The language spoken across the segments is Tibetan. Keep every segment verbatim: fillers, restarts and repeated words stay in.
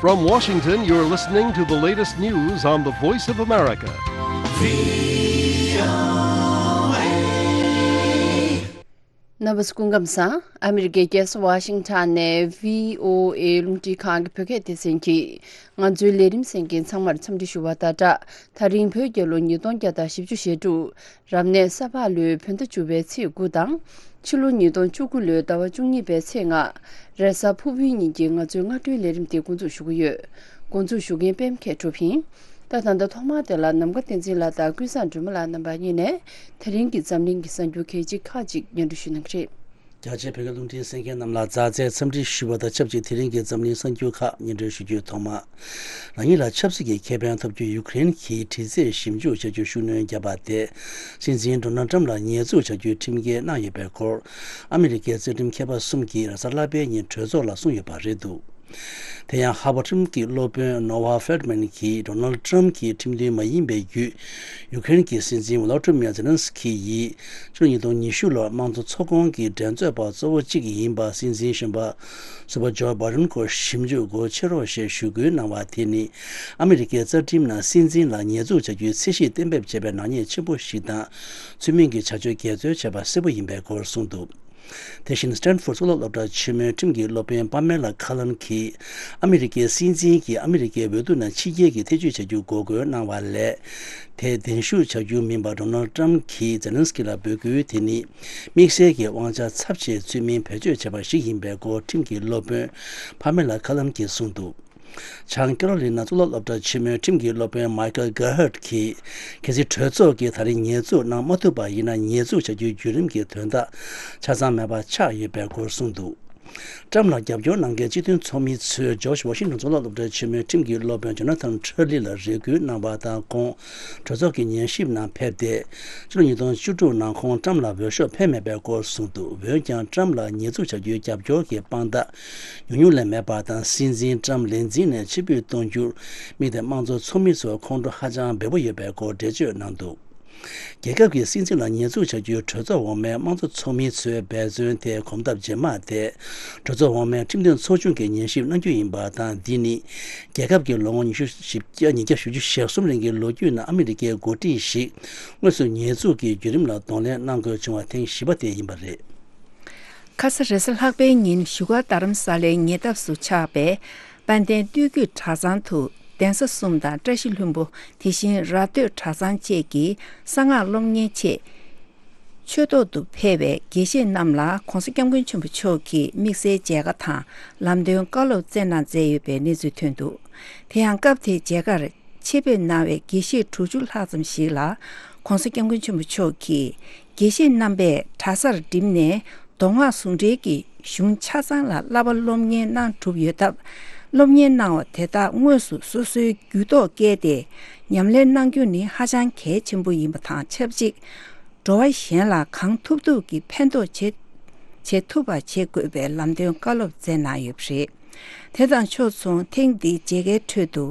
From Washington, you're listening to the latest news on the Voice of America. རྣམ་པ་ཚོ་སྐུ་ཁམས་བཟང་། ཨ་མི་རི་ཀའི་རྒྱལ་ས་ཝ་ཤིང་ཊོན་ནས་བྷི་ཨོ་ཨེ་རླུང་འཕྲིན་ཁང་གི་བོད་སྐད་སྡེ་ཚན་གྱིས་ང་ཚོའི་ལས་རིམ་གསན་མཁན་ཚང་མར་འཚམས་འདྲི་ཞུ་བ་དང་སྦྲགས། ད་རིང་བོད་རྒྱལ་ལོ་ཉིས་སྟོང་བརྒྱ་དང་བཞི་བཅུ་ཞེ་དྲུག་རབ་གནས་ས་ཕག་ལོའི་བོད་ཟླ་བཅུ་པའི་ཚེས་དགུ་དང་། ཕྱི་ལོ་ཉིས་སྟོང་བཅུ་དགུ་ལོའི་ཟླ་བ་བཅུ་གཉིས་པའི་ཚེས་ལྔ། རེས་གཟའ་ཕུར་བུའི་ཉིན་གྱི་ང་ཚོའི་སྔ་དྲོའི་ལས་རིམ་དེ་འགོ་འཛུགས་ཞུ་གི་ཡོད། འགོ་འཛུགས་ཞུ་མཁན་པད་མ་མཁས་གྲུབ་ཡིན། ད་ད་ལྟ་ཐོག་མར་དེ་ལ་ནམ་མཁའ་བསྟན་འཛིན་ལགས་དང་ཀུན་བཟང་སྒྲོལ་མ་ལགས་རྣམ་པ་གཉིས་ནས་དེ་རིང་གི་འཛམ་གླིང་གི་གསར་འགྱུར་གལ་ཆེ་ཁག་ཅིག་སྙན་སྒྲོན་ཞུ་གནང་གི་རེད། རྒྱ་ཆེའི་བོད་སྐད་རླུང་འཕྲིན་གསན་མཁན་རྣམས་ལ་མཛའ་བརྩེའི་འཚམས་འདྲི་ཞུ་བ་དང་ཆབས་ཅིག་དེ་རིང་གི་འཛམ་གླིང་གསར་འགྱུར་ཁག་སྙན་སྒྲོན་ཞུ་རྒྱུའི་ཐོག་མ། རང་ཉིད་ལ་ཆབ་སྲིད་ཀྱི་ཁེ་ཕན་ཐོབ་རྒྱུ་ཡུཀ་རེན་གྱིས་དྲི་རྩད་ཞིབ་འཇུག་བྱ་རྒྱུར་ཤུགས་སྣོན་བརྒྱབ་པ་དེ། སྲིད་འཛིན་ཌོ་ནལ་ཊམ་ལ་ཉེས་འཛུགས་བྱ་རྒྱུའི་ཁྲིམས་འགལ་གནང་ཡོད་པའི་སྐོར། ཨ་མི་རི་ཀའི་རྩ་ཁྲིམས་མཁས་པ་གསུམ་གྱིས་རེས་གཟའ་ལྷག་པའི་ཉིན་གྲོས་ཚོགས་ལ་གསུངས་ཡོད་པ་རེད་འདུག་དེ་ཡང་ཧར་ཝར་ཁྲིམས་ཀྱི་སློབ་དཔོན་ནོ་ཝ་ཧྥེལ་ཌི་མན་གྱིས་ཌོ་ནལ་ཌི་ཊམ་གྱི་ཁྲིམས་མཐུན་མ་ཡིན་པའི་བརྒྱུད། ཡུ་ཀེ་རེན་གྱི་སྲིད་འཛིན་ཝོ་ལོ་ཏི་མིར་ཛེ་ལན་སི་ཁི་ཡིས་ཕྱི་ལོ་ཉིས་སྟོང་ཉི་ཤུ་ལོར་དམངས་གཙོ་ཚོགས་ཁོངས་ཀྱི་འགྲན་རྩོད་པ་གཙོ་བོ་གཅིག་ཡིན་པ། སྲིད་འཛིན་གཞོན་པ་ཟུར་པ་ཇོ་བྷའི་ཌེན་སྐོར་ཞིབ་འཇུག་སྒོ་ཕྱེ་རོགས་ཞེས་ཞུ་སྐུལ་གནང་བ་དེ་ནི། ཨ་མི་རི་ཀའི་རྩ་ཁྲིམས་ནང་སྲིད་འཛིན་ལ་ཉེས་འཛུགས་བྱ་རྒྱུའི་ཚད་གཞི་གཏན་འབེབས་བྱས་པའི་ནག་ཉེས་ཆེན་པོ་ཞིག་དང་། ཚུལ་མིན་གྱི་བྱ་སྤྱོད་འགལ་འཛོལ་བྱས་པ་གསལ་པོ་ཡིན་པའི་སྐོར་གསུངས་འདུག་དེ་བཞིན་སི་ཊན་ཕོར་ཌི་གཙུག་ལག་སློབ་གྲྭ་ཆེན་མོའི་ཁྲིམས་ཀྱི་སློབ་དཔོན་པ་མེ་ལ་ཁ་ལན་གྱིས། ཨ་མི་རི་ཀའི་སྲིད་འཛིན་གྱིས་ཨ་མི་རི་ཀའི་འོས་བསྡུ་ནང་ཕྱི་རྒྱལ་གྱི་ཐེ་བྱུས་བྱ་རྒྱུ་འགོག་རྒོལ་གནང་བ་ལས། དེ་གདན་ཞུ་བྱ་རྒྱུ་མིན་པར་ཌོ་ནལ་ཌི་ཊམ་གྱིས་ཛེ་ལན་སི་ཀི་ལ་འབོད་སྐུལ་དེ་ནི། དམིགས་བསལ་གྱི་དབང་ཆ་ཚབས་ཆེའི་ཚུལ་མིན་བེད་སྤྱོད་བྱས་པ་ཞིག་ཡིན་པའི་སྐོར་ཁྲིམས་ཀྱི་སློབ་དཔོན་པ་མེ་ལ་ཁ་ལན་གྱིས་གསུངས་འདུག་བྱང་ཀེ་རོ་ལི་ན་གཙུག་ལག་སློབ་གྲྭ་ཆེན་མོའི་ཁྲིམས་ཀྱི་སློབ་དཔོན་མའི་ཀལ་གྷར་ཧར་ཊི་གྱིས། གལ་སྲིད་གྲོས་ཚོགས་ཀྱིས་ད་རེས་ཉེས་འཛུགས་གནང་མ་ཐུབ་པ་ཡིན་ན། ཉེས་འཛུགས་བྱ་རྒྱུའི་བརྒྱུད་རིམ་གྱི་དོན་དག་ཆ་ཚང་མེད་པ་ཆགས་ཡོད་པའི་སྐོར་གསུངས་འདུག་ཊམ་ལ་རྒྱབ་སྐྱོར་གནང་མཁན་སྤྱི་མཐུན་ཚོགས་མི་ཚོས་ཇོརྗ་ཝ་ཤིང་ཊོན་གཙུག་ལག་སློབ་གྲྭ་ཆེན་མོའི་ཁྲིམས་ཀྱི་སློབ་དཔོན་ཇོ་ན་ཐན་ཁྲ་ལི་ལ་རེ་སྐུལ་གནང་བ་དང་། ཁོང་གྲོས་ཚོགས་ཀྱི་ཉན་ཞིབ་ནང་ཕེབས་ཏེ། ཕྱི་ལོ་ཉིས་སྟོང་བཅུ་དྲུག་ནང་ཁོང་ཊམ་ལ་འོས་ཤོག་འཕེན་མེད་པའི་སྐོར་གསུངས་འདུག་འོན་ཀྱང་ཊམ་ལ་ཉེས་འཛུགས་བྱ་རྒྱུའི་རྒྱབ་སྐྱོར་གྱི་དཔང་རྟགས་ཉུང་ཉུང་ལས་མེད་པ་དང་། སྲིད་འཛིན་ཊམ་ལས་འཛིན་ནས་ཕྱིར་འབུད་གཏོང་རྒྱུར་དམིགས་ཏེ། དམངས་གཙོ་ཚོགས་མི་ཚོར་ཁོང་ཁྲོ་ཧ་ཅང་འབེལ་པོ་ཡོད་པའི་སྐོར་འགྲེལ་བརྗོད་གནང་འདུག་རྒྱལ་ཁབ་ཀྱི་སྲིད་འཛིན་ལ་ཉེས་འཛུགས་བྱ་རྒྱུའི་གྲོས་ཚོགས་འོག་མའི་དམངས་གཙོ་ཚོགས་མི་ཚོའི་འབད་བརྩོན་དེ་གོམ་སྟབས་རྗེས་མ་དེ། གྲོས་ཚོགས་འོག་མའི་ཁྲིམས་དོན་ཚོགས་ཆུང་གིས་ཉན་ཞིབ་གནང་རྒྱུ་ཡིན་པ་དང་། འདི་ནི་རྒྱལ་ཁབ་ཀྱི་ལོ་ངོ་ཉི་ཤུ་བཞི་བརྒྱ་ཉིས་བརྒྱ་བཞི་བཅུ་ཞེ་གསུམ་རིང་གི་ལོ་རྒྱུས་ནང་ཨ་མི་རི་ཀའི་འགོ་ཁྲིད་ཞིག་དངོས་སུ་ཉེས་འཛུགས་ཀྱི་བརྒྱུད་རིམ་ལ་གདོང་ལེན་གནང་དགོས་བྱུང་བ་ཐེངས་བཞི་པ་དེ་ཡིན་པ་རེད། ཁ་ས་རེས་གཟའ་ལྷག་པའི་ཉིན་བཞུགས་སྒར་རྡ་རམ་ས་ལའི་ཉེ་འདབས་སུ་ཆགས་པའི་དཔལ་ལྡན་སྟོད་རྒྱུད་གྲྭ་ཚང་དུ་གདན་ས་གསུམ་དང་བཀྲ་ཤིས་ལྷུན་པོ། དེ་བཞིན་ར་སྟོད་གྲྭ་ཚང་བཅས་ཀྱི་གསང་སྔགས་སློབ་གཉེར་ཆེད་ཆོས་ཐོག་ཏུ་ཕེབས་པའི་དགེ་བཤེས་རྣམས་ལ་༸གོང་ས་༸སྐྱབས་མགོན་ཆེན་པོ་མཆོག་གིས་དམིགས་བསལ་མཇལ་ཁ་དང་ལམ་སྟོན་བཀའ་སློབ་སྩལ་གནང་མཛད་ཡོད་པའི་གནས་ཚུལ་ཐོན་འདུག་དེ་ཡང་སྐབས་དེའི་མཇལ་ཁར་ཆེད་ཕེབས་གནང་བའི་དགེ་བཤེས་དྲུག་ཅུ་ལྷག་ཙམ་ཞིག་ལ་༸གོང་ས་༸སྐྱབས་མགོན་ཆེན་པོ་མཆོག་གིས་དགེ་བཤེས་རྣམ་པས་གྲྭ་སར་འགྲིམས་ནས་མདོ་སྔགས་ཟུང་འབྲེལ་གྱི་གཞུང་ཆ་ཚང་ལ་བསླབ་པ་སློབ་གཉེར་གནང་གྲུབ་ཡོད་སྟབས། སློབ་གཉེར་གནང་བ་དེ་དག་དངོས་སུ་སོ་སོའི་རྒྱུད་ཐོག་བསྐྱལ་ཏེ་ཉམས་ལེན་གནང་རྒྱུ་ནི་ཧ་ཅང་གལ་ཆེན་པོ་ཡིན་པ་དང་ཆབས་ཅིག་འགྲོ་བ་གཞན་ལ་གང་ཐུབ་ཐུབ་ཀྱིས་ཕན་ཐོགས་བྱེད་བྱེད་ཐུབ་པ་བྱེད་དགོས་པའི་ལམ་སྟོན་བཀའ་སློབ་སྩལ་གནང་ཡོད་པ་རེད། དེ་དང་ཕྱོགས་མཚུངས་ཐེངས་འདིའི་མཇལ་ཁའི་ཁྲོད་དུ་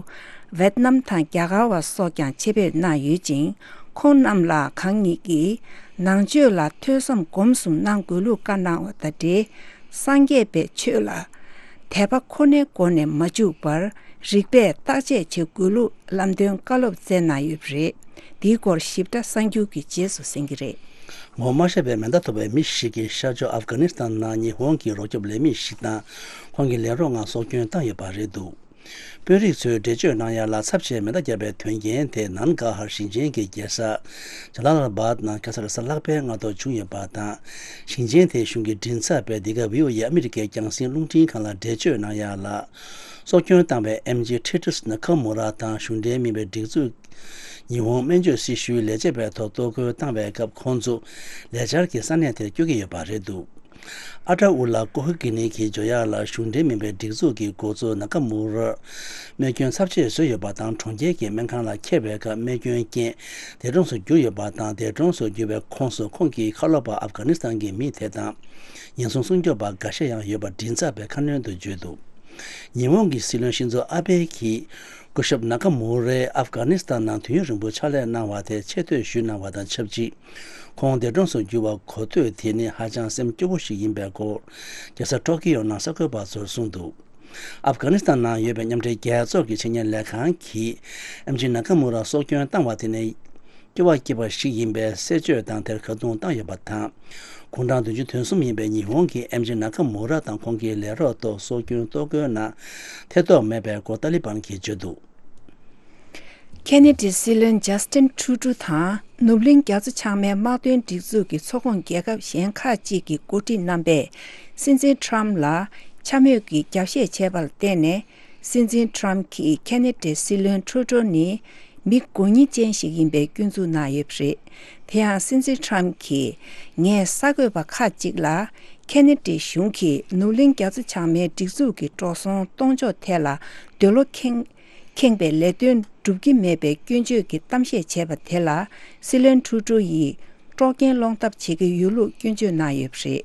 ཝེད་ནམ་དང་རྒྱ་གར་བ་སོགས་ཀྱང་ཆེད་ཕེབས་གནང་ཡོད་ཅིང་། ཁོང་རྣམས་ལ་གང་ཉིད་ཀྱིས་ནང་ཆོས་ལ་ཐོས་བསམ་སྒོམ་གསུམ་གནང་དགོས་ལུགས་བཀའ་གནང་བ་དང་འབྲེལ། སངས་རྒྱས་པའི་ཆོས་ལ་དད་པ་ཁོ་ནའི་སྒོ་ནས་མ་འཇུག་པར་རིགས་པས་བརྟག་དཔྱད་བྱེད་དགོས་ལུགས་ལམ་སྟོན་བཀའ་སློབ་སྩལ་གནང་ཡོད་པ་རེད། འདིའི་སྐོར་ཞིབ་ཕྲ་གསར་འགྱུར་གྱི་རྗེས་སུ་གསན་གྱི་རེད། ངོ་མ་ཤེས་པའི་མེ་མདའ་ཐོགས་པའི་མི་ཞིག་གིས་ཤར་ཕྱོགས་ཨབ་གྷ་ནི་སི་ཐན་ནང་ཉི་ཧོང་གི་རོགས་སྐྱོབ་ལས་མི་ཞིག་དང་ཁོང་གི་ལས་རོགས་ལྔ་སྲོག་སྐྱོན་བཏང་ཡོད་པ་རེད་འདུག་དཔོན་རིགས་ཚོས་འགྲེལ་བརྗོད་གནང་ཡ་ལ། ཚབས་ཆེའི་མེ་མདའ་བརྒྱབ་པའི་དོན་རྐྱེན་དེ་ནན་གྷ་ཧར་ཞིང་ཆེན་གྱི་རྒྱལ་ས་ཇ་ལ་ལ་བཱད་ནང་ཁ་སང་རེས་གཟའ་ལྷག་པའི་སྔ་དྲོ་བྱུང་ཡོད་པ་དང་། ཞིང་ཆེན་དེའི་གཞུང་གི་མགྲིན་ཚབ་པས་འདི་ག་བྷི་ཨོ་ཨེ་ཨ་མི་རི་ཀའི་རྒྱང་སྲིང་རླུང་འཕྲིན་ཁང་ལ་འགྲེལ་བརྗོད་གནང་ཡ་ལ། སྲོག་སྐྱོན་བཏང་བའི་ཨེམ་ཆི་ཁྲི་ཊི་སི་ན་ཁ་མུ་ར་དང་གཞུང་འབྲེལ་མིན་པའི་སྒྲིག་འཛུགས་ཉི་ཧོང་སྨན་བཅོས་སྲི་ཞུའི་ལས་བྱེད་པའི་ཐོག་གཏོར་རྒོལ་བཏང་བའི་སྐབས། ཁོང་ཚོ་ལས་འཆར་གྱི་ས་གནས་དེར་བསྐྱོད་ཀྱི་ཡོད་པ་རེད་འདུག་ཨ་ཏྲ་ཨུ་ལ་ཀོ་ཧི་གི་ནི་གི་འབྱོར་ཡག་ལ་གཞུང་འབྲེལ་མིན་པའི་སྒྲིག་འཛུགས་ཀྱི་འགོ་གཙོ་ན་ཀ་མུ་རར་རྨས་སྐྱོན་ཚབས་ཆེ་བཟོས་ཡོད་པ་དང་། གྲོང་ཁྱེར་གྱི་སྨན་ཁང་ལ་འཁྱེར་བའི་སྐབས་རྨས་སྐྱོན་རྐྱེན་འདས་གྲོངས་སུ་གྱུར་ཡོད་པ་དང་། འདས་གྲོངས་སུ་གྱུར་བའི་ཁོངས་སུ་ཁོང་གི་ཁ་ལོ་པ་ཨབ་གྷ་ནི་སི་ཐན་གྱི་མི་དེ་དང་། ཉེན་སྲུང་སྲུང་སྐྱོབ་པ་འགའ་ཤས་ཡང་ཡོད་པ་མགྲིན་ཚབ་པས་ཁ་སྣོན་དུ་བརྗོད་འདུག་ཉི་ཧོང་གི་སྲིད་བློན་ཤིན་ཛོ་ཨ་བྷེ་གིས་སྐུ་ཞབས་ན་ཀ་མུ་རའི་ཨབ་གྷ་ནི་སི་ཐན་ནང་དུས་ཡུན་རིང་པོ་ཕྱག་ལས་གནང་བ་དེ་ཆེ་བསྟོད་ཞུས་གནང་བ་དང་ཆབས་ཅིག་ཁོང་འདས་གྲོངས་སུ་གྱུར་བ་གོ་ཐོས་དེ་ནི་ཧ་ཅང་སེམས་སྐྱོ་པོ་ཞིག་ཡིན་པའི་སྐོར་རྒྱལ་ས་ཊོ་ཀི་ཡོ་ནང་གསར་འགོད་པ་ཚོར་གསུངས་འདུག་ཨབ་གྷ་ནི་སི་ཐན་ནང་ཡོད་པའི་མཉམ་འབྲེལ་རྒྱལ་ཚོགས་ཀྱི་ཆེད་གཉེར་ལས་ཁང་གིས་ཨེམ་ཇི་ན་ཀ་མུ་ར་སྲོག་སྐྱོན་བཏང་བ་དེ་ནི་སྐྱོ་བ་སྐྱེས་པ་ཞིག་ཡིན་པའི་གསལ་བརྗོད་དང་དེར་ཁ་རྡུང་བཏང་ཡོད་པ་དང་། དགུང་གྲངས་བདུན་ཅུ་དོན་གསུམ་ཡིན་པའི་ཉི་ཧོང་གི་ཨེམ་ཇི་ན་ཀ་མུ་ར་དང་ཁོང་གི་ལས་རོགས་ཐོག་སྲོག་སྐྱོན་ལྟོ་གོས་ནང་ཐེ་གཏོགས་མེད་པའི་སྐོར་ཏཱ་ལི་བན་གྱིས་བརྗོད་འདུག། ཁེ་ནེ་ཌི་སྲིད་བློན་ཇ་སི་ཊིན་ཁྲུ་ཌོ་དང་ནུབ་གླིང་རྒྱ་མཚོ་བྱང་མའི་དམག་དོན་སྒྲིག་འཛུགས་ཀྱི་ཚོགས་ཁོངས་རྒྱལ་ཁབ་གཞན་ཁག་ཅིག་གི་འགོ་ཁྲིད་རྣམ་པས་སྲིད་འཛིན་ཁྲམ་ལ་འཕྱ་སྨོད་ཀྱི་རྒྱབ་བཤད་བྱས་པ་ལ་བརྟེན་ནས། སྲིད་འཛིན་ཁྲམ་གྱིས་ཁེ་ནེ་ཌི་སྲིད་བློན་ཁྲུ་ཌོ་ནི་མི་མགོ་གཉིས་ཅན་ཞིག་ཡིན་པའི་སྐྱོན་འཛུགས་གནང་ཡོད་པ་རེད། དེ་ཡང་སྲིད་འཛིན་ཁྲམ་གྱིས། ངས་གསར་འགོད་པ་ཁག་ཅིག་ལ། ཁེ་ནེ་ཌི་གཞུང་གིས་ནུབ་གླིང་རྒྱ་མཚོ་བྱང་མའི་སྒྲིག་འཛུགས་ཀྱི་འགྲོ་སོང་གཏོང་ཕྱོགས་ཐད་ལ་འདོད་བློ་ཁེངས། ཁེངས་པའི་ལས་དོན་སྒྲུབ་ཀྱི་མེད་པའི་སྐྱོན་བརྗོད་ཀྱི་གཏམ་བཤད་བྱས་པ་དེ་ལ་སྲིད་བློན་ཁྲུ་ཌོ་ཡིས་དཀྲོག་རྐྱེན་སློང་ཐབས་བྱེད་ཀྱི་ཡོད་ལུགས་སྐྱོན་བརྗོད་གནང་ཡོད་པ་རེད།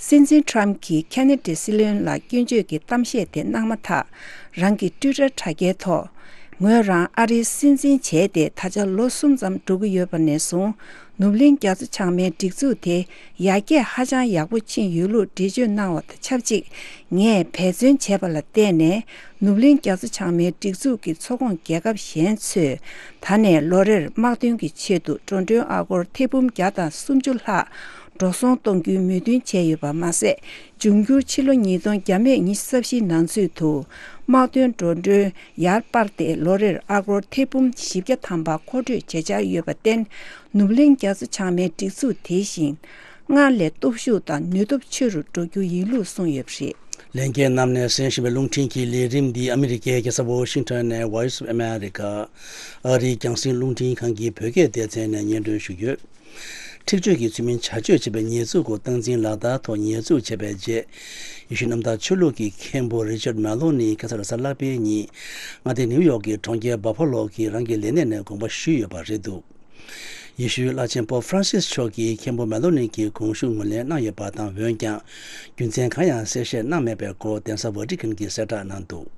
སྲིད་འཛིན་ཁྲམ་གྱིས་ཁེ་ནེ་ཌི་སྲིད་བློན་ལ་སྐྱོན་བརྗོད་ཀྱི་གཏམ་བཤད་དེ་གནང་མ་ཐག་རང་གི་ཊུའི་ཊར་དྲ་རྒྱའི་ཐོག་ངོས་རང་ཨ་རིའི་སྲིད་འཛིན་བྱས་ཏེ་ད་ཆ་ལོ་གསུམ་ཙམ་འགྲོ་གི་ཡོད་པ་ནས་བཟུང་། ནུབ་གླིང་རྒྱ་མཚོ་བྱང་མའི་སྒྲིག་འཛུགས་དེ་ཡར་རྒྱས་ཧ་ཅང་ཡག་པོ་ཕྱིན་ཡོད་ལུགས་འགྲེལ་བརྗོད་གནང་བ་དང་ཆབས་ཅིག་ངས་འབད་བརྩོན་བྱས་པ་ལ་བརྟེན་ནས། ནུབ་གླིང་རྒྱ་མཚོ་བྱང་མའི་སྒྲིག་འཛུགས་ཀྱི་ཚོགས་ཁོངས་རྒྱལ་ཁབ་གཞན་ཚོས་ད་ནས་ལོ་རེར་དམག་དོན་གྱི་ཆེད་དུ་འགྲོ་གྲོན་ཨ་སྒོར་ཐེར་འབུམ་བརྒྱ་དང་སུམ་ཅུ་ལྷག་འགྲོ་སོང་གཏོང་རྒྱུའི་མོས་མཐུན་བྱས་ཡོད་པ་མ་ཟད། འབྱུང་འགྱུར་ཕྱི་ལོ་ཉིས་སྟོང་བརྒྱ་མེད་ཉི་ཤུ་རྩ་བཞིའི་ནང་ཚུད་དུ་དམག་དོན་འགྲོ་གྲོན་ཡར་སྤར་ཏེ་ལོ་རེར་ཨ་སྒོར་ཐེར་འབུམ་བཞི་བརྒྱ་ཐམ་པ་མཁོ་སྤྲོད་བྱེད་འཆར་ཡོད་པར་བརྟེན། ནུབ་གླིང་རྒྱ་མཚོ་བྱང་མའི་སྒྲིག་འཛུགས་དེ་བཞིན་སྔར་ལས་སྟོབས་ཤུགས་དང་ནུས་སྟོབས་ཆེ་རུ་འགྲོ་རྒྱུ་ཡིན་ལུགས་གསུངས་ཡོད་པ་རེད། ལྷན་རྒྱས་རྣམས་ནས་གསན་བཞིན་པའི་རླུང་འཕྲིན་གྱི་ལས་རིམ་འདི་ཨ་མི་རི་ཀའི་རྒྱལ་ས་ཝོ་ཤིང་ཊོན་ནས་Voice of America། ཨ་རིའི་རྒྱང་སྲིང་རླུང་འཕྲིན་ཁང་གི་བོད་སྐད་སྡེ་ཚན་ནས་སྙན་སྒྲོན་ཞུ་རྒྱུ། འཁྲིག་སྤྱོད་ཀྱི་ཚུལ་མིན་བྱ་སྤྱོད་བྱེད་པའི་ཉེས་འཛུགས་སྐོར་སྟངས་འཛིན་ལག་བསྟར་ཐོག་ཉེས་འཛུགས་བྱས་པའི་རྗེས། ཡེ་ཤུ་གནམ་བདག་ཆོས་ལུགས་ཀྱི་མཁན་པོ་རི་ཅར་མེ་ལོ་ནི་ཁ་སང་རེས་གཟའ་ལྷག་པའི་ཉིན་མངའ་སྡེ་ནིའུ་ཡོག་གི་གྲོང་ཁྱེར་བྷ་ཕ་ལོ་གི་རང་གི་ལས་གནས་ནས་དགོངས་པ་ཞུས་ཡོད་པ་རེད་འདུག། ཡེ་ཤུའི་བླ་ཆེན་པོབ་ཧྥ་རན་སིས་མཆོག་གིས་མཁན་པོ་མེ་ལོ་ནི་གི་དགོངས་ཞུ་ངོས་ལེན་གནང་ཡོད་པ་དང་། འོན་ཀྱང་རྒྱུ་མཚན་གང་ཡང་གསལ་བཤད་གནང་མེད་པའི་སྐོར་གདན་ས་ཝ་ཏི་ཀན་གྱིས་གསལ་བསྒྲགས་གནང་འདུག།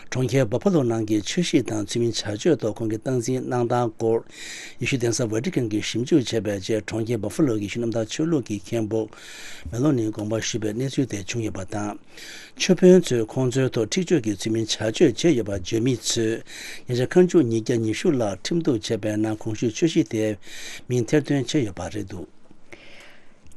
གྲོང་ཁྱེར་བྷ་ཕ་ལོ་ནང་གི་ཆོས་གཞིས་དང་ཚུལ་མིན་བྱ་སྤྱོད་ཐོག་ཁོང་གིས་སྟངས་འཛིན་གནང་སྟངས་སྐོར། ཡེ་ཤུ་གདན་ས་ཝ་ཏི་ཀན་གྱིས་ཞིབ་འཇུག་བྱས་པའི་རྗེས། གྲོང་ཁྱེར་བྷ་ཕ་ལོ་གི་ཡེ་ཤུ་གནམ་བདག་ཆོས་ལུགས་ཀྱི་མཁན་པོ་མེ་ལོ་ནི་དགོངས་པ་ཞུས་པའི་གནས་ཚུལ་དེ་བྱུང་ཡོད་པ་དང་། ཆོས་དཔོན་ཚོས་ཁོང་ཚོའི་ཐོག་འཁྲིག་སྤྱོད་ཀྱི་ཚུལ་མིན་བྱ་སྤྱོད་བྱས་ཡོད་པ་བརྗོད་མི་ཚོས་ཉེ་ཆར་ཁ་མཆུ་ཉིས་བརྒྱ་ཉི་ཤུ་ལྷག་ཁྲིམས་གཏུག་བྱས་པའི་ནང་གོང་ཞུས་ཆོས་གཞིས་དེའི་མིང་ཐེར་འདོན་བྱས་ཡོད་པ་རེད་འདུག།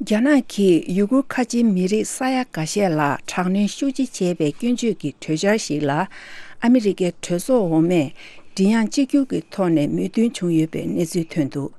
རྒྱ་ནག་གིས་ཡུ་གུར་ཁ་ཆེའི་མི་རིགས་ས་ཡ་འགའ་ཤས་ལ་དྲག་གནོན་ཤུགས་ཆེ་བྱས་པའི་སྐྱོན་བརྗོད་ཀྱི་གྲོས་འཆར་ཞིག་ལ་ཨ་མི་རི་ཀའི་གྲོས་ཚོགས་འོག་མས་མགྲིན་དབྱངས་གཅིག་གྱུར་གྱི་ཐོག་ནས་མོས་མཐུན་བྱུང་ཡོད་པའི་གནས་ཚུལ་ཐོན་འདུག།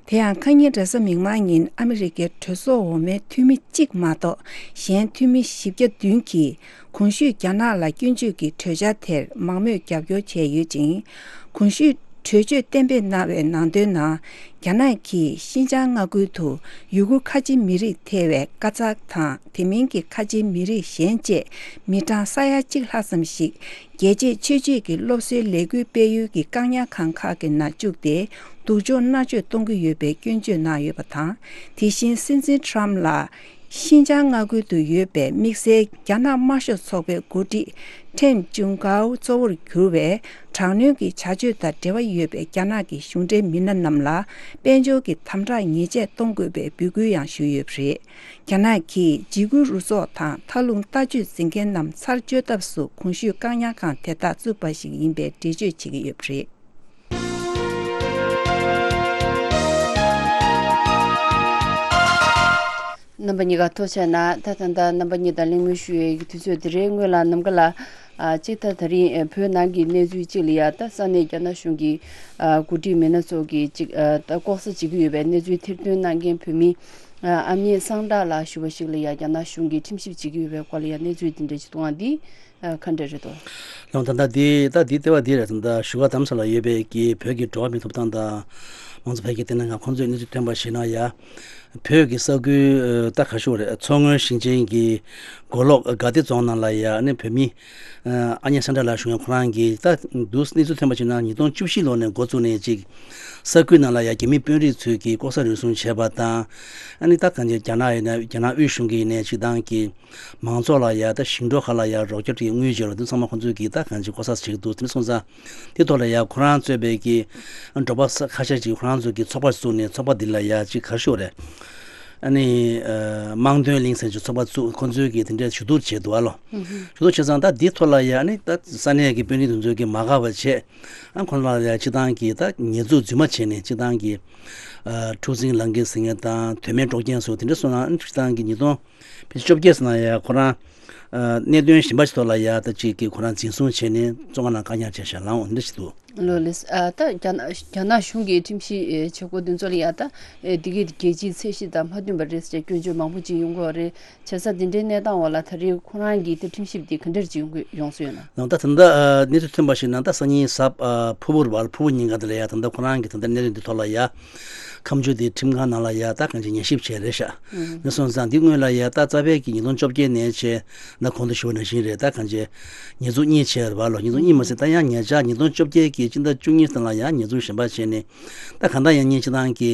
དེ་ཡང་ཁ་ཉིན་རེས་གཟའ་མིག་དམར་ཉིན་ཨ་མི་རི་ཀའི་གྲོས་ཚོགས་འོག་མའི་འཐུས་མི་གཅིག་མ་གཏོགས་གཞན་འཐུས་མི་བཞི་བརྒྱ་བདུན་གྱིས་གོང་ཞུས་རྒྱ་ནག་ལ་སྐྱོན་བརྗོད་ཀྱི་གྲོས་འཆར་དེར་མང་མོས་རྒྱབ་སྐྱོར་བྱས་ཡོད་ཅིང་། གོང་ཞུས་གྲོས་ཆོད་གཏན་འབེབས་གནང་བའི་ནང་དོན་ནང་། རྒྱ་ནག་གིས་ཤིན་ཅང་མངའ་ཁུལ་དུ་ཡུ་གུར་ཁ་ཆེ་མི་རིགས་ཐེ་བའི་ཀ་ཙག་དང་དེ་མིན་གྱི་ཁ་ཆེ་མི་རིགས་གཞན་བཅས་མི་གྲངས་ས་ཡ་གཅིག་ལྷག་ཙམ་ཞིག་རྒྱལ་གཅེས་ཆོས་གཅེས་ཀྱི་སློབ་གསོའི་ལས་འགུལ་སྤེལ་ཡུལ་གྱི་བཀག་ཉར་ཁང་ཁག་གི་ནང་བཅུག་སྟེ་སྡུག་སྦྱོང་མནར་གཅོད་གཏོང་གི་ཡོད་པའི་སྐྱོན་བརྗོད་གནང་ཡོད་པ་དང་། དེ་བཞིན་སྲིད་འཛིན་ཁྲམ་ལ། ཤིན་ཅང་མངའ་ཁུལ་དུ་ཡོད་པའི་དམིགས་བསལ་རྒྱ་ནག་དམར་ཤོག་ཚོགས་པའི་འགོ་ཁྲིད་ཁྲེན་ཅུང་ཀའོ་གཙོ་བོར་གྱུར་བའི་དྲག་གནོན་གྱི་བྱ་སྤྱོད་དང་འབྲེལ་བ་ཡོད་པའི་རྒྱ་ནག་གི་གཞུང་འབྲེལ་མི་སྣ་རྣམས་ལ་དཔལ་འབྱོར་གྱི་དམ་དྲག་ཉེས་ཆད་གཏོང་དགོས་པའི་འབོད་སྐུལ་ཡང་ཞུས་ཡོད་པ་རེད། རྒྱ་ནག་གིས་འཇིགས་སྐུལ་རུ་ཚོགས་དང་མཐའ་ལྷུང་ལྟ་སྤྱོད་འཛིན་མཁན་རྣམས་ཚར་གཅོད་ཐབས་སུ་གོང་ཞུས་བཀག་ཉར་ཁང་དེ་དག་བཙུགས་པ་ཞིག་ཡིན་པའི་འགྲེལ་བརྗོད་བྱེད་ཀྱི་ཡོད་པ་རེད། རྣམ་པ་གཉིས་ཀ་ཐུགས་རྗེ་གནང་། ད་ད་ལྟ་རྣམ་པ་གཉིས་དང་གླེང་མོལ་ཞུ་ཡའི་དུས་ཚོད་འདི་རེད། སྔོན་ལ་ནམ་མཁའ་ལ་ཨ་གཅིག་ད་ད་རིང་ཨ་བོད་ནང་གི་གནས་ཚུལ་གཅིག་ལ་ཡ་ད་ས་གནས་རྒྱ་ནག་གཞུང་གི་ཨ་འགོ་ཁྲིད་མི་སྣ་ཚོ་གིས་གཅིག་ཨ་ད་ལྐོག་ཟ་བྱེད་ཀྱི་ཡོད་པའི་གནས་ཚུལ་ཐེར་འདོན་གནང་མཁན་བོད་མི་ཨ་ཨ་མྱེས་སངས་དྲག་ལགས་ཞུ་བ་ཞིག་ལ་ཡ་རྒྱ་ནག་གཞུང་གིས་ཁྲིམས་ཞིབ་བྱེད་ཀྱི་ཡོད་པའི་སྐོར་ལ་ཡ་གནས་ཚུལ་འདི་འདྲ་ཅིག་འདུག་ཨང་། འདི། ཨ་ག་འདྲ་རེད་དོ། ལགས་ད་ལྟ་འདི་ད་འདི་ལྟེ་བ་འདི་རེད། ད་ལྟ་བཞུགས་སྒར་རྡ་རམ་ས་ལ་ཡོད་པའི་གི་བོད་ཀྱི་འགྲོ་བ་མིའི་ཐོབ་ཐང་དང་མང་གཙོ་འཕེལ་རྒྱས་ལྟེ་གནས་ཁང་ཁོང་ཚོས་གནས་ཚུལ་ཐོན་པར་གཞིགས་ན་ཡ། བོད་ཀྱི་ས་ཁུལ་ད་ག་ཞུ་རེད། མཚོ་སྔོན་ཞིང་ཆེན་གྱི་མགོ་ལོག་དགའ་བདེ་རྫོང་ནང་ལ་ཡ་ནི་བོད་མི་ཨ་མྱེས་སངས་དྲག་ལགས་ཞུ་མཁན་ཁོ་རང་གིས་ད་འདུག་གནས་ཚུལ་ཐོན་པར་གཞིགས་ན་ཉིས་སྟོང་བཅུ་བཞི་ལོ་ནས་འགོ་བཙུགས་ནས་ཅིག་ས་ཁུལ་ནང་ལ་ཡ་རྒྱ་མི་དཔོན་རིགས་ཚོས་ཀྱི་ལྐོག་ཟ་རུལ་སུངས་བྱས་པ་དང་། ཨ་ནི་ད་གང་ཅི་རྒྱ་ནག་ཡིན་ན་རྒྱ་ནག་དབུས་གཞུང་གིས་ཡིན་ནའི་སྤྱི་བཏང་གི་མང་ཚོགས་ལ་ཡ་ད་ཞིང་འབྲོག་ཁག་ལ་ཡ་རོགས་སྐྱོར་གྱི་དངུལ་བརྗེ་རོགས་དེ་ཚང་མ་ཁོང་ཚོས་ཀྱིས་ད་གང་ཅི་ལྐོག་ཟ་བྱེད་ཀྱི་འདུག་དེ་འདྲ་སོང་ཙང་དེ་ཐོག་ལ་ཡ་ཁོ་རང་གཙོས་པའི་གི་འབྲོག་པ་ས་ཁ་ཤས་ཀྱིས་ཁོ་རང་ཚོ་གི་ཚོགས་པ་བཙུགས་ནས་ཚོགས་པ་འདི་ལ་ཡ་ཅིག་ག་རེ་ཞུ་དགོས་རེད། ཨ་ནི་ཨ་དམངས་དོན་གླིང་ཟེར་གྱི་ཚོགས་པ་བཙུགས། ཁོང་ཚོས་ཀྱིས་དེ་འདྲའི་ཞུ་གཏུག་བྱས་འདུག་ཨ་ལོ། ཞུ་གཏུག་བྱས་ཙང་ད་འདིའི་ཐོག་ལ་ཡ་ཨ་ནི་ད་ས་གནས་ཀྱི་དཔོན་རིགས་དེ་ཚོས་ཀྱིས་མ་དགའ་བ་བྱས། ཨ་ཁོང་ཚོ་ལ་ཡ་སྤྱི་བཏང་གི་ད་ཉེས་འཛུགས་རྫུན་མ་བྱས་ནས་སྤྱི་བཏང་གི་ཨ་འཁྲུག་འཛིང་ལངས་ཀྱི་ཟེར་མཁན་དང་དོན་མེད་དཀྲོག་རྐྱེན་སོགས་དེ་འདྲ་སོང་ན། ཨ་ནི་སྤྱི་བཏང་གི་ཉིས་སྟོང་ཕལ་ཆེར་བཅོ་བརྒྱད་ཟེར་ན་ཡ་ཁོ་རང་ཨ་གནད་དོན་གཞན་པ་ཞིག་ཐོག་ལ་ཡ་ད་ཅིག་གིས་ཁོ་རང་འཛིན་བཟུང་བྱས་ནས་བཙོན་ཁང་ནང་བཀག་ཉར་བྱས་བཞག་ལངས་འོང་འདྲ་ཞིག་འདུག། ལོ་ལེགས། ཨ་ད་རྒྱ་ནག་རྒྱ་ནག་གཞུང་གི་ཁྲིམས་ཞིབ་ཨེ་བྱེད་སྒོ་འདི་ཚོ་ལ་ཡ་ད་ཨེ་འདི་གའི་རྒྱལ་སྤྱིའི་ཚད་གཞི་དང་མ་མཐུན་པ་རེད་ཟེར་སྐྱོན་བརྗོད་མང་པོ་ཅིག་ཡོང་གི་ཡོད་རེད། བྱས་ཙང་འདི་འདྲའི་གནས་སྟངས་འོག་ལ་ད་རེས་ཁོ་རང་གི་དེ་ཁྲིམས་ཞིབ་དེ་ག་འདྲ་ཅིག་ཡོང་གི་ཡོང་སྲོལ་ཡོད་ན། ནང་ད་ད་ལྟ་ཨ་གནས་ཚུལ་ཐོན་པ་ཞིག་ནང་ད་སང་ཉིན་གཟའ་ཨ་ཕུར་བུ་རེད་པ། ཕུར་བུ་ཉིན་ཀ་དེ་ལ་ཡ་ད་ལྟ་ཁོ་རང་གི་ད་ལྟ་གནས་ཚུལ་འདི་ཐོག་ལ་ཡ་ཁ་མཆུ་དེ་ཁྲིམས་ཁང་ནང་ལ་ཡ་ད་གང་ཅི་ཉན་ཞིབ་བྱས་རེད་ཤག། ཨུ། འདི་སོང་ཙང་འདི་སྔོན་ལ་ཡ་ད་རྩ་བའི་གི་ཉིས་སྟོང་བཅོ་བརྒྱད་ནས་བྱས་ན་གོང་དུ་ཞུ་བ་ནང་བཞིན་རེད། ད་གང་ཅི་ཉེས་འཛུགས་གཉིས་བྱས་རེད་པ་ལོ། ཉེས་འཛུགས་གཉིས་མ་ཟད་ད་ཡང་ཉེ་ཆར་ཉིས་སྟོང་བཅོ་བརྒྱད་ཀྱི་སྤྱི་ཟླ་བཅུ་གཉིས་སྟེང་ལ་ཡང་ཉེས་འཛུགས་གཞན་པ་བྱས་ནས། ད་གང་ལྟར་ཡང་སྙིང་སྤྱི་བཏང་གི་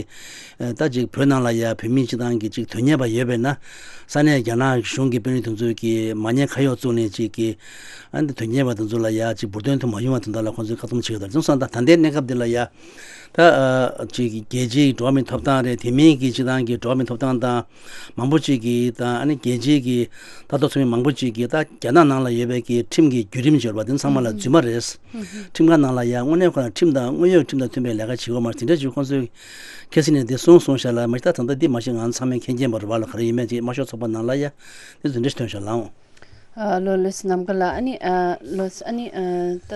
ཨ་ད་ཅིག་བོད་ནང་ལ་ཡ་བོད་མི་སྤྱི་བཏང་གི་ཅིག་དོན་གཉེར་བ་ཡོད་པས་ན། ས་གནས་རྒྱ་ནག་གཞུང་གི་དཔོན་རིགས་དེ་ཚོས་ཀྱི་མ་ཉེས་ཁ་གཡོག་བཙུགས་ནས་ཅིག་གི་ཨ་འདི་དོན་གཉེར་བ་དེ་ཚོ་ལ་ཡ་ཅིག་འབུར་དོན་དུ་མ་ཡོང་བ་དོན་དག་ལ་ཁོང་ཚོས་བཀག་སྡོམ་བྱེད་ཀྱི་འདུག། དེ་སོང་ཙང་ད་ལྟའི་གནས་སྐབས་འདི་ལ་ཡ་ད་ཨ་ཅིག་རྒྱལ་སྤྱིའི་འགྲོ་བ་མིའི་ཐོབ་ཐང་རེད། དེ་མིན་གྱི་སྤྱི་བཏང་གི་འགྲོ་བ་མིའི་ཐོབ་ཐང་དང་མང་པོ་ཅིག་གིས་དང་ཨ་ནི་རྒྱལ་སྤྱིའི་གི་ལྟ་རྟོག་ཚོགས་མི་མང་པོ་ཅིག་གིས་ད་རྒྱ་ནག་ནང་ལ་ཡོད་པའི་གི་ཁྲིམས་ཀྱི་བརྒྱུད་རིམ་འབྱོར་བ་དེ་ཚང་མ་ལ་རྫུན་མ་རེད། ཁྲིམས་ཁང་ནང་ལ་ཡང་དངོས་གནས་ཁོ་རང་ཁྲིམས་དང་དངོས་ཡོད་ཁྲིམས་དང་མཐུན་པའི་ལས་ཀ་བྱེད་དགོས་མ་རེད། དེ་འདྲ་ཅིག་ཁོང་ཚོས་ཁ་སང་ནས་དེ་གསུངས་སོང་ཤག་ལ། མ་གཞི་ད་ད་ལྟ་འདི་མ་གཞི་ང་ཚང་མས་མཁྱེན་མཁྱེན་པ་རེད་པ་ལ། ག་རེ་ཡིན་མིན་ཅིག་དམར་ཤོག་ཚོགས་པ་ནང་ལ་ཡ་དེ་ཚོ་འདྲ་ཞིག་ཐོན་ཤག་ལ་འོང་། ཨ་ལོ་ལེགས་ནམ་མཁའ་ལགས། ཨ་ནི་ཨ་ལོ་ཨ་ནི་ཨ་ད་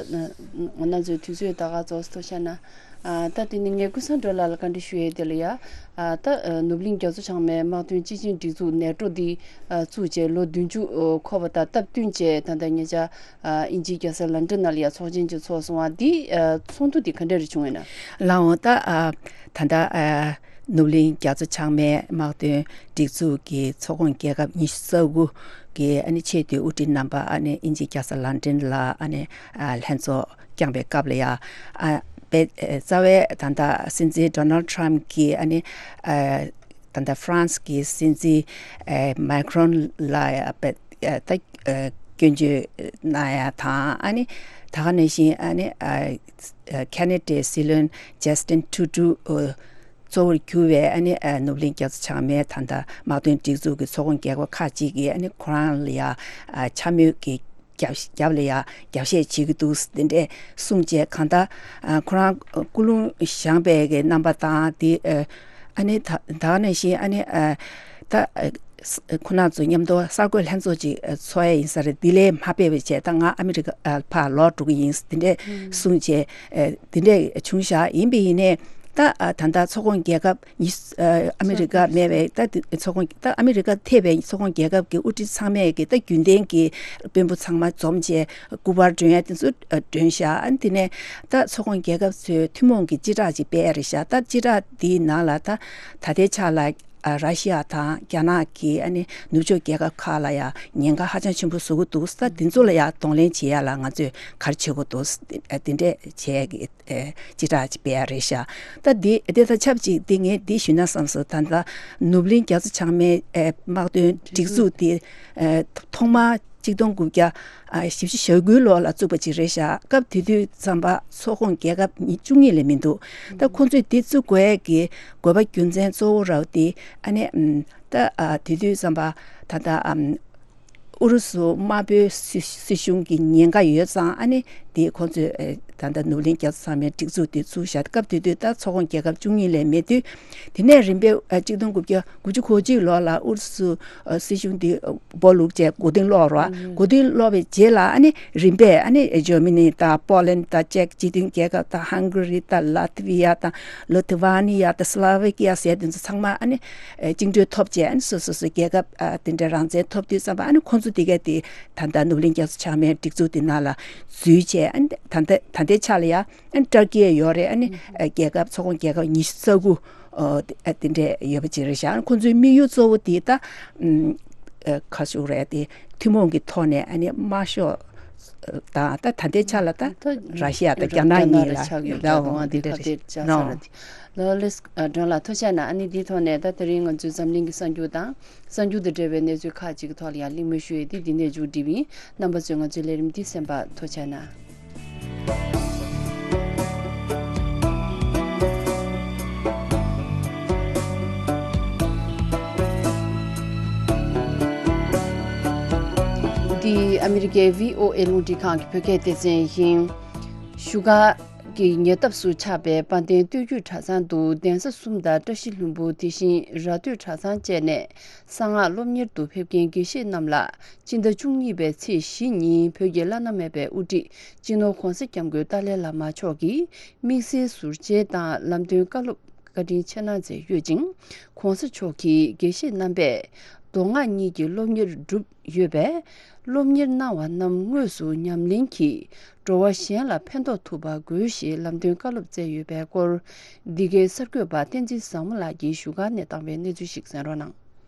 ང་ཚོའི་དུས་ཚོད་ད་ག་ཚོད་ཐོན་ཤག་ན། ཨ་ད་དེ་ནི་ངས་ཀུན་བཟང་སྒྲོལ་ལགས་ལ་བཀའ་འདྲི་ཞུ་ཡས་དེ་ལ་ཡ། ཨ་ད་ཨ་ནུབ་གླིང་རྒྱ་མཚོ་བྱང་མའི་དམག་དོན་སྤྱི་ཆིངས་སྒྲིག་འཛུགས་ནེ་ཊོ་འདི་ཨ་བཙུགས་རྗེས་ལོ་བདུན་ཅུ་འཁོར་བ་དང་སྟབས་བསྟུན་བྱས་ད་ལྟ་ཉེ་ཆར་ཨ་དབྱིན་ཇིའི་རྒྱལ་ས་ལན་ཀྲན་ནང་ལ་ཡ་ཚོགས་ཆེན་ཅིག་ཚོགས་སོང་བ་འདི་ཨ་ཚོགས་འདུ་འདི་ག་འདྲ་རེ་བྱུང་ཡོད་ན། ལགས་འོང་། ད་ཨ་ད་ལྟ་ཨ་ནུབ་གླིང་རྒྱ་མཚོ་བྱང་མའི་དམག་དོན་སྒྲིག་འཛུགས་ཀྱི་ཚོགས་ཁོངས་རྒྱལ་ཁབ་ཉི་ཤུ་རྩ་དགུ་གི་ཨ་ནི་ཆེས་མཐོའི་དབུ་ཁྲིད་རྣམ་པ་ཨ་ནི་དབྱིན་ཇིའི་རྒྱལ་ས་ལན་ཀྲན་ལ་ཨ་ནི་ཨ་ལྷན་ཚོགས་བསྐྱངས་པའི་སྐབས་ལ་ཡ། ཨ་དཔེ་རྩ་བའི་ད་ལྟ་སྲིད་འཛིན་ཌོ་ནལ་ཊམ་གྱིས་ཨ་ནི་ཨ་ད་ལྟ་ཧྥ་རན་སི་གི་སྲིད་འཛིན་ཨ་མེ་ཁྲོན་ལ་ཡ་དཔེ་ཨ་ད་ཨ་སྐྱོན་བརྗོད་གནང་ཡ་དང་། ཨ་ནི་ད་ག་ནང་བཞིན་ཨ་ནི་ཨ་ཁེ་ན་ཌའི་སྲིད་བློན་ཇ་སི་ཊིན་ཊུ་རུ་ཌོ་གཙོ་བོར་གྱུར་བའི་ཨ་ནི་ཨ་ནུབ་གླིང་རྒྱ་མཚོ་བྱང་མའི་ད་ལྟ་དམག་དོན་སྒྲིག་འཛུགས་ཀྱི་ཚོགས་ཁོངས་རྒྱལ་ཁབ་ཁག་ཅིག་གིས་ཨ་ནི་ཁོ་རང་ལ་ཡ་ཨ་འཕྱ་སྨོད་ཀྱི་རྒྱབ་རྒྱབ་ལ་ཡ་རྒྱབ་བཤད་བྱེད་ཀྱི་འདུག་དེ་འདྲས་གསུངས་བྱས། གང་ལྟར་ཨ་ཁོ་རང་ཀུན་སློང་བཞེངས་པའི་གི་རྣམ་པ་དང་དེ་ཨ་ཨ་ནི་ད་ད་ག་ནང་བཞིན་ཨ་ནི་ཨ་ད་ཨ་ཁོ་རང་ཚོ་མཉམ་དུ་གསར་འགོད་ལྷན་ཚོགས་ཅིག་ཨ་ཚོགས་ཡ་ཡིན་ས་རེད། དེ་ལས་མ་སྤེལ་བ་བྱས་ད་ང་ཨ་མི་རི་ཀ་ཨ་ཕར་ལོག་འགྲོ་གི་ཡིན་དེ་འདྲས་གསུངས་བྱས། ཨ་དེ་འདྲས་བྱུང་ཤག། ཡིན་པ་ཡིན་ནའི་ད་ཨ་ད་ལྟ་ཚོགས་ཁོངས་རྒྱལ་ཁབ་ཉི་ཨ་ཨ་མི་རི་ཀ་མེད་པའི་ད་དེ་ཚོགས་ཁོངས་ད་ཨ་མི་རི་ཀ་ཐེ་བའི་ཚོགས་ཁོངས་རྒྱལ་ཁབ་ཀྱི་དབུ་ཁྲིད་ཚང་མས་ཀྱི་ད་རྒྱུན་ལྡན་གྱི་དཔོན་པོ་ཚང་མ་འཛོམས་བྱས་སྐུ་པར་སྒྲོན་ཡ་དེ་ཚོ་ཨ་སྒྲོན་ཤག། ཨ་དེ་ནས་ད་ཚོགས་ཁོངས་རྒྱལ་ཁབ་ཚོས་ཐུན་མོང་གི་སྤྱི་བསྒྲགས་ཅིག་སྤེལ་ཡ་རེད་ཤག། ད་སྤྱི་བསྒྲགས་དེའི་ནང་ལ་ད་ད་ལྟའི་ཆ་ལ་ཨ་ར་ཤི་ཡ་དང་རྒྱ་ནག་གིས་ཨ་ནི་ནུབ་ཕྱོགས་རྒྱལ་ཁབ་ཁག་ལ་ཡ་ཉེན་ཁ་ཧ་ཅང་ཆེན་པོ་བཟོ་གི་འདུག། ད་དེ་ཚོ་ལ་ཡ་གདོང་ལེན་བྱེད་ཡ་ལ་ང་ཚོས་ག་རེ་བྱེད་དགོས་འདུག། ཨ་དེ་འདྲས་བྱས་ཀྱི་ཨེ་སྤྱི་བསྒྲགས་ཅིག་སྤེལ་ཡ་རེད་ཤག། ད་འདི་དེ་དང་ཆབས་ཅིག་འདི་ངས་འདི་ཞུས་ན་བསམ་སོང་། ད་ལྟ་ནུབ་གླིང་རྒྱ་མཚོ་བྱང་མའི་ཨེ་དམག་དོན་སྒྲིག་འཛུགས་འདི་ཨེ་ཐོག་མར་གཅིག་སྟོང་དགུ་བརྒྱ་ཨ་བཞི་བཅུ་ཞེ་དགུའི་ལོ་ལ་བཙུགས་པ་ཅིག་རེད་ཤག། སྐབས་དེ་དུས་ཙམ་པ་ཚོགས་ཁོངས་རྒྱལ་ཁབ་ཉི་བཅུ་གཉིས་ལས་མི་འདུག། ད་ཁོང་ཚོས་འདི་བཙུགས་དགོས་ཡས་ཀྱི་དགོས་པ་རྒྱུ་མཚན་གཙོ་བོ་ར་བ་དེ་ཨ་ནི་ཨམ་ད་ཨ་དེ་དུས་ཙམ་པ་ད་ལྟ་ཨམ་ཨུ་རུ་སུ་དམར་པོའི་སྲིད་སྲིད་གཞུང་གི་ཉེན་ཁ་ཡོད་ཙང་ཨ་ནི་དེ་ཁོང་ཚོས་ཨེ་ད་ལྟ་ནུབ་གླིང་རྒྱ་མཚོ་བྱང་མའི་སྒྲིག་འཛུགས་དེ་བཙུགས་བཞག། སྐབས་དེ་དུས་ད་ཚོགས་ཁོངས་རྒྱལ་ཁབ་བཅུ་གཉིས་ལས་མེད་དུས། དེ་ནས་རིམ་པས་ཨ་གཅིག་སྟོང་དགུ་བརྒྱ་དགུ་བཅུ་གོ་གཅིག་ལོ་ལ་ཨུ་རུ་སུ་ཨ་སྲིད་གཞུང་དེ་སྦོ་ལུག་བྱས་མགོ་རྟིང་སློག་རོགས། མགོ་རྟིང་སློག་པའི་རྗེས་ལ་ཨ་ནི་རིམ་པས་ཨ་ནི་ཇར་མ་ནི་དང་པོ་ལན་དང་ཅེཀ་སྤྱི་མཐུན་རྒྱལ་ཁབ་དང་ཧང་གྷ་རི་དང་ལ་ཐི་བི་ཡ་དང་ལི་ཐུ་ཝ་ནི་ཡ་དང་སི་ལོ་ཝེ་ཀི་ཡ་ཟེར་དེ་ཚོ་ཚང་མ་ཨ་ནི་ཨ་བཅིངས་འགྲོལ་ཐོབ་རྗེས་ཨ་ནི་སོ་སོ་སོའི་རྒྱལ་ཁབ་ཨ་དེ་འདྲའི་རང་བཙན་ཐོབ་དུས་ཙམ་པ་ཨ་ནི་ཁོང་ཚོ་དེ་ག་དེ་ད་ལྟ་ནུབ་གླིང་རྒྱ་མཚོ་བྱང་མའི་སྒྲིག་འཛུགས་དེ་ནང་ལ་འཛུལ་བྱས། ཨ་ནི་ད་ལྟ་ད་ལྟའི་ཆ་ལ་ཡ་ཨ་ནི་ཏར་ཀི་ཡ་ཡོད་རེད། ཨ་ནི་ཨ་རྒྱལ་ཁབ་ཚོགས་ཁོངས་རྒྱལ་ཁབ་ཉི་ཤུ་རྩ་དགུ་ཨ་དེ་འདྲས་ཡོད་པ་ཅིག་རེད་ཤག། ཨ་ནི་ཁོང་ཚོའི་དམིགས་ཡུལ་གཙོ་བོ་དེ་ད་ཨམ་ཨ་ག་ཞུ་རེད། དེ་ཐུན་མོང་གི་ཐོག་ནས་ཨ་ནི་དམར་ཤོག་དང་ད་ད་ལྟའི་ཆ་ལ་ད་ད་ར་ཤི་ཡ་དང་རྒྱ་ནག་གཉིས་ལ་ཆགས་ཡོད་ད་འོང་འདི་འདྲ་རེད། ལོ་ལེགས་སྒྲོན་ལགས་ཐུགས་རྗེ་གནང་། ཨ་ནི་འདིའི་ཐོག་ནས་ད་དེ་རིང་ང་ཚོའི་འཛམ་གླིང་གི་གསར་འགྱུར་དང་གསར་འགྱུར་དང་འབྲེལ་བའི་གནས་ཚུལ་ཁག་ཅིག་གི་ཐོག་ལ་ཡང་གླེང་མོལ་ཞུ་ཡས་དེ་འདི་ནས་མཇུག་སྒྲིལ་བ་ཡིན། རྣམ་པ་ཚོས་ང་ཚོའི་ལས་རིམ་འདི་གསན་པར་ཐུགས་རྗེ་གནང་། འདི་ཨ་མི་རི་ཀའི་བྷི་ཨོ་ཨེ་རླུང་འཕྲིན་ཁང་གི་བོད་སྐད་སྡེ་ཚན་ཡིན། བཞུགས་སྒར་གྱི་ཉེ་འདབས་སུ་ཆགས་པའི་དཔལ་ལྡན་སྟོད་རྒྱུད་གྲྭ་ཚང་དུ་གདན་ས་གསུམ་དང་བཀྲ་ཤིས་ལྷུན་པོ། དེ་བཞིན་ར་སྟོད་གྲྭ་ཚང་བཅས་ནས་གསང་སྔགས་སློབ་གཉེར་དུ་ཕེབས་མཁན་དགེ་བཤེས་རྣམས་ལ་སྤྱི་ཟླ་བཅུ་གཉིས་པའི་ཚེས་བཞི་ཉིན་བོད་ཀྱི་བླ་ན་མེད་པའི་དབུ་ཁྲིད་སྤྱི་ནོར་༧གོང་ས་༧སྐྱབས་མགོན་ཏཱ་ལའི་བླ་མ་མཆོག་གིས་དམིགས་བསལ་ཟུར་མཇལ་དང་ལམ་སྟོན་བཀའ་སློབ་བཀའ་དྲིན་ཆེ་གནང་མཛད་ཡོད་ཅིང་། ༸གོང་ས་མཆོག་གིས་དགེ་བཤེས་རྣམ་པས་མདོ་སྔགས་གཉིས་ཀྱི་སློབ་གཉེར་བསྒྲུབས་ཡོད་པས། སློབ་གཉེར་གནང་བ་རྣམས་དངོས་སུ་ཉམས་ལེན་གྱིས་འགྲོ་བ་གཞན་ལ་ཕན་ཐོགས་ཐུབ་པ་དགོས་ཞེས་ལམ་སྟོན་བཀའ་སློབ་སྩལ་ཡོད་པའི་སྐོར། འདི་གའི་གསར་འགོད་པ་བསྟན་འཛིན་བཟང་མོ་ལགས་ཀྱིས་བཞུགས་སྒར་ནས་བཏང་བའི་གནས་ཚུལ་ཞིག་གསན་རོགས་གནང་།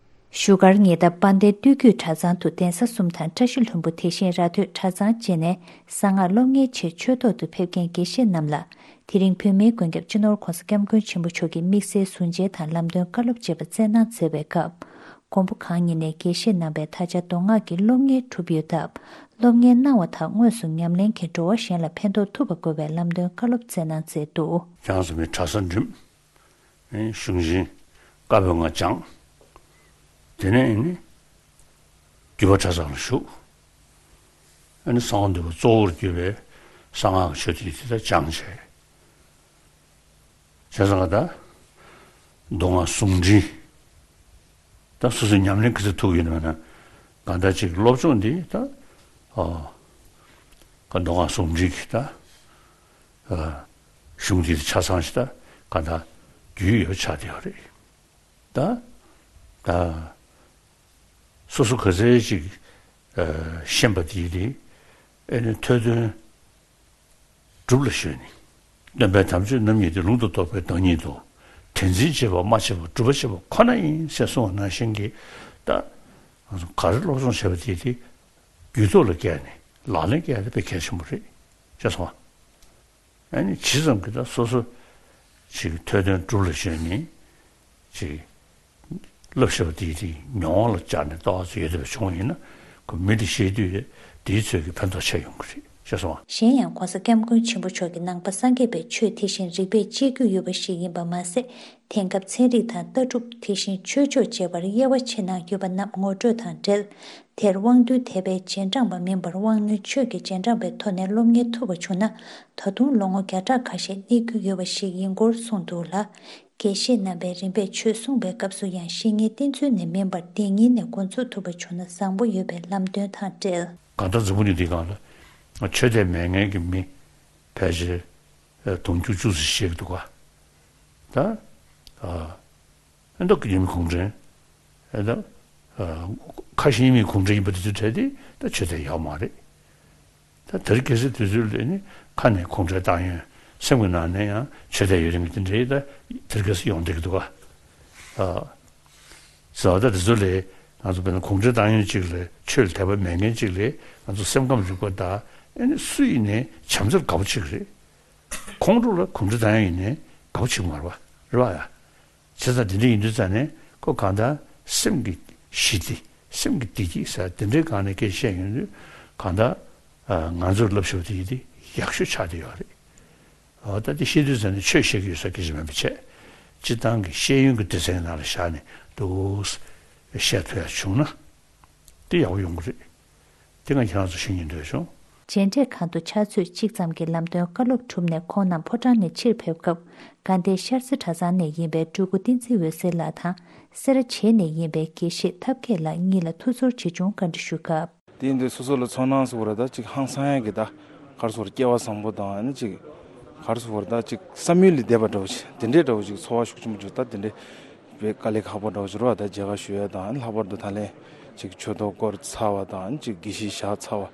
བཞུགས་སྒར་ཉེ་འདབས་དཔལ་ལྡན་སྟོད་རྒྱུད་གྲྭ་ཚང་དུ་གདན་ས་གསུམ་དང་བཀྲ་ཤིས་ལྷུན་པོ། དེ་བཞིན་ར་སྟོད་གྲྭ་ཚང་བཅས་ནས་གསང་སྔགས་སློབ་གཉེར་ཆེད་ཆོས་ཐོག་ཏུ་ཕེབས་མཁན་དགེ་བཤེས་རྣམས་ལ། དེ་རིང་བོད་མིའི་མགོན་སྐྱབས་སྤྱི་ནོར་༸གོང་ས་༸སྐྱབས་མགོན་ཆེན་པོ་མཆོག་གིས་དམིགས་བསལ་ཟུར་མཇལ་དང་ལམ་སྟོན་བཀའ་སློབ་བཅས་པ་སྩལ་གནང་མཛད་པའི་སྐབས། མགོན་པོ་གང་ཉིད་ནས་དགེ་བཤེས་རྣམ་པས་ད་ཆ་མདོ་སྔགས་ཀྱི་སློབ་གཉེར་གྲུབ་ཡོད་སྟབས། སློབ་གཉེར་གནང་བ་དག་དངོས་སུ་ཉམས་ལེན་གྱིས་འགྲོ་བ་གཞན་ལ་ཕན་ཐོགས་ཐུབ་པ་དགོས་པའི་ལམ་སྟོན་བཀའ་སློབ་སྩལ་གནང་མཛད་འདུག། ཀྱང་ཟེར་མི་གྲྭ་ས་འགྲིམ། གཞུང་ཆེན་བཀའ་པོད་ལྔ་སྦྱངས། དེ་ནས་ནི་རྒྱུད་པ་གྲྭ་ཚང་ལ་ཞུགས། ཨ་ནི་གསང་བ་འདུས་པ་གཙོ་བོར་གྱུར་པའི་གསང་སྔགས་ཀྱི་ཆོས་ཐམས་ཅད་དེ་དག་སྦྱངས་བྱས། བྱས་ཙང་ད་མདོ་སྔགས་ཟུང་འབྲེལ། ད་སོ་སོའི་ཉམས་ལེན་ག་ཚོད་ཐུབ་ཡོད་ན་མེད་ན། གང་ལྟར་ཅིག་སློབ་སྦྱོང་འདི་ད་ཨ་ག་མདོ་སྔགས་ཟུང་འབྲེལ་གྱི་ད་ཨ་གཞུང་འདི་ཆ་ཚང་ཞིག་ད་གང་ལྟར་རྒྱུས་ཡོད་ཆགས་བསྡད་ཡོད་རེད། ད་ད་སོ་སོ་ག་ཚད་ཅིག་ཨ་ཤེས་པ་དེ་དེ་ཨེ་ནི་ཐོས་དོན་སྒྲུབ་ལ་གཞོལ་ནས། སྟོན་པའི་དམ་ཆོས་རྣམ་གཉིས་ཏེ། ལུང་དང་རྟོགས་པའི་བདག་ཉིད་དོ། དྲན་འཛིན་བྱེད་པ་སྨྲ་བྱེད་པ། སྒྲུབ་པ་བྱེད་པ་ཁོ་ན་ཡིན་ཞེས་གསུངས་པ་ནང་བཞིན་གྱི། ད་ང་ཚོ་ག་རེ་སློབ་སྦྱོང་བྱས་པ་དེ་དེ་རྒྱུད་ཐོག་ལ་བཀལ་ནས་ལག་ལེན་བཀལ་ཡ་དེ་དཔེ་གལ་ཆེན་པོ་རེད། ཤེས་སོང་ཨ། ཨ་ནི་ཇི་ཙམ་གྱིས་ད་སོ་སོ་ཅིག་ཐོས་དོན་སྒྲུབ་ལ་གཞོལ་ནས་ཅིག་བསླབ་བྱ་བ་དེའི་དེ་མྱོང་བ་ལ་སྦྱར་ནས་ལྟ་བ་ཚོ་ཡོད་བསྡད་པ་བྱུང་བ་ཡིན་ན། ཁོ་མི་དེ་ཤེས་དུས་དེའི་ཚོད་ཀྱི་ཕན་ཐོགས་ཆེ་ཡོང་གི་རེད། ཤེས་སོང་ཨ། གཞན་ཡང་༸གོང་ས་༸སྐྱབས་མགོན་ཆེན་པོ་མཆོག་གིས་ནང་པ་སངས་རྒྱས་པའི་ཆོས་དེ་བཞིན་རིགས་པས་དཔྱད་རྒྱུ་ཡོད་པ་ཞིག་ཡིན་པ་མ་ཟད། དེང་སྐབས་ཚན་རིག་དང་ལྟ་གྲུབ། དེ་བཞིན་ཆོས་ཕྱོགས་བཅས་པར་དབྱེ་བ་ཕྱེ་གནང་ཡོད་པ་རྣམས་ངོ་སྤྲོད་དང་འབྲེལ། དེར་དབང་རྟུལ་དད་པའི་རྗེས་འབྲང་པ་མིན་པར་དབང་རྣོན་ཆོས་ཀྱི་རྗེས་འབྲང་པའི་ཐོག་ནས་སློབ་གཉེར་ཐུབ་པ་བྱུང་ན། ད་དུང་ལོ་ངོ་བརྒྱ་ཕྲག་ཁ་ཤས་གནས་རྒྱུ་ཡོད་པ་ཞིག་ཡིན་སྐོར་གསུངས་འདུག་ལ། དགེ་བཤེས་རྣམ་པས་རིམ་པས་ཆོས་གསུངས་པའི་སྐབས་སུ་ཡང་བཤེས་གཉེན་བསྟེན་ཚུལ་ནས་མིན་པར་བདེན་གཉིས་ནས་འགོ་འཛུགས་ཐུབ་པ་བྱུང་ན་བཟང་པོ་ཡོད་པའི་ལམ་སྟོན་དང་འབྲེལ། གང་ལྟར་འཛམ་བུ་གླིང་འདིའི་སྒང་ལ་ཆོས་དད་མེད་མཁན་གྱི་མི་ཕལ་ཆེར་དུང་ཕྱུར་བཅུ་ཙམ་ཞིག་འདུག་ག། ད་ཨ་མདོ་དགེ་ལྡན་གུང་ཁྲན། ཨ་ད་ཨ་ཁ་ཞེ་གཉིས་མེད་གུང་ཁྲན་ཡིན་པ་དེ་ཚོའི་གྲས་དེ་ད་ཆོས་དད་ཡོད་མ་རེད། ད་དེ་རིང་ཁ་སང་དུས་ཚོད་ལ་ནི་ཁ་ནས་གུང་ཁྲན་ཏང་ཡོན། སེམས་ཀྱི་ནང་ནས་ཡང་ཆོས་དད་ཡོད་མཁན་གྱི་དེ་འདྲའི་ད་དེ་རིང་ཁ་སང་ཡོང་བསྡད་ཀྱི་འདུག་ག། ཨ་ཟེར་བ་ད་དེ་ཚོ་ལས་ང་ཚོ་དཔེར་ན་གུང་ཁྲན་ཏང་ཡོན་གཅིག་ལ་ཆོས་ལ་དད་པ་མེད་མཁན་གཅིག་ལ་ང་ཚོ་སེམས་ཁམས་རིག་པ་དང་ཨ་ནི་སུ་ཡིན་ནའི་བྱམས་བརྩེར་དགའ་པོ་བྱེད་ཀྱི་རེད། ཁོང་ཚོ་ལ་གུང་ཁྲན་ཏང་ཡོན་ཡིན་ནའི་དགའ་པོ་བྱེད་ཀྱི་མ་རེད་པ། རེད་པ་ཡ། བྱས་ཙང་དེ་འདྲ་ཡིན་དུས་ཙང་ནས་ཁོ་གང་ལྟར་སེམས་ཀྱི་ཞི་བདེ། སེམས་ཀྱི་བདེ་སྐྱིད་ཟེར་དེ་འདྲའི་སྒང་ནས་སྐད་བཤད་ཡོང་དུས་གང་ལྟར་ང་ཚོར་བསླབ་བྱ་དེ་ཡིན་དེ་ཡག་ཤོས་ཆགས་བསྡད་ཡོད་རེད། འོ་ད་དེ་བཤད་དུས་ཙང་ནས་ཆོས་བཤད་ཀྱི་ཡོད་ས་སྐད་ཆ་མིན་པ་བྱས། སྤྱིར་བཏང་གི་ཤེས་ཡོན་གྱི་སྡེ་ཚན་ནང་ལ་བཞག་ནས་འདུག་བཤད་ཐུབ་ཡ་བྱུང་ན་དེ་ཡག་པོ་ཡོང་གི་རེད། དེ་ང་ཁྱེད་རང་ཚོ་ཤེས་སྙིང་འདོད་བྱུང་། མཇལ་འཕྲད་ཁང་དུ་ཕྱག་ཚོད་གཅིག་ཙམ་གྱི་ལམ་སྟོན་བཀའ་སློབ་གྲུབ་ནས་ཁོང་རྣམས་ཕོ་བྲང་ནས་ཕྱིར་ཕེབས་སྐབས། དགའ་ལྡན་ཤར་རྩེ་གྲྭ་ཚང་ནས་ཡིན་པའི་སྤྲུལ་སྐུ་བསྟན་འཛིན་འོད་ཟེར་ལགས་དང་། སེ་ར་བྱེས་ནས་ཡིན་པའི་དགེ་བཤེས་ཐབས་མཁས་ལགས་གཉིས་ལ་ཐུགས་ཚོར་ཆེ་ཆུང་བཀའ་འདྲི་ཞུ་སྐབས། དེ་ཡིན་དུས་སོ་སོ་ལ་ཚོར་སྣང་ཟེར་བ་རེད་ད། ཅིག་ཧང་སང་ཡག་གི་ད་ག་རེ་ཟེར་སྐལ་བ་བཟང་པོ་དང་ཨ་ནི་ཅིག་ག་རེ་ཟེར་བ་རེད་ད། ཅིག་བསམ་ཡུལ་ལས་འདས་པ་འདྲ་བོ་ཅིག་དེ་འདྲའི་འདྲ་བོ་ཅིག་ཚོར་བ་ཤུགས་ཆེན་པོ་ཅིག་ད་དེ་འདྲའི་དཔེ་དཀའ་ལས་ཁག་པོ་འདྲ་བོ་ཅིག་རེད་པ། ད་མཇལ་ཁ་ཞུ་ཡ་དང་ཨ་ནི་ལྷག་པར་དུ་ད་ལན་ཅིག་ཆོས་ཐོག་བསྐོར་ཚར་བ་དང་ཨ་ནི་ཅིག་དགེ་བཤེས་བཞག་ཚར་བ་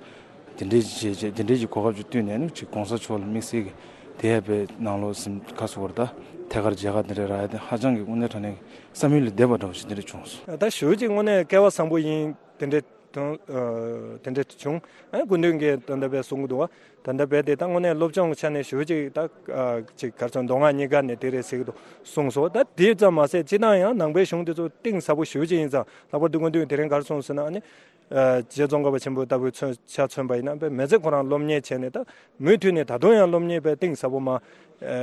དེ་འདྲའི་ཅིག་བྱས་བྱས་དེ་འདྲའི་ཅིག་གོ་སྐབས་ཅིག་བསྟུན་ནས་ཨ་ནི་ཅིག་གོང་ས་མཆོག་ལ་དམིགས་བསལ་གྱི་དེ་ཡ་དཔེ་ནང་ལོགས་ཟིན་ག་ཟེར་བ་རེད་ད། ཐད་ཀར་མཇལ་ཁ་དེ་འདྲ་རག་ཡ་དེ་ཧ་ཅང་གི་དངོས་གནས་དྲང་གནས་ཀྱི་བསམ་ཡུལ་ལས་འདས་པ་འདྲ་བོ་ཞིག་དེ་འདྲ་བྱུང་སོང་། ད་ཞུ་ཅིག་དངོས་གནས་སྐལ་བ་བཟང་པོ་ཡིན། དེ་འདྲའི་དོན་ཨ་དེ་འདྲ་བྱུང་། ཨ་སྐུ་མདུན་གྱིས་ད་ལྟ་བས་གསུང་གི་འདུག་བ། ད་ལྟ་བས་དེ་ད་དངོས་གནས་སློབ་སྦྱོང་གི་ཆ་ནས་ཞུ་ཅིག་ད་ཨ་ཅིག་ག་རེ་ཟེར་མདོ་སྔགས་གཉིས་ཀ་ནས་དེ་རེད་ཟེར་གི་འདུག་གསུངས་སོང་། ད་དེ་ཙམ་མ་ཟད་སྤྱིར་བཏང་ཡང་ནང་པའི་གཞུང་དེ་ཚོ་གཏིང་ཟབ་པོ་ཞུ་ཅིག་ཡིན་ཙང་། ལྷག་པར་དུ་སྐུ་མདུན་དེ་རིང་ག་རེ་གསུངས་ཟེར་ན་ཨ་ནི་ཨ་རྗེ་ཙོང་ཁ་པ་ཆེན་པོ་ལྟ་བུའི་མཚོན་ཆ་མཚོན་པ་ཡིན་ན་དཔེ་མི་ཚེ་ཁོ་རང་སློབ་གཉེར་བྱས་ནས་ད་མུ་མཐུད་ནས་ད་དུང་ཡང་སློབ་གཉེར་དཔེ་གཏིང་ཟབ་པོ་མ་ཨ་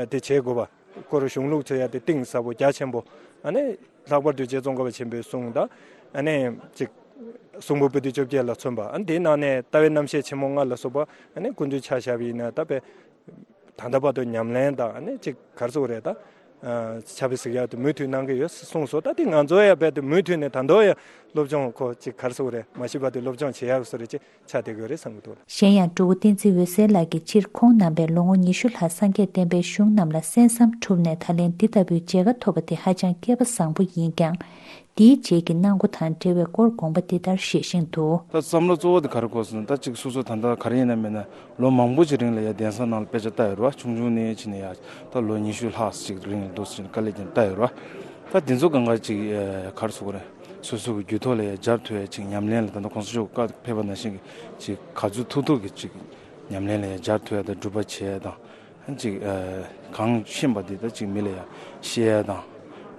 དེ་བྱེད་དགོས་པ། སྐོར་གཞུང་ལུགས་འཚོལ་ཡ་དེ་གཏིང་ཟབ་པོ་རྒྱ་ཆེན་པོ། ཨ་ནི་ལྷག་པར་དུ་རྗེ་ཙོང་ཁ་པ་ཆེན་པོའི་གསུང་དང་ཨ་ནི་ཅིག་ གསུང་འབུམ་པོ་ཏི་བཅོ་བརྒྱད་ལ་མཚོན་པ། ཨ་ནི་དེའི་ནང་ནས་ལྟ་བའི་རྣམ་བཤད་ཆེན་མོ་ལྔ་ལ་སོགས་པ་ཨ་ནི་སྐུ་མདུན་ཆ་བཞག་པ་ཡིན་ན་ད་དཔེ་ད་ལྟ་བར་དུ་ཉམས་ལེན་དང་ཨ་ནི་ཅིག་ག་རེ་ཟེར་དགོས་རེད། ད་ཕྱག་དཔེ་གཟིགས་ཡག་དེ་མུ་མཐུད་གནང་གི་ཡོད་གསུངས་སོང་། ད་དེ་ང་ཚོ་ཡང་རྦད་དེ་མུ་མཐུད་ནས་ད་དུང་ཡང་སློབ་སྦྱོང་ཁོ་ཅིག་ག་རེ་ཟེར་དགོས་རེད། མ་ཤེས་པ་དེ་སློབ་སྦྱོང་བྱེད་ཡག་བཟོ་འདྲ་ཅིག་ཆགས་བསྡད་ཀྱི་ཡོད་རེད་བསམ་གྱི་འདུག། གཞན་ཡང་སྤྲུལ་སྐུ་བསྟན་འཛིན་འོད་ཟེར་ལགས་ཀྱིས་སྤྱིར་ཁོང་རྣམ་པས་ལོ་ངོ་ཉི་ཤུ་ལྷག་སངས་རྒྱས་བསྟན་པའི་གཞུང་རྣམས་ལ་གསན་བསམ་གྲུབ་ནས་ད་ལན་འདི་ལྟ་བུའི་མཇལ་ཁ་ཐོབ་པ་དེ་ཧ་ཅང་སྐལ་པ་བཟང་པོ་ཡིན་ཀྱང་། འདིའི་རྗེས་ཀྱི་གནང་སྒོ་དང་འབྲེལ་བའི་སྐོར་དགོངས་པ་འདི་ལྟར་བཞེས་བཞིན་དུ། ད་བསམ་བློ་གཙོ་བོ་དེ་ག་རེ་འཁོར་སོང་ན། ད་ཅིག་སོ་སོ་ད་ལྟ་ག་རེ་ཡིན་ན་མིན་ན་ལོ་མང་པོ་ཅིག་རིང་ལ་ཡ་གདན་ས་ནང་ལ་དཔེ་ཆ་ལྟ་ཡོད་རེད་བ། ཆུང་ཆུང་ནས་ཕྱིན་ནས་ཡ་ད་ལོ་ཉི་ཤུ་ལྷག་ཅིག་རིང་ལ་འདུག་ཟེར་ནས་དཀའ་ལས་ཀྱང་བཏང་ཡོད་རེད་བ། ད་དེ་ཚོ་གང་ག་ཅིག་ག་རེ་ཟེར་དགོས་རེད། སོ་སོ་གི་རྒྱུད་ཐོག་ལ་ཡ་སྦྱར་ཐུབ་ཡ་ཅིག་ཉམས་ལེན་ལ་ད་ལྟ་གོང་ས་མཆོག་བཀའ་ཕེབས་པ་ནང་བཞིན་གྱི་ཅིག་ག་ཚོད་ཐུབ་ཐུབ་ཀྱི་ཅིག་ཉམས་ལེན་ལ་ཡ་སྦྱར་ཐུབ་ཡ་དང་སྒྲུབ་པ་བྱེད་ཡ་དང་། ཨ་ནི་ཅིག་ཨ་གང་ཤེས་པ་དེ་ད་ཅིག་མི་ལ་ཡ་བཤད་ཡ་དང་།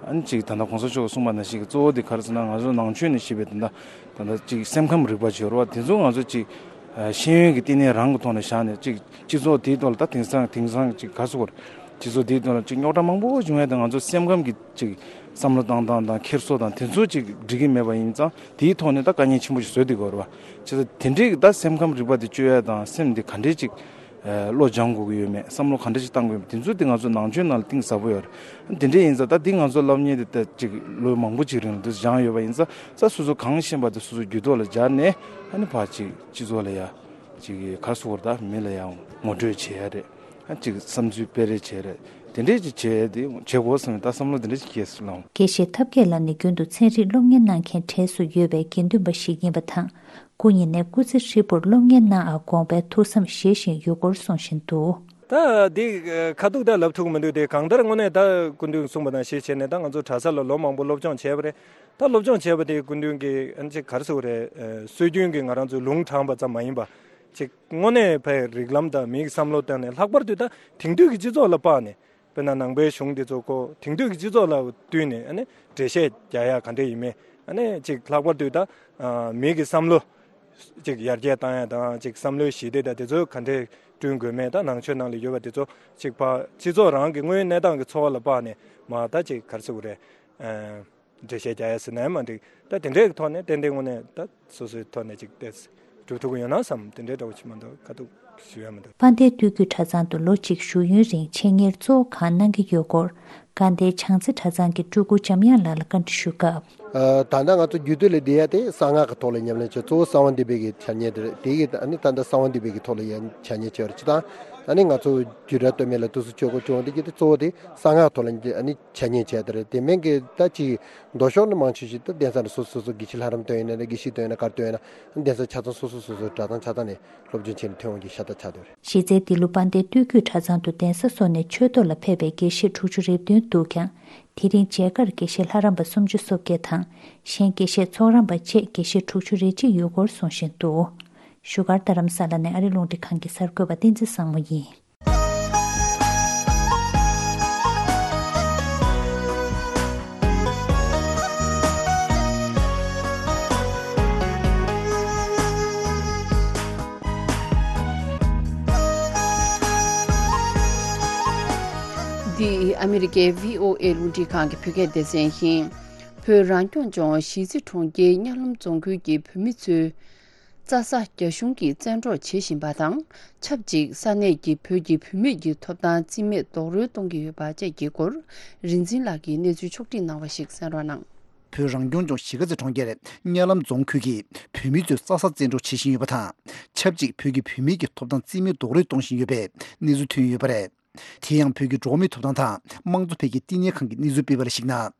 ཨ་ནི་ཅིག་ད་ལྟ་གོང་ས་མཆོག་གིས་གསུངས་པ་ནང་བཞིན་གྱི་གཙོ་བོ་དེ་ག་རེ་ཟེར་ན། ང་ཚོ་ནང་ཆོས་ནས་བཤད་པའི་ད་ལྟ་ད་ལྟ་ཅིག་སེམས་ཁམས་རིག་པ་བྱེད་རོགས་དེ་ཚོ་ང་ཚོ་ཅིག་ཨ་ཤེས་ཡོན་གྱི་བསྟི་གནས་རང་གི་ཐོག་ནས་བཞག་ནས་ཅིག་སྤྱི་ཚོགས་དེའི་ཐོག་ལ་ད་དེང་སང་དེང་སང་ཅིག་ག་རེ་ཟེར་དགོས་རེད། སྤྱི་ཚོགས་དེའི་ཐོག་ལ་ཅིག་རྙོག་དྲ་མང་པོ་བྱུང་བས་ད་ང་ཚོ་སེམས་ཁམས་ཀྱི་ཅིག་བསམ་བློ་བཏང་སྟངས་དང་འཁྱེར་སོ་དང་དེ་ཚོ་ཅིག་འགྲིག་གི་མེད་པ་ཡིན་ཙང་དེའི་ཐོག་ནས་ད་དཀའ་ངལ་ཆེན་པོ་ཞིག་བཟོས་བསྡད་ཀྱི་ཡོད་རེད་བ། བྱས་ཙང་དེ་འདྲའི་ད་སེམས་ཁམས་རིག་པ་དེ་བཅོས་ཡ་དང་སེམས་དེ་ག་འདྲའི་ཅིག་ཨ་བློ་སྦྱང་དགོས་ཀྱི་ཡོད་མེད། བསམ་བློ་ག་འདྲ་ཞིག་བཏང་དགོས་ཡོད་མེད། དེ་ཚོ་དེ་ང་ཚོ་ནང་ཆོས་ནང་ལ་གཏིང་ཟབ་པོ་ཡོད་རེད། དེ་འདྲ་ཡིན་ཙང་ད་འདི་ང་ཚོ་སློབ་གཉེར་དེ་ད་ཅིག་ལོ་མང་པོ་ཅིག་རིང་ལ་འདི་སྦྱངས་ཡོད་པ་ཡིན་ཙང་ད་སོ་སོ་གང་ཤེས་པ་དེ་སོ་སོའི་རྒྱུད་ཐོག་ལ་སྦྱར་ནས་ཨ་ནི་ཕར་ཅིག་སྤྱི་ཚོགས་ལ་ཡ་ཅིག་ག་རེ་ཟེར་དགོས་རེད། ད་མི་ལ་ཡ་ངོ་སྤྲོད་བྱེད་ཡ་རེད། ཨ་ཅིག་བསམ་ཚུལ་སྤེལ་རེས་བྱེད་རེད། དེ་འདྲས་ཅིག་བྱེད་དེ་བྱེད་དགོས་བསམ་ནས་ད་བསམ་བློ་དེ་འདྲས་ཅིག་སྐྱེས་སོང་ལགས། དགེ་བཤེས་ཐབས་མཁས་ལགས་ནི་རྒྱུན་དུ་ཚན་རིག་སློབ་གཉེར་གནང་མཁན་གྲས་སུ་ཡོད་པའི་དགེ་འདུན་པ་ཞིག་ཡིན་པ་དང་། སྐུ་ཉིད་ནས་སྐུ་ཚེ་ཧྲིལ་པོར་སློབ་གཉེར་གནང་བར་དགོངས་པའི་ཐུགས་བསམ་བཞེས་བཞིན་ཡོད་སྐོར་གསུངས་བཞིན་འདུག། ད་འདི་ཁ་ཐུག་ད་ལབ་ཐུབ་མི་འདུག། དེ་གང་ལྟར་དངོས་གནས་ད་སྐུ་མདུན་གསུངས་པ་དང་ཞེས་བྱས་ནས་ད་ང་ཚོ་གྲྭ་ས་ལ་ལོ་མང་པོ་སློབ་སྦྱོང་བྱས་པ་རེད། ད་སློབ་སྦྱོང་བྱས་པ་དེ་སྐུ་མདུན་གྱིས་ཨ་ཅིག་ག་རེ་ཟེར་དགོས་རེད། སྲོལ་རྒྱུན་གྱི་ང་རང་ཚོའི་ལུང་དྲངས་པ་ཙམ་མ་ཡིན་པ། ཅིག་དངོས་གནས་ཕའི་རིགས་ལམ་དང་མིའི་བསམ་བློ་བཏང་ནས་ལྷག་པར་དུ་ད་དེང་དུས་ཀྱི་སྤྱི་ཚོགས་ལ་དཔག་ནས། དཔེར་ན་ནང་པའི་གཞུང་འདི་ཚོ་ཁོ་དེང་དུས་ཀྱི་སྤྱི་ཚོགས་ལ་བསྟུན་ནས་ཨ་ནི་འགྲེལ་བཤད་རྒྱག་ཡ་ག་འདྲ་ཡིན་མིན། ཨ་ནི་ཅིག་ལྷག་པར་དུ་ད་ཨ་མི་གི་བསམ་བློ་ཅིག་ཡར་རྒྱས་བཏང་ཡ་དང་ཅིག་བསམ་བློའི་ཞི་བདེ་དང་དེ་ཚོ་ག་འདྲས་བསྐྲུན་དགོས་མིན། ད་ནང་ཆོས་ནང་ལ་ཡོད་པ་དེ་ཚོ་ཅིག་ཕར་སྤྱི་ཚོགས་རང་གི་དངོས་ཡོད་གནས་སྟངས་ཀྱི་འཚོ་བ་ལ་དཔག་ནས་མར་ད་ཅིག་ག་རེ་ཟེར་དགོས་རེད། ཨ་འགྲེལ་བཤད་རྒྱག་ཡ་ཟེར་ན་ཡང་མ་འགྲིག། ད་དེ་འདྲའི་ཐོག་ནས་ཏན་ཏན་དངོས་གནས་ད་སོ་སོའི་ཐོག་ནས་ཅིག་ཏེ་སྒྲུབ་ཐུབ་ཀྱི་ཡོད་ན་བསམ། དེ་འདྲའི་འདྲ་བོ་ཅིག་མ་གཏོགས་ཁ་ཐུག་ཞུ་ཡ་མི་འདུག། དཔལ་ལྡན་སྟོད་རྒྱུད་གྲྭ་ཚང་དུ་ལོ་གཅིག་བཞུགས་ཡུན་རིང་འཆད་ཉན་གཙོ་བོ་གང་གནང་གི་ཡོད་སྐོར། དགའ་ལྡན་བྱང་རྩེ་གྲྭ་ཚང་གི་སྤྲུལ་སྐུ་འཇམ་དབྱངས་ལགས་ལ་བཀའ་འདྲི་ཞུ་སྐབས། ཨ་ད་ལྟ་ང་ཚོ་རྒྱུད་སྟོད་ལ་བསྡད་ཡ་དེ་གསང་སྔགས་ཀྱི་ཐོག་ལ་ཉམས་ལེན་བྱས། གཙོ་བོ་གསང་བ་འདུས་པའི་གི་འཆད་ཉན་དེ་རེད། དེ་གི་ཨ་ནི་ད་ལྟ་གསང་བ་འདུས་པའི་གི་ཐོག་ལ་ཡ་འཆད་ཉན་བྱས་པ་རེད། སྤྱིར་བཏང་ཨ་ནི་ང་ཚོ་རྒྱུད་གྲྭ་སྟོད་སྨད་ལ་དུས་སུ་ཆོས་སྒོ་བྱུང་བ་དེ་གི་དེ་གཙོ་བོ་དེ་གསང་སྔགས་ཐོག་ལ་ཨ་ནི་འཆད་ཉན་བྱས་དེ་རེད། དེ་མིན་གྱི་ད་ཅིག་མདོ་ཕྱོགས་ནི་མང་ཆེ་ཞིག་ད་གདན་ས་ནས་སོ་སོ་སོ་དགེ་བཤེས་ལྷ་རམས་སྟོན་ཡིན་ན་དགེ་བཤེས་སྟོན་ཡིན་ན་ག་རེ་སྟོན་ཡིན་ན་གདན་ས་ཆ་ཚང་སོ་སོ་སོ་སོའི་གྲྭ་ཚང་ཆ་ཚང་ནས་སློབ་སྦྱོང་བྱས་ནས་ཐོན་འོང་རྒྱུ་ཤ་སྟག་ཆགས་བསྡད་ཡོད་རེད། གཞི་རྩའི་འདི་ལོ་དཔལ་ལྡན་སྟོད་རྒྱུད་གྲྭ་ཚང་དུ་གདན་ས་སོགས་ནས་ཆོས་ཐོག་ལ་ཕེབས་པའི་དགེ་བཤེས་དྲུག་ཅུ་རེ་བདུན་འདུག་ཀྱང་། དེ་རིང་མཇལ་ཁར་དགེ་བཤེས་ལྷ་རམས་པ་སུམ་ཅུ་སོ་བརྒྱད་དང་། གཞན་དགེ་བཤེས་ཚོགས་རམས་པ་བཅས་དགེ་བཤེས་དྲུག་ཅུ་རེ་གཅིག་ཡོད་སྐོར་གསུངས་བཞིན་འདུག། བཞུགས་སྒར་རྡ་རམ་ས་ལ་ནས་ཨ་རི་རླུང་འཕྲིན་ཁང་གི་གསར་འགོད་པ་བསྟན་འཛིན་བཟང་མོ་ཡིན། འདི་ཨ་མི་རི་ཀའི་བྷི་ཨོ་ཨེ་རླུང་འཕྲིན་ཁང་གི་བོད་སྐད་སྡེ་ཚན་ཡིན། བོད་རང་སྐྱོང་ལྗོངས་གཞིས་རྩེ་གྲོང་ཁྱེར་གཉའ་ལམ་རྫོང་ཁུལ་གྱི་བོད་མི་ཚོས། རྩྭ་ས་རྒྱ་གཞུང་གིས་བཙན་འཕྲོག་བྱེད་བཞིན་པ་དང་། ཆབས་ཅིག་ས་གནས་ཀྱི་བོད་ཀྱི་བུད་མེད་ཀྱི་ཐོབ་ཐང་རྩིས་མེད་རྡོག་རོལ་གཏོང་གི་ཡོད་པ་བཅས་ཀྱི་སྐོར། རིག་འཛིན་ལགས་ཀྱིས་གནས་ཚུལ་ཕྱོགས་བསྒྲིགས་གནང་བ་ཞིག་གསན་རོགས་གནང་། བོད་རང་སྐྱོང་ལྗོངས་གཞིས་ཀ་རྩེ་གྲོང་ཁྱེར་གཉའ་ལམ་རྫོང་ཁུལ་གྱི་བུད་མེད་ཚོས་རྩྭ་ས་བཙན་འཕྲོག་བྱེད་བཞིན་ཡོད་པ་དང་། ཆབས་ཅིག་བོད་ཀྱི་བུད་མེད་ཀྱི་ཐོབ་ཐང་རྩིས་མེད་རྡོག་རོལ་གཏོང་བཞིན་ཡོད་པའི་གནས་ཚུལ་ཐོན་ཡོད་པ་རེད། དེ་ཡང་བོད་ཀྱི་འགྲོ་བ་མིའི་ཐོབ་ཐང་དང་དམངས་གཙོ་འཕེལ་རྒྱས་བསྟི་གནས་ཁང་གིས་གནས་ཚུལ་སྤེལ་བ་ལ་གཞིགས་ན།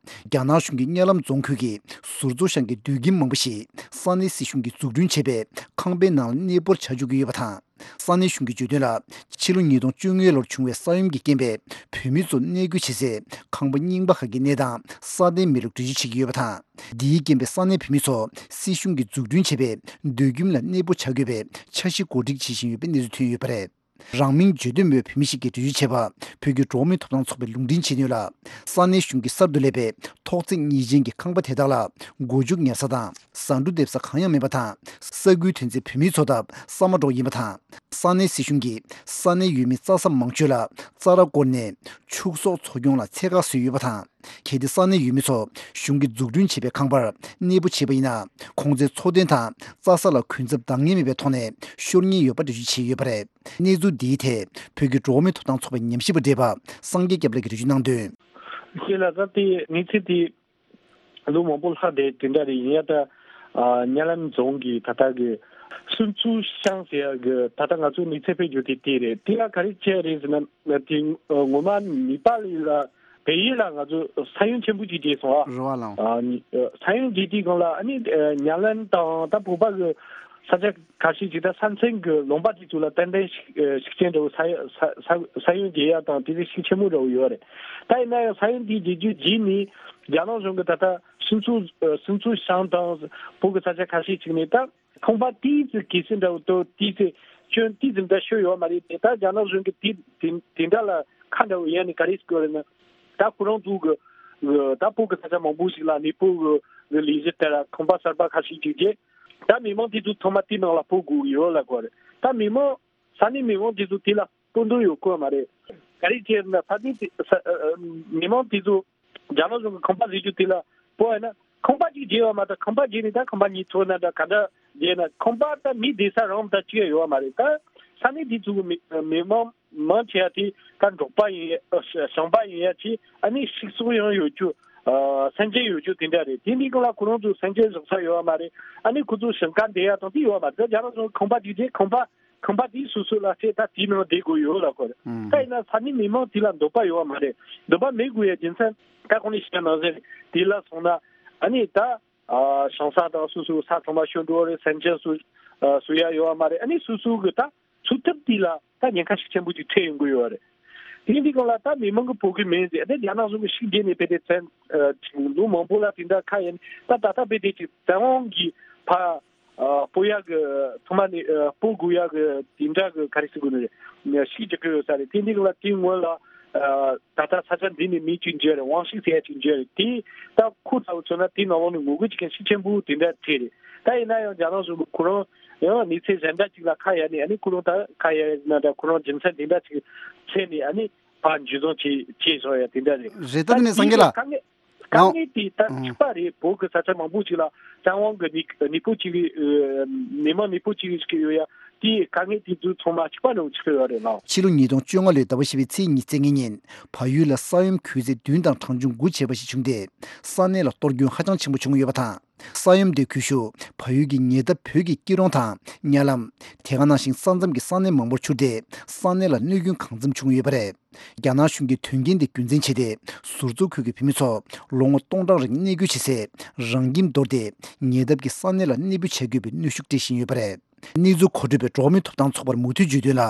རྒྱ་ནག་གཞུང་གིས་གཉའ་ལམ་རྫོང་ཁུལ་གྱི་ཟུར་བཙུགས་ཤང་གི་སྡོད་ཁྱིམ་མང་པོ་ཞིག་ས་གནས་སྲིད་གཞུང་གིས་འཛུགས་སྐྲུན་བྱས་པའི་ཁང་པའི་ནང་ལ་གནས་སྤོར་བྱ་འཇུག་གི་ཡོད་པ་དང་། ས་གནས་གཞུང་གིས་བརྗོད་དོན་ལ། ཕྱི་ལོ་ཉིས་སྟོང་བཅོ་ལྔ་ལོར་བྱུང་བའི་ས་ཡོམ་གྱི་རྐྱེན་པས་བོད་མི་ཚོ་གནས་སྐོར་བྱེད་སའི་ཁང་པ་རྙིང་པ་ཁག་གི་གནས་སྟངས་སྲ་བརྟན་མེད་ལུགས་འགྲེལ་བརྗོད་བྱེད་ཀྱི་ཡོད་པ་དང་། འདིའི་རྐྱེན་པས་ས་གནས་བོད་མི་ཚོ་སྲིད་གཞུང་གིས་འཛུགས་སྐྲུན་བྱས་པའི་སྡོད་ཁྱིམ་ལ་གནས་སྤོ་བྱ་དགོས་པའི་འཆར་གཞི་གོ་སྒྲིག་བྱེད་བཞིན་ཡོད་པའི་གནས་ཚུལ་ཐོན་ཡོད་པ་རེད། རང་མིང་བརྗོད་འདོད་མེད་པའི་བོད་མི་ཞིག་གིས་འགྲེལ་བརྗོད་བྱས་པ། བོད་ཀྱི་འགྲོ་བ་མིའི་ཐོབ་ཐང་ཚོགས་པས་ལུང་འདྲེན་བྱས་དོན་ལ། ས་གནས་གཞུང་གིས་གསར་དུ་སླེབས་པའི་ཐོག་བརྩེགས་གཉིས་ཅན་གྱི་ཁང་པ་དེ་དག་ལ་སྒོ་ཕྱུགས་ཉར་ས་དང་ཟ་འབྲུ་འདེབས་ས་གང་ཡང་མེད་པ་དང་། ས་ཁུལ་ཐོན་རྫས་བོད་མིའི་འཚོ་ཐབས་ཟ་མ་འདྲ་བོ་ཡིན་པ་དང་། ས་གནས་སྲིད་གཞུང་གིས་ས་གནས་ཡུལ་མིའི་རྩྭ་ས་མང་ཤོས་ལ་རྩྭ་ར་བསྐོར་ནས་ཕྱུགས་ཟོག་འཚོ་སྐྱོང་ལ་ཚད་བཀག་བཟོས་ཡོད་པ་དང་། གལ་ཏེ་ས་གནས་ཡུལ་མི་ཚོ་གཞུང་གིས་འཛུགས་སྐྲུན་བྱས་པའི་ཁང་པར་གནས་སྤོ་བྱས་པ་ཡིན་ན། ཁོང་ཚོའི་འཚོ་རྟེན་དང་རྩྭ་ས་ལ་གུན་གསབ་འདང་ངེས་མེད་པའི་ཐོག་ནས་ཤོར་ཉེན་ཡོད་པ་འགྲེལ་བརྗོད་བྱས་ཡོད་པ་རེད། གནས་ཚུལ་འདིའི་ཐད་བོད་ཀྱི་འགྲོ་བ་མིའི་ཐོབ་ཐང་ཚོགས་པའི་ཉམས་ཞིབ་པ་བགྲེས་པ་སངས་རྒྱས་སྐྱབས་ལགས་ཀྱིས་འགྲེལ་བརྗོད་གནང་དོན། ཁྱེད་ལ་ད་དེ་གནས་ཚུལ་དེ་ལོ་མང་པོ་ལྷག་བསྡད་དེ་འདྲ་རེད། ཡིན་ཡང་ད་ཨ་གཉའ་ལམ་རྫོང་གི་ད་ལྟ་གི་སུན་ཙུའུ་ཤང་ཟེར་ཡ་གི་ད་ལྟ་ང་ཚོ་གནས་ཚུལ་སྤེལ་རྒྱུ་དེ་དེ་རེད། དེ་ལ་ག་རེ་བྱས་རེད་ཟེར་ན། དེ་ངོ་མ་ནེ་པ་ལི་ལ་བལ་ཡུལ་ལ་ང་ཚོ་ས་ཡོམ་ཆེན་པོ་ཅིག་བྱས་སོང་ཨ། རེད་བ་ལགས། ཨ་ནི་ཨ་ས་ཡོམ་བྱས་དུས་སྒང་ལ་ཨ་ནི་ཨ་གཉའ་ལམ་དང་ད་བོད་པ་གི་ས་ཆ་ཁ་ཤས་ཅིག་ད་ས་མཚམས་གི་ལུང་པ་དེ་ཚོ་ལ་ཏན་ཏན་ཤུགས་ཨ་ཤུགས་རྐྱེན་འདྲ་བོ་ས་ཡ་ས་ས་ས་ཡོམ་བྱེད་ཡ་དང་དེ་ཚོ་ཤུགས་ཆེན་པོ་འདྲ་བོ་ཡོད་རེད། ད་ཡིན་ན་ཡང་ས་ཡོམ་དེ་བྱེད་རྒྱུ་རྗེས་ནས་རྒྱ་ནག་གཞུང་གི་ད་ལྟ་སུན་ཙུའུ་ཨ་སུན་ཙུའུ་ཤང་དང་བོད་ཀྱི་ས་ཆ་ཁ་ཤས་ཅིག་ནས་ད་ཁང་པ་ཏོག་ཙམ་གས་སྲི་འདྲ་བོ་དང་ཏོག་ཙམ་སྐྱོན་ཏོག་ཙམ་འདྲ་ཤོར་ཡོད་མ་རེད་དེ། ད་རྒྱ་ནག་གཞུང་གི་དེ་དེ་དེ་འདྲ་ལ་ཁ་འདྲ་བོ་ཡས་ནས་ག་རེ་ཟེར་དགོས་རེད་ན། ད་ཁོ་རང་ཚོ་གི་ཨ་ད་བོད་ཀྱི་ས་ཆ་མང་པོ་ཞིག་ལ་གནས་སྤོ་གི་ལས་གཞི་དེ་ལ་ཁང་པ་གསར་པ་ཁ་ཤས་ཅིག་བརྒྱབ། ད་མི་མང་དེ་ཚོ་ཚང་མ་དེའི་ནང་ལ་སྤོ་དགོས་ཀྱི་ཡོད་ལབ་དགོས་རེད། ད་མི་མང་ས་གནས་མི་མང་དེ་ཚོ་དེ་ལ་སྤོ་འདོད་ཡོད་དགོས་མ་རེད། ག་རེ་བྱས་ན་ས་གནས་དེ་ས་ཨ་ཨ་མི་མང་དེ་ཚོ་རྒྱ་ནག་གཞུང་གི་ཁང་པ་བཟོ་རྒྱུ་དེ་ལ་སྤོ་ཡ་ན་ཁང་པ་གཅིག་བརྗེ་བ་མ་གཏོགས་ཁང་པ་བརྗེ་ནས་ད་ཁང་པ་གཉིས་ཐོག་ན་འདྲ་ག་འདྲ་བརྗེ་ན་ཁང་པ་ད་མི་བསྡད་ས་རང་ད་གཅིག་ཡོད་མ་རེད། ད་ས་གནས་དེ་ཚོ་གི་མི་མི་མང་མང་ཆེ་བ་དེ་ད་འབྲོག་པ་ཡིན་ཡ་ཞིང་པ་ཡིན་ཡ་ཆེ། ཨ་ནི་ཕྱུགས་ཟོག་ཡང་ཡོད་རྒྱུ་ཨ་སེམས་ཅན་ཡོད་རྒྱུ་དེ་འདྲ་རེད། དེ་འདི་ག་ལ་ཁོ་རང་ཚོ་སེམས་ཅན་བཞག་ས་ཡོད་མ་རེད། ཨ་ནི་ཁོ་ཚོ་ཞིང་ཁ་འདེབས་ཡ་དང་དེ་ཡོད་མ་རེད། ད་རྒྱ་ནག་ཚོ་ཁང་པ་དེ་བརྗེ་ཁང་པ་ཁང་པ་དེའི་སོ་སོ་ལ་བྱས་ད་དེའི་ནང་བསྡད་དགོས་ཡོད་ལབ་དགོས་རེད། ཨང་། ད་ཡིན་ན་ས་གནས་མི་མང་དེ་ལ་འདོད་པ་ཡོད་པ་མ་རེད། འདོད་པ་མེད་དགོས་ཡ་རྒྱུ་མཚན་ད་གོང་ནས་བཤད་ནང་བཞིན་དེ་ལ་སོང་ན་ཨ་ནི་ད་ཨ་ཞིང་ས་དང་སོ་སོའི་ས་ཚང་མ་ཤོར་འགྲོ་བ་རེད། སེམས་ཅན་སུ་ཨ་སུ་ཡ་ཡོད་པ་མ་རེད། ཨ་ནི་སོ་སོ་གི་ད་འཚོ་ཐབས་དེ་ལ་ད་ཉེན་ཁ་ཤུགས་ཆེན་པོ་ཅིག་འཕྲད་ཡོང་གི་ཡོད་རེད། དེ་འདི་གང་ལ་ད་མི་མང་གི་སྤོ་གི་མིན་ཟེར་ད་རྒྱ་ནག་གཞུང་གི་ཤུགས་རྒྱས་ནས་བལྟས་ཏེ་བཙན་ཨ་ཅིག་ལོ་མང་པོ་ལ་དེ་འདྲ་ཁ་ཡིན་ད་ད་ལྟ་བལྟས་ཏེ་ཅིག་བཙན་དབང་གིས་ཕ། ཨ་སྤོ་ཡག་གི་ཐོག་མ་ནས་ཨ་སྤོ་དགོས་ཡག་གི་དེ་འདྲ་གི་ག་རེ་ཟེར་དགོས་ནི་རེད། ཤིག་རྒྱག་གི་ཡོད་ས་རེད། དེ་འདི་ལ་དེའི་སྔོན་ལ་ཨ་ད་ལྟ་ས་ཆ་འདི་ནས་མི་གཅིག་འཇོན་རེད། དབང་ཤིག་ཟེར་ཡ་གཅིག་འཇོན་རེད། དེ་ད་ཁོ་ལྟ་བུ་མཚོན་ན་དེའི་ནང་ལོགས་ནས་ངོ་རྒོལ་བྱེད་མཁན་ཤུགས་ཆེན་པོ་དེ་འདྲ་འཕྲད་རེད། ད་ཡིན་ན་ཡང་རྒྱ་ནག་གཞུང་གི་ཁོ་རང་ཡང་གནས་ཚུལ་གཞན་འདྲ་ཅིག་ལ་ཁ་གཡར་ནས་ཨ་ནི་ཁོ་རང་ད་ཁ་གཡར་ན་འདྲ་ཁོ་རང་རྒྱུ་མཚན་དེ་འདྲ་ཅིག་འཚོལ་ནས་ཨ་ནི་ཕར་འཇུ་བཟུང་བྱེད་བྱེད་བཞག་ཡ་དེ་འདྲ་རེད། རེད། ད་དེ་ནས་སངས་རྒྱས་ལགས། དཀའ་ངལ་དཀའ་ངལ་དེ་ད་ཨང་གཅིག་པ་རེད། བོད་ཀྱི་ས་ཆ་མང་པོ་ཅིག་ལ་བཙན་དབང་གི་གནས་གནས་སྤོ་བྱེད་ཀྱི་ཨ་མི་མང་གནས་སྤོ་བྱེད་ཀྱི་ཡོད་ཡ་དེ་དཀའ་ངལ་དེ་ཚོ་ཚང་མ་གཅིག་པ་ནང་ཆགས་ཀྱི་ཡོད་རེད་ལགས། ཕྱི་ལོ་ཉིས་སྟོང་བཅོ་ལྔ་ལོའི་ཟླ་བ་བཞི་པའི་ཚེས་ཉི་ཤུ་རྩ་ལྔ་ཉིན་བལ་ཡུལ་ལ་ས་ཡོམ་ཁུལ་ཚད་བདུན་དང་གྲངས་ཆུང་དགུ་བྱས་པ་ཞིག་བྱུང་སྟེ། ས་གནས་ལ་གཏོར་སྐྱོན་ཧ་ཅང་ཆེན་པོ་བྱུང་ཡོད་པ་དང་། ས་ཡོམ་དེའི་ཁུལ་ཤུལ་བལ་ཡུལ་གྱི་ཉེ་འདབས་བོད་ཀྱི་སྐྱིད་གྲོང་དང་གཉའ་ལམ། དེ་ག་ནང་བཞིན་ས་མཚམས་ཀྱི་ས་གནས་མང་པོར་འཕྱུར་ཏེ་ས་གནས་ལ་གནོད་སྐྱོན་གང་འཚམ་བྱུང་ཡོད་པ་རེད། རྒྱ་ནག་གཞུང་གིས་དོན་རྐྱེན་དེ་རྒྱུ་མཚན་བྱས་ཏེ། ཟུར་འཛུགས་ཁུལ་གྱི་བོད་མི་ཚོ་ལོ་ངོ་སྟོང་གྲངས་རིང་གནས་སྐོར་བྱེད་སའི་རང་ཁྱིམ་འདོར་ཏེ་ཉེ་འདབས་ཀྱི་ས་གནས་ལ་གནས་སྤོ་བྱ་དགོས་པའི་གནོན་ཤུགས་སྤྲད་བཞིན་ཡོད་པ་རེད། གནས་ཚུལ་མཁོ་སྤྲོད་པས་འགྲོ་བ་མིའི་ཐོབ་ཐང་ཚོགས་པར་མུ་མཐུད་བརྗོད་དོན་ལ།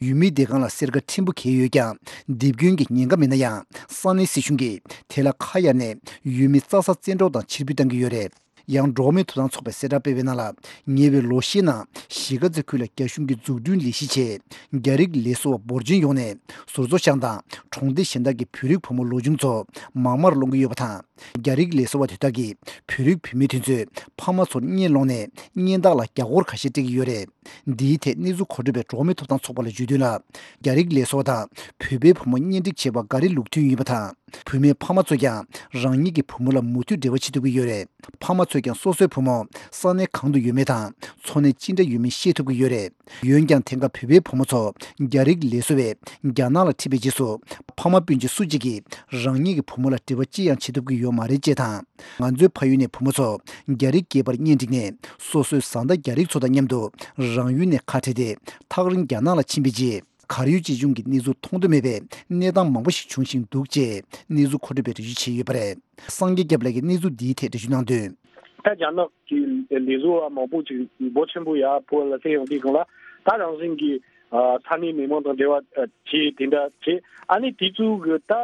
ཡུལ་མིའི་བདེ་ཁང་ལ་སེར་ཀ་ཕྲན་བུ་འཁེལ་ཡོད་ཀྱང་། འདེབས་སྐྱོན་གྱི་ཉེན་ཁ་མེད་ན་ཡང་། ས་གནས་སྲིད་གཞུང་གིས་དེ་ལ་ཁ་གཡར་ནས་ཡུལ་མིའི་རྩྭ་ས་བཙན་འཕྲོག་དང་ཕྱིར་འབུད་བཏང་གི་ཡོད་རེད། ཡང་འགྲོ་བ་མིའི་ཐོབ་ཐང་ཚོགས་པས་གསལ་བསྒྲགས་སྤེལ་བའི་ནང་ལ། ཉེ་བའི་ལོ་ཤས་ནང་གཞིས་ཀ་རྩེ་ཁུལ་ལ་རྒྱ་གཞུང་གིས་འཛུགས་སྐྲུན་ལས་གཞི་ཆེད་རྒྱ་རིགས་ལས་བཟོ་བ་འབོར་ཆེན་ཡོང་ནས་ཟུར་འཛུགས་ཤང་དང་གྲོང་སྡེ་གཞན་དག་གི་བོད་རིགས་བུ་མོ་ལོ་ཆུང་ཚོ་མང་མང་སློང་གི་ཡོད་པ་དང་། རྒྱ་རིགས་ལས་བཟོ་བ་དེ་དག་གིས་བོད་རིགས་བུད་མེད་དེ་ཚོའི་ཕ་མ་ཚོར་གཉེན་སློང་ནས་གཉེན་རྟགས་ལ་རྒྱ་སྒོར་ཁ་ཤས་སྤྲད་ཀྱི་ཡོད་རེད། འདིའི་ཐད་གནས་ཚུལ་མཁོ་སྤྲོད་པས་འགྲོ་བ་མིའི་ཐོབ་ཐང་ཚོགས་པ་ལ་བརྗོད་དོན་ལ། རྒྱ་རིགས་ལས་བཟོ་བ་དང་བོད་པའི་བུ་མོ་གཉེན་སྒྲིག་བྱེད་པ་འགའ་རེ་ལུགས་མཐུན་ཡིན་པ་དང་། བུད་མེད་ཕ་མ་ཚོ་ཀྱང་རང་ཉིད་ཀྱི་བུ་མོ་ལ་མུ་མཐུད་འབྲེལ་བ་བྱེད་ཐུབ་ཀྱི་ཡོད་རེད། ཕ་མ་ཚོས་ཀྱང་སོ་སོའི་བུ་མོ་ས་གནས་གང་དུ་ཡོད་མེད་དང་འཚོ་གནས་ཅི་འདྲ་ཡོད་མེད་ཤེས་ཐུབ་ཀྱི་ཡོད་རེད། འོན་ཀྱང་དེང་སྐབས་བོད་པའི་བུ་མོ་ཚོ་རྒྱ་རིགས་ལས་བཟོ་བས་རྒྱ་ནག་ལ་ཁྲིད་པའི་རྗེས་སུ། ཕ་མ་སྤུན་མཆེད་སུ་གཅིག་གིས་རང་ཉིད་ཀྱི་བུ་མོ་ལ་འབྲེལ་བ་ཅི་ཡང་བྱེད་ཐུབ་ཀྱི་ཡོད་མ་རེད་ཅེས་དང་། ང་ཚོའི་ཕ་ཡུལ་ནས་བུ་མོ་ཚོ་རྒྱ་རིགས་སྐྱེས་པར་གཉེན་བསྒྲིགས་ནས། སོ་སོའི་བཟའ་ཟླ་རྒྱ་རིགས་ཚོ་དང་མཉམ་དུ་རང་ཡུལ་ནས་ཁ་བྲལ་ཏེ། ཐག་རིང་རྒྱ་ནག་ལ་ཕྱིན་པའི་རྗེས། གར་ཡོད་ཅེས་བྱུང་གི་གནས་ཚུལ་མཐོང་དུ་མེད་པའི་གནས་སྟངས་མང་པོ་ཞིག་འབྱུང་བཞིན་འདུག་ཅེས་གནས་ཚུལ་མཁོ་སྤྲོད་པས་འགྲེལ་བརྗོད་བྱས་ཡོད་པ་རེད། སངས་རྒྱས་སྐྱབས་ལགས་ཀྱིས་གནས་ཚུལ་འདིའི་ཐད་འགྲེལ་བརྗོད་གནང་དོན། ད་རྒྱ་ནག་གི་ལས་བཟོ་བ་མང་པོ་ཅིག་འབོར་ཆེན་པོ་ཡར་བོད་ལ་སླེབས་ཡོང་དུས་སྒང་ལ་ད་རང་བཞིན་གྱིས་ས་གནས་མི་མང་དང་འབྲེལ་བ་བྱས་དེ་འདྲ་བྱས། ཨ་ནི་དེ་ཚོ་གི་ད་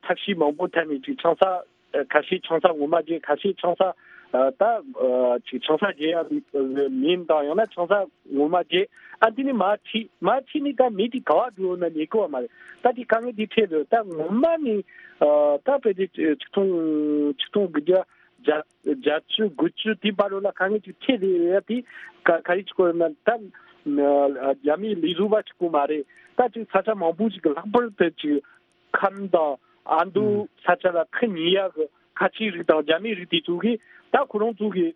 ཐབས་ཤེས་མང་པོ་ཐད་ནས་ཅིག་ཆང་ས་ཁ་ཤས་ཆང་ས་ངོ་མ་བརྗེ། ཁ་ཤས་ཆང་ས་ད་ཅིག་ཆང་ས་བརྗེ་ཡ་མིན་དང་ཡང་ན་ཆང་ས་ངོ་མ་བརྗེ། ཨ་དེ་ནི་མར་ཁྲིད་མར་ཁྲིད་ནི་ད་མི་དེ་ག་བ་འགྲོ་ན་ཉེ་གོ་བ་མ་རེད། ད་དེ་དཀའ་ངལ་དེ་འཕྲད་འདུག་ད་ངོ་མ་ནི་ད་བོད་དེ་ཆིག་སྟོང་ཆིག་སྟོང་དགུ་བརྒྱ་བརྒྱད་ཅུ་དགུ་བཅུ་དེ་བར་ལ་དཀའ་ངལ་ཅིག་འཕྲད་རེད་ཡ། དེ་ག་ག་རེ་ཅིག་གོ་ན་ད་རྒྱ་མིའི་ལས་བཟོ་བ་གཅིག་པོ་མ་རེད། ད་ཅིག་ས་ཆ་མང་པོ་ཞིག་གི་ལྷག་པར་དུ་ཅིག་ཁམས་དང་ ཨ་མདོ་ས་ཆ་ལ་ཁུ་ཉོ་ཡག་གི་ཁ་ཆེའི་རིགས་དང་རྒྱ་མིའི་རིགས་དེ་ཚོ་གིས་ད་ཁོ་རང་ཚོ་གི་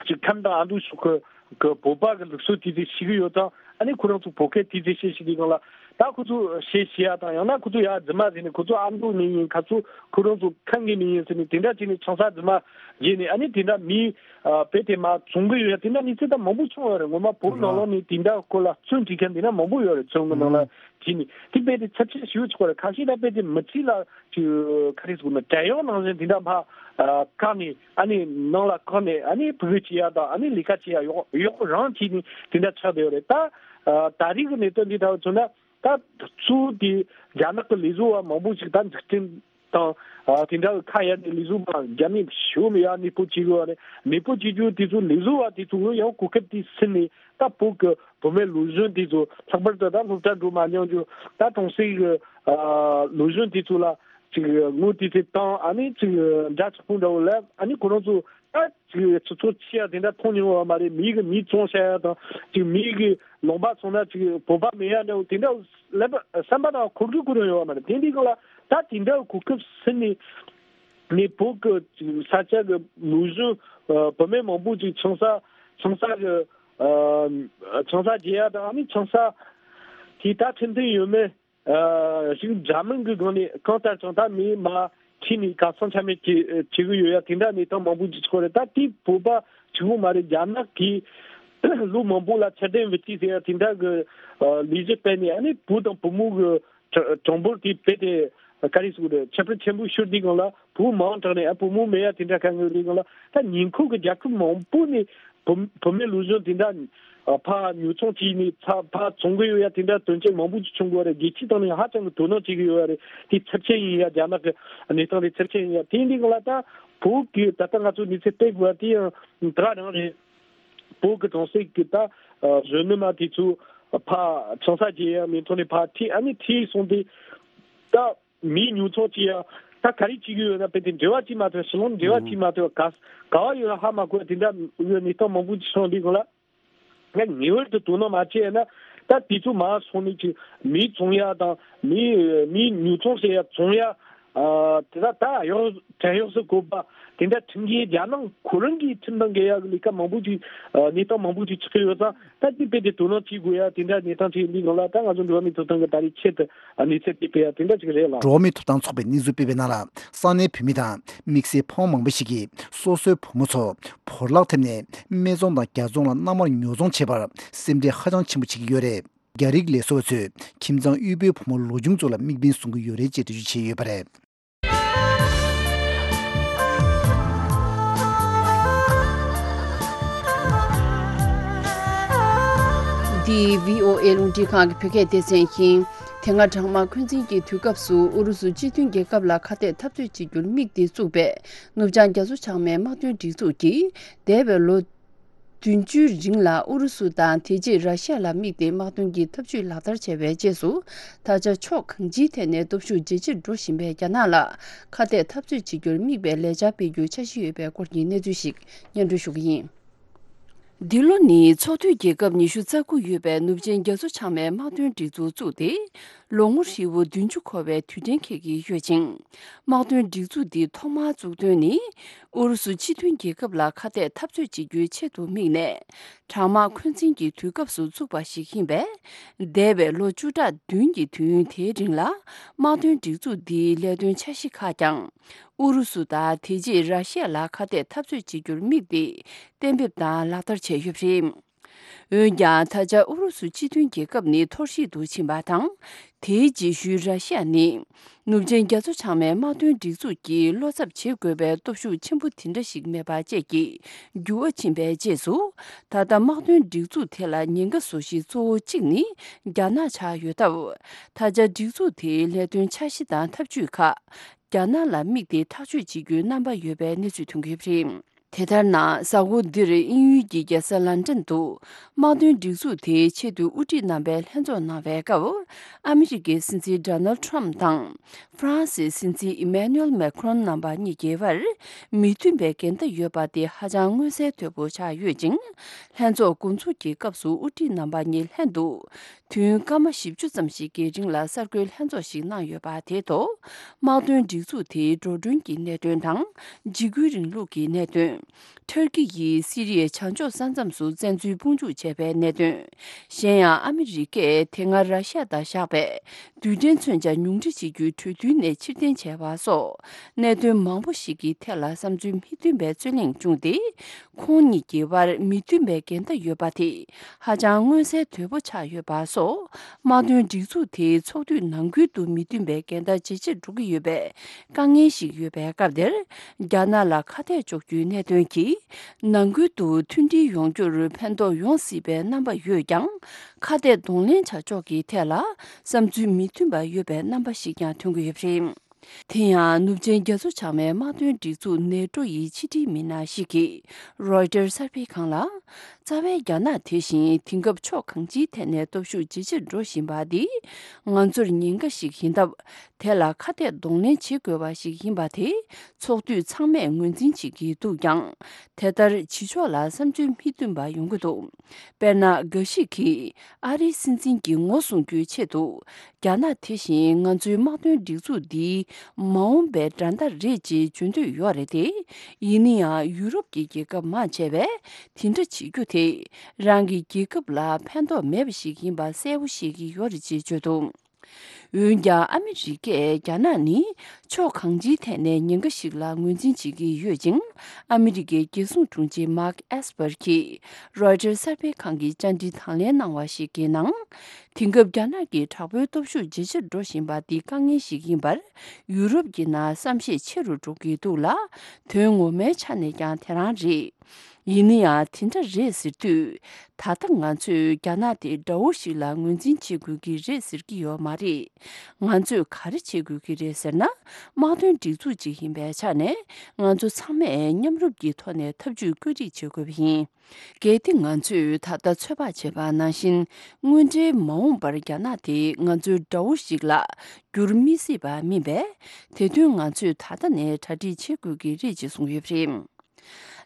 ཅིག་ཁམས་དང་ཨ་མདོ་ཕྱོགས་ཀྱི་གི་བོད་པ་གི་ལུགས་སྲོལ་དེ་ཚོ་ཤེས་ཀྱི་ཡོད་ཙང་། ཨ་ནི་ཁོ་རང་ཚོ་བོད་སྐད་དེ་ཚོ་བཤད་ཤེས་ཀྱི་སྒང་ལ། ད་ཁོ་ཚོ་བཤད་ཤེས་ཡ་དང་། ཡང་ན་ཁོ་ཚོ་ཡ་རྫུན་མ་ཟེར་ནས། ཁོ་ཚོ་ཨ་མདོ་ནས་ཡིན། ཁ་ཚོ་ཁོ་རང་ཚོ་ཁམས་ཀྱི་ནས་ཡིན་ཟེར་ནས། དེ་འདྲ་བྱས་ནས་ཆང་ས་རྫུན་མ་བརྗེས་ནས། ཨ་ནི་དེ་འདྲ་མི་ཨ་དཔེ་དེ་མ་བཙོང་གི་ཡོད་ཡ་དེ་འདྲ་གནས་ཚུལ་ད་མང་པོ་བྱུང་ཡོད་རེད། ངོ་མ་བོད་ནང་ལོགས་ནས་དེ་འདྲ་སྐོར་ལ་རྩོམ་བྲིས་མཁན་དེ་འདྲ་མང་པོ་ཡོད་རེད། རྩོམ་གྱི་ནང་ལ་བྲིས་ནས། དེ་དཔེ་དེ་ཚབས་ཆེན་ཞེ་པོ་ཅིག་ཡོད་རེད། ཁ་ཤས་ད་དཔེ་དེ་མི་གཅིག་ལ་ཅིག་ག་རེ་ཟེར་དགོས་ན། བྲན་གཡོག་ནང་བཞིན་དེ་འདྲ་ཕར་ཨ་བཀག་ནས། ཨ་ནི་ནང་ལ་བཀག་ནས། ཨ་ནི་ཕྲུ་གུ་སྐྱེ་ཡ་དང་། ཨ་ནི་ལས་ཀ་བྱེད་ཡ་གཡོག་གཡོག་པོ་རང་བྱས་ནས་དེ་འདྲ་ཆགས་བསྡད་ཡོད་རེད། ད་ཨ་ད་རེས་ཀྱི་གནད་དོན་འདི་ལྟ་བུ་མཚོན་ན། ད་གཙོ་བོ་དེ་རྒྱ་ནག་གི་ལས་བཟོ་བ་མང་པོ་ཞིག་ད་འཛུགས་སྐྲུན་དང་། ཨ་དེ་འདྲ་གི་ཁ་གཡར་ནས་ལས་བཟོ་བ་རྒྱ་མི་ཞེ་པོ་ཡ་གནས་སྤོ་བྱེད་ཀྱི་ཡོད་རེད། གནས་སྤོ་བྱེད་རྒྱུ་དེ་ཚོ། ལས་བཟོ་བ་དེ་ཚོ་གི་ཡང་གོ་སྐབས་དེ་ཟིན་ནས། ད་བོད་ཀྱི་བུད་མེད་ལོ་གཞོན་དེ་ཚོ། ལྷག་པར་དུ་ད་སློབ་གྲྭ་འགྲོ་མ་མྱོང་རྒྱུ། ད་གྲོང་གསེབ་ཀྱི་ཨ་ལོ་གཞོན་དེ་ཚོ་ལ་ཅིག་དངུལ་དེ་ཚོ་བཏང་། ཨ་ནི་ཅིག་འདྲ་ཆགས་པོ་འདྲ་བོ་ལ། ཨ་ནི་ཁོ་རང་ཚོ་ད་ཅིག་ཆུ་ཚོད་ཕྱེད་ཡ་དེ་འདྲ་མཐོང་མྱོང་བ་མ་རེད། མི་གིས་མི་བཙོང་བྱ་ཡ་དང་། ཅིག་མི་གིས་ལུང་པ་བཙོང་ན་ཅིག་བོད་པ་མེད་ཡ་འདྲ་བོ་དེ་འདྲ་བསམ་པ་ནང་འཁོར་གི་ཁོ་རང་ཡོད་བ་མ་རེད། དེ་འདྲའི་སྒང་ལ་ད་དེ་འདྲ་གོ་སྐབས་ཟིན་ནས། ནས་བོད་ཀྱི་ས་ཆ་གི་ལུགས་གཞུང་། ཨ་བུད་མེད་མང་པོ་ཅིག་ཆང་ས་ཆང་ས་གི་ཨ་ཆང་ས་རྒྱག་ཡ་དང་། ཨ་ནི་ཆང་ས་དེ་ད་ཁྲིམས་མཐུན་ཡོད་མེད་ཨ་ཞིག་འདྲ་མིན་གྱི་སྒང་ནས། གང་ལྟར་ཀྱང་ད་མི་མ་ཁྲིད་ནས་གར་སོང་ཆ་མེད་བྱེད་བྱེད་གི་ཡོད་ཡ་དེ་འདྲ་གནས་སྟངས་མང་པོ་ཅིག་ཆགས་རེད། ད་དེ་བོད་པ་གཅིག་པོ་མ་རེད། རྒྱ་ནག་གིས་ལོ་མང་པོ་ལ་ཚད་ལྡན་བུ་སྐྱེས་ཟེར་ཡ་དེ་འདྲ་གི་ཨ་ལས་གཞི་སྤེལ་ནས། ཨ་ནི་བུ་དང་བུ་མོ་གི་གྲངས་འབོར་དེ་རྦད་དེ་ག་རེ་ཟེར་དགོས་རེད། ཁྱད་པར་ཆེན་པོ་ཤོར་དུས་སྒང་ལ། བུ་མང་དྲགས་ནས་ཨ་བུ་མོ་མེད་ཡ་དེ་འདྲ་གང་ཡོད་དུས་སྒང་ལ། ད་ཉེ་འཁོར་གྱི་རྒྱལ་ཁབ་མང་པོ་ནས་བུ་བུད་མེད་ལོ་གཞོན་དེ་འདྲ་ཨ་ཕར་ཉོ་ཚོང་བྱས་ནས་ཕར་ཕར་བཙོང་གི་ཡོད་ཡ་དེ་འདྲ་དོན་རྐྱེན་མང་པོ་ཅིག་བྱུང་གི་ཡོད་རེད། རྒྱལ་སྤྱིའི་སྟེང་ནས་ཧ་ཅང་གི་དོ་སྣང་བྱེད་ཀྱི་ཡོད་རེད། དེ་ཚབས་ཆེན་ཡིན་ཡ། རྒྱ་ནག་གི་གནས་སྟངས་དེ་ཚབས་ཆེན་ཡིན་ཡ། དེ་འདི་སྒང་ལ་ད་བོད་ཀྱི་ད་ལྟ་ང་ཚོ་གནས་ཚུལ་སྤེལ་དགོས་པ་དེ་ཡང་དེ་ག་རང་རེད། བོད་ཀྱི་གྲོང་གསེབ་ཀྱི་ད་ཨ་གཞོན་ནུ་མ་དེ་ཚོ་ཕར་ཆང་ས་རྒྱག་ཡ་མིང་ཐོག་ནས་ཕར་ཁྲིད། ཨ་ནི་ཁྲིད་སོང་སྟེ་ད་མི་ཉོ་ཚོང་བྱེད་ཡ་ད་ག་རེ་བྱེད་ཀྱི་ཡོད་ན། དཔེ་དེ་འབྲེལ་བ་བྱེད་མ་ཐུབ། ཕྱི་ལོགས་འབྲེལ་བ་བྱེད་མ་ཐུབ། ག་ག་བ་ཡོད་ན་ཧ་མ་གོ་བ་དེ་འདྲ་ཡོད། གནས་སྟངས་མང་པོ་ཅིག་བྱུང་དུས་སྒང་ལ། ང་ངེས་པར་དུ་དོ་སྣང་མ་བྱས་ན། ད་དེ་ཚོ་མར་སོང་ནས་ཅིག་མི་བཙོང་ཡ་དང་། མི་མི་ཉོ་ཚོང་བྱེད་ཡ། བཙོང་ཡ། ཨ་དེ་ད་ད་གཡོག་བྲན་གཡོག་སུ་བཀོལ་བ་དེ་འདྲ་ཁྲིམས་འགལ། རྒྱ་ནག་ཁོ་རང་གིས་ཁྲིམས་དང་འགལ་ཡ་གི་ལས་ཀ་མང་པོ་ཅིག་ཨ་གནས་སྟངས་མང་པོ་ཅིག་ཆགས་ཀྱི་ཡོད་ཙང་། ད་དེ་རྦད་དེ་དོ་སྣང་བྱེད་དགོས་ཡ་དེ་འདྲ་གནས་སྟངས་ཅིག་ཡིན་དུས་སྒང་ལ། ད་ང་ཚོ་འགྲོ་བ་མིའི་ཐོབ་ཐང་གི་ད་རེས་ཆེད་དུ་ཨ་གནས་ཚུལ་དེ་སྤེལ་ཡ་དེ་འདྲ་ཅིག་རེད་ལགས། འགྲོ་བ་མིའི་ཐོབ་ཐང་ཚོགས་པས་གནས་ཚུལ་སྤེལ་བའི་ནང་ལ། ས་གནས་བོད་མི་དང་དམིགས་བསལ་ཕོ་མོ་མང་པོ་ཞིག་གིས་སོ་སོའི་བུ་མོ་ཚོ་བོར་བརླག་ཐེབས་ནས་སྨད་འཚོང་དང་རྒྱ་འཚོང་ལ་མནའ་མར་ཉོ་ཚོང་བྱས་པར་སེམས་ཁྲལ་ཧ་ཅང་ཆེན་པོ་བྱེད་ཀྱི་ཡོད་རེད། རྒྱ་རིགས་ལས་བཟོ་བ་ཚོས་ཁྱིམ་ཚང་དབུལ་པོའི་བུ་མོ་ལོ་ཆུང་ཚོ་ལ་དམིགས་འབེན་བཟུང་གི་ཡོད་རེད་ཅེས་འགྲེལ་བརྗོད་བྱས་ཡོད་པ་རེད། འདི་བྷི་ཨོ་ཨེ་རླུང་འཕྲིན་ཁང་གི་བོད་སྐད་སྡེ་ཚན་ཡིན། དེ་སྔ་གྲང་དམག་འཁོན་འཛིན་གྱི་དུས་སྐབས་སུ་ཨུ་རུ་སུ་སྤྱི་མཐུན་རྒྱལ་ཁབ་ལ་ཁ་གཏད་འཐབ་རྩོད་བྱེད་རྒྱུར་དམིགས་ཏེ་བཙུགས་པའི་ནུབ་བྱང་རྒྱ་མཚོ་བྱང་མའི་དམག་དོན་སྒྲིག་འཛུགས་ཀྱིས་འདས་པའི་ལོ་བདུན་ཅུའི་རིང་ལ་ཨུ་རུ་སུ་དང་དེ་རྗེས་ར་ཤི་ཡ་ལ་དམིགས་ཏེ་དམག་དོན་གྱི་འཐབ་ཇུས་ལག་བསྟར་བྱས་པའི་རྗེས་སུ། ད་ཆ་ཕྱོགས་གང་ཅིའི་ཐད་ནས་སྟོབས་ཤུགས་ཇེ་ཆེར་འགྲོ་བཞིན་པའི་རྒྱ་ནག་ལ་ཁ་གཏད་འཐབ་རྩོད་བྱེད་རྒྱུར་དམིགས་པའི་ལས་འཆར་སྤེལ་རྒྱུའི་འཆར་གཞི་ཡོད་པའི་སྐོར་གྱི་གནས་ཚུལ་ཞིག་སྙན་སྒྲོན་ཞུ་གི་ཡིན། འདི་ལོ་ནི་ཚོགས་འཐུས་རྒྱལ་ཁབ་ཉི་ཤུ་རྩ་དགུ་ཡོད་པའི་ནུབ་ཆེན་རྒྱ་མཚོ་བྱང་མའི་དམག་དོན་སྒྲིག་འཛུགས་བཙུགས་ཏེ། ལོ་ངོ་ཧྲིལ་བོ་བདུན་ཅུ་འཁོར་བའི་དུས་དྲན་འཁེལ་གྱི་ཡོད་ཅིང་། དམག་དོན་སྒྲིག་འཛུགས་འདི་ཐོག་མར་བཙུགས་དོན་ནི། ཨུ་རུ་སུ་སྤྱི་མཐུན་རྒྱལ་ཁབ་ལ་ཁ་གཏད་འཐབ་རྩོད་བྱེད་རྒྱུའི་ཆེད་དུ་དམིགས་ནས། གྲང་དམག་འཁོན་འཛིན་གྱི་དུས་སྐབས་སུ་བཙུགས་པ་ཞིག་ཡིན་པས། འདས་པའི་ལོ་བཅུ་ཕྲག་བདུན་གྱི་དུས་ཡུན་དེའི་རིང་ལ། དམག་དོན་སྒྲིག་འཛུགས་འདིའི་ལས་དོན་འཆར་གཞི་ཁག་ཀྱང་། ཨུ་རུ་སུ་དང་དེ་རྗེས་ར་ཤི་ཡ་ལ་ཁ་གཏད་འཐབ་རྩོད་བྱེད་རྒྱུར་དམིགས་ཏེ། གཏན་འབེབས་དང་ལག་བསྟར་བྱས་ཡོད་པ་རེད། འོན་ཀྱང་། ད་ཆ་ཨུ་རུ་སུ་སྤྱི་མཐུན་རྒྱལ་ཁབ་ནི་འཐོར་བཤིག་ཏུ་ཕྱིན་པ་དང་། དེའི་རྗེས་ཤུལ་ར་ཤི་ཡ་ནི། ནུབ་ཆེན་རྒྱ་མཚོ་བྱང་མའི་དམག་དོན་སྒྲིག་འཛུགས་ཀྱི་བློ་འཚབ་བྱེད་དགོས་པའི་སྟོབས་ཤུགས་ཆེན་པོ་དེ་འདྲ་ཞིག་མེད་པ་བཅས་ཀྱི་འགྱུར་བ་ཕྱིན་པའི་རྗེས་སུ། ད་ལྟ་དམག་དོན་སྒྲིག་འཛུགས་དེ་ལ་ཉེན་ཁ་བཟོ་གཞི་གཙོ་བོ་གཅིག་ནི་རྒྱ་ནག་ཆགས་ཡོད་སྟབས། ད་ཆ་སྒྲིག་འཛུགས་དེའི་ལས་དོན་འཆར་གཞི་དང་ཐབས་ཇུས་ཁག་རྒྱ་ནག་ལ་དམིགས་ཏེ་ཐག་གཅོད་བྱེད་རྒྱུའི་རྣམ་པ་ཡོད་པའི་གནས་ཚུལ་ཐོན་གྱི་ཡོད་པ་རེད། དེ་ལྟར་ན། གཟའ་འཁོར་འདིར་དབྱིན་ཡུལ་གྱི་རྒྱལ་ས་ལན་ཀྲན་དུ་དམག་དོན་སྒྲིག་འཛུགས་དེའི་ཆེད་དུ་དབུ་ཁྲིད་རྣམ་པས་ལྷན་ཚོགས་གནང་བའི་སྐབས། ཨ་མི་རི་ཀའི་སྲིད་འཛིན་ཌོ་ནལ་ཌི་ཊརམ་ཕི་དང་། ཧྥ་རན་སིའི་སྲིད་འཛིན་ཨི་མེ་ནུ་ཨེལ་མེ་ཁི་རོན་རྣམ་པ་གཉིས་ཀྱི་བར་མི་མཐུན་པའི་འགལ་ཟླ་ཡོད་པ་དེ་ཧ་ཅང་མངོན་གསལ་དོད་པོ་ཆགས་ཡོད་ཅིང་། ལྷན་ཚོགས་འགོ་འཛུགས་ཀྱི་སྐབས་སུ་དབུ་ཁྲིད་རྣམ་པ་གཉིས་ལྷན་དུ་དུས་ཡུན་སྐར་མ་བཞི་བཅུ་ཙམ་ཞིག་གི་རིང་ལ་གསར་འགོད་ལྷན་ཚོགས་ཤིག་གནང་ཡོད་པ་དེའི་ཐོག་དམག་དོན་སྒྲིག་འཛུགས་དེའི་འགྲོ་གྲོན་གྱི་གནད་དོན་དང་། འཇིགས་སྐུལ་རིང་ལུགས་ཀྱི་གནད་དོན། ཐུར་ཀི་ཡིས་སི་རི་ཡའི་བྱང་ཕྱོགས་ས་མཚམས་སུ་བཙན་འཛུལ་དཔུང་འཇུག་བྱས་པའི་གནད་དོན། གཞན་ཡང་ཨ་མི་རི་ཀས་དེ་སྔ་ར་ཤ་ཡ་དང་བཞག་པའི་རྡུལ་ཕྲན་མཚོན་ཆ་ཉུང་འཕྲི་བྱེད་རྒྱུའི་གྲོས་མཐུན་ནས་ཕྱིར་འཐེན་བྱས་པ་སོགས་གནད་དོན་མང་པོ་ཞིག་གི་ཐད་ལ་བསམ་ཚུལ་མི་མཐུན་པའི་རྩོད་གླེང་བྱུང་སྟེ། ཁོང་གཉིས་ཀྱི་བར་མི་མཐུན་པའི་འགལ་ཟླ་ཡོད་པ་དེ་ཧ་ཅང་མངོན་གསལ་དོད་པོ་ཆགས་ཡོད་པ་སོགས། དམག་དོན་སྒྲིག་འཛུགས་དེའི་ཚོགས་དུས་ནང་ཁུལ་དུ་མི་མཐུན་པའི་འགལ་ཟླ་ཇེ་ཆེར་འགྲོ་གི་ཡོད་པའི་དཀའ་ངལ་ཞིག་ཡོད་པའི་སྐབས་དེར། རྒྱ་ནག་ལ་ཁ་གཏད་གཅོག་རྒྱུའི་གནད་དོན་གྱིས་ནང་ཁུལ་དུ་མཐུན་སྒྲིལ་ཡོང་རྒྱུར་ཕན་ཐོགས་ཡོང་སྲིད་པའི་རྣམ་པ་ཡོད་ཀྱང་། ཁ་གཏད་གདོང་ལེན་བྱ་ཕྱོགས་ཀྱི་ཐད་ལ་བསམ་ཚུལ་མི་མཐུན་པ་ཡོད་པའི་རྣམ་པ་ཞིག་ཀྱང་ཐོན་གྱི་ཡོད་པ་རེད། དེ་ཡང་ནུབ་ཆིངས་རྒྱ་མཚོ་བྱང་མའི་དམག་དོན་སྒྲིག་འཛུགས་ནེ་ཏྲོ་ཡི་ཕྱི་དྲིལ་མི་སྣ་ཞིག་གིས་རོའི་ཊར་གསར་སྤེལ་ཁང་ལ། རྩ་བའི་རྒྱ་ནག་དེ་བཞིན་དེང་སྐབས་ཕྱོགས་གང་ཅིའི་ཐད་ནས་སྟོབས་ཤུགས་ཇེ་ཆེར་འགྲོ་བཞིན་པ་འདི་ང་ཚོར་ཉེན་ཁ་ཞིག་ཡིན་སྟབས། དེ་ལ་ཁ་གཏད་གདོང་ལེན་བྱེད་དགོས་པ་ཞིག་ཡིན་པ་དེ་ཚོགས་འཐུས་ཚང་མས་ངོས་འཛིན་བྱེད་ཀྱི་འདུག་ཀྱང་། དེ་ལྟར་བྱེད་ཕྱོགས་ལ་བསམ་ཚུལ་མི་མཐུན་པ་ཡོང་གི་འདུག་དཔེར་ན། འགའ་ཞིག་གིས་ཨ་རིའི་སྲིད་འཛིན་གྱི་ངོ་སྲུང་རྒྱུའི་ཆེད་དུ། རྒྱ་ནག་དེ་བཞིན་ང་ཚོའི་དམག་དོན་སྒྲིག་འཛུགས་འདིའི་མ་འོངས་པའི་འགྲན་ཟླ་རེད་ཅེས་བརྗོད་འདོད་ཡོད་རེད་དེ། ཡིན་ན་ཡང་ཡུ་རོབ་ཀྱི་རྒྱལ་ཁབ་མང་ཆེ་བས་དེ་འདྲ་བྱེད་རྒྱུ་དེ་རང་གི་རྒྱལ་ཁབ་ལ་ཕན་ཐོགས་མེད་པ་ཞིག་ཡིན་པ་གསལ་པོ་ཤེས་ཀྱི་ཡོད་རེད་ཅེས་བརྗོད་འདུག་འོན་ཀྱང་ཨ་མི་རི་ཀས་རྒྱ་ནག་ནི་ཕྱོགས་གང་ཅིའི་ཐད་ནས་ཉེན་ཁ་ཞིག་ལ་ངོས་འཛིན་བྱེད་ཀྱི་ཡོད་ཅིང་། ཨ་མི་རི་ཀའི་རྒྱལ་སྲུང་དྲུང་ཆེ་མཱག་ཨེས་པར་གྱིས་རོའི་ཊར་གསར་སྤེལ་ཁང་གི་བཅར་འདྲི་དང་ལེན་གནང་བ་ཞིག་གི་ནང་། དེང་སྐབས་རྒྱ་ནག་གི་དྲག་པོའི་སྟོབས་ཤུགས་ཇེ་ཆེར་འགྲོ་བཞིན་པ་འདི་དཀའ་ངལ་ཞིག་ཡིན་པར་ཡུ་རོབ་ཀྱི་ནང་བསམ་ཤེས་ཆེ་རུ་འགྲོ་གི་འདུག་ལ། དོན་ངོ་མའི་ཆ་ནས་ཀྱང་དེ་རང་རེད། ཡིན་ན་ཡང་དེ་འདྲ་རེད་ཟེར་དུས། ད་ལྟ་ང་ཚོས་རྒྱ་ནག་དེ་དགྲ་བོ་ཞིག་ལ་ངོས་འཛིན་བྱེད་དགོས་ཀྱི་རེད་ཟེར་གྱི་ཡོད་མ་རེད། ང་ཚོས་ག་རེ་བྱེད་དགོས་ཀྱི་རེད་ཟེར་ན། དམག་དོན་སྒྲིག་འཛུགས་ཅིག་ཡིན་པའི་ཆ་ནས་ང་ཚོ་ཚང་མས་མཉམ་རུབ་ཀྱི་ཐོག་ནས་ཐབས་ཇུས་བཀོད་སྒྲིག་བྱེད་དགོས་པ་ཡིན། གལ་ཏེ་ང་ཚོས་ད་ལྟ་ཚོད་དཔག་བྱས་པ་ནང་བཞིན། དངོས་འབྲེལ་མ་འོངས་པར་རྒྱ་ནག་དེ་ང་ཚོའི་དགྲ་བོ་ཞིག་ལ་འགྱུར་མི་སྲིད་པ་མིན་པས། དེ་དོན་ང་ཚོས་ད་ལྟ་ནས་གྲ་སྒྲིག་བྱེད་དགོས་ཀྱི་རེད་ཅེས་གསུངས་ཡོད་པ་རེད།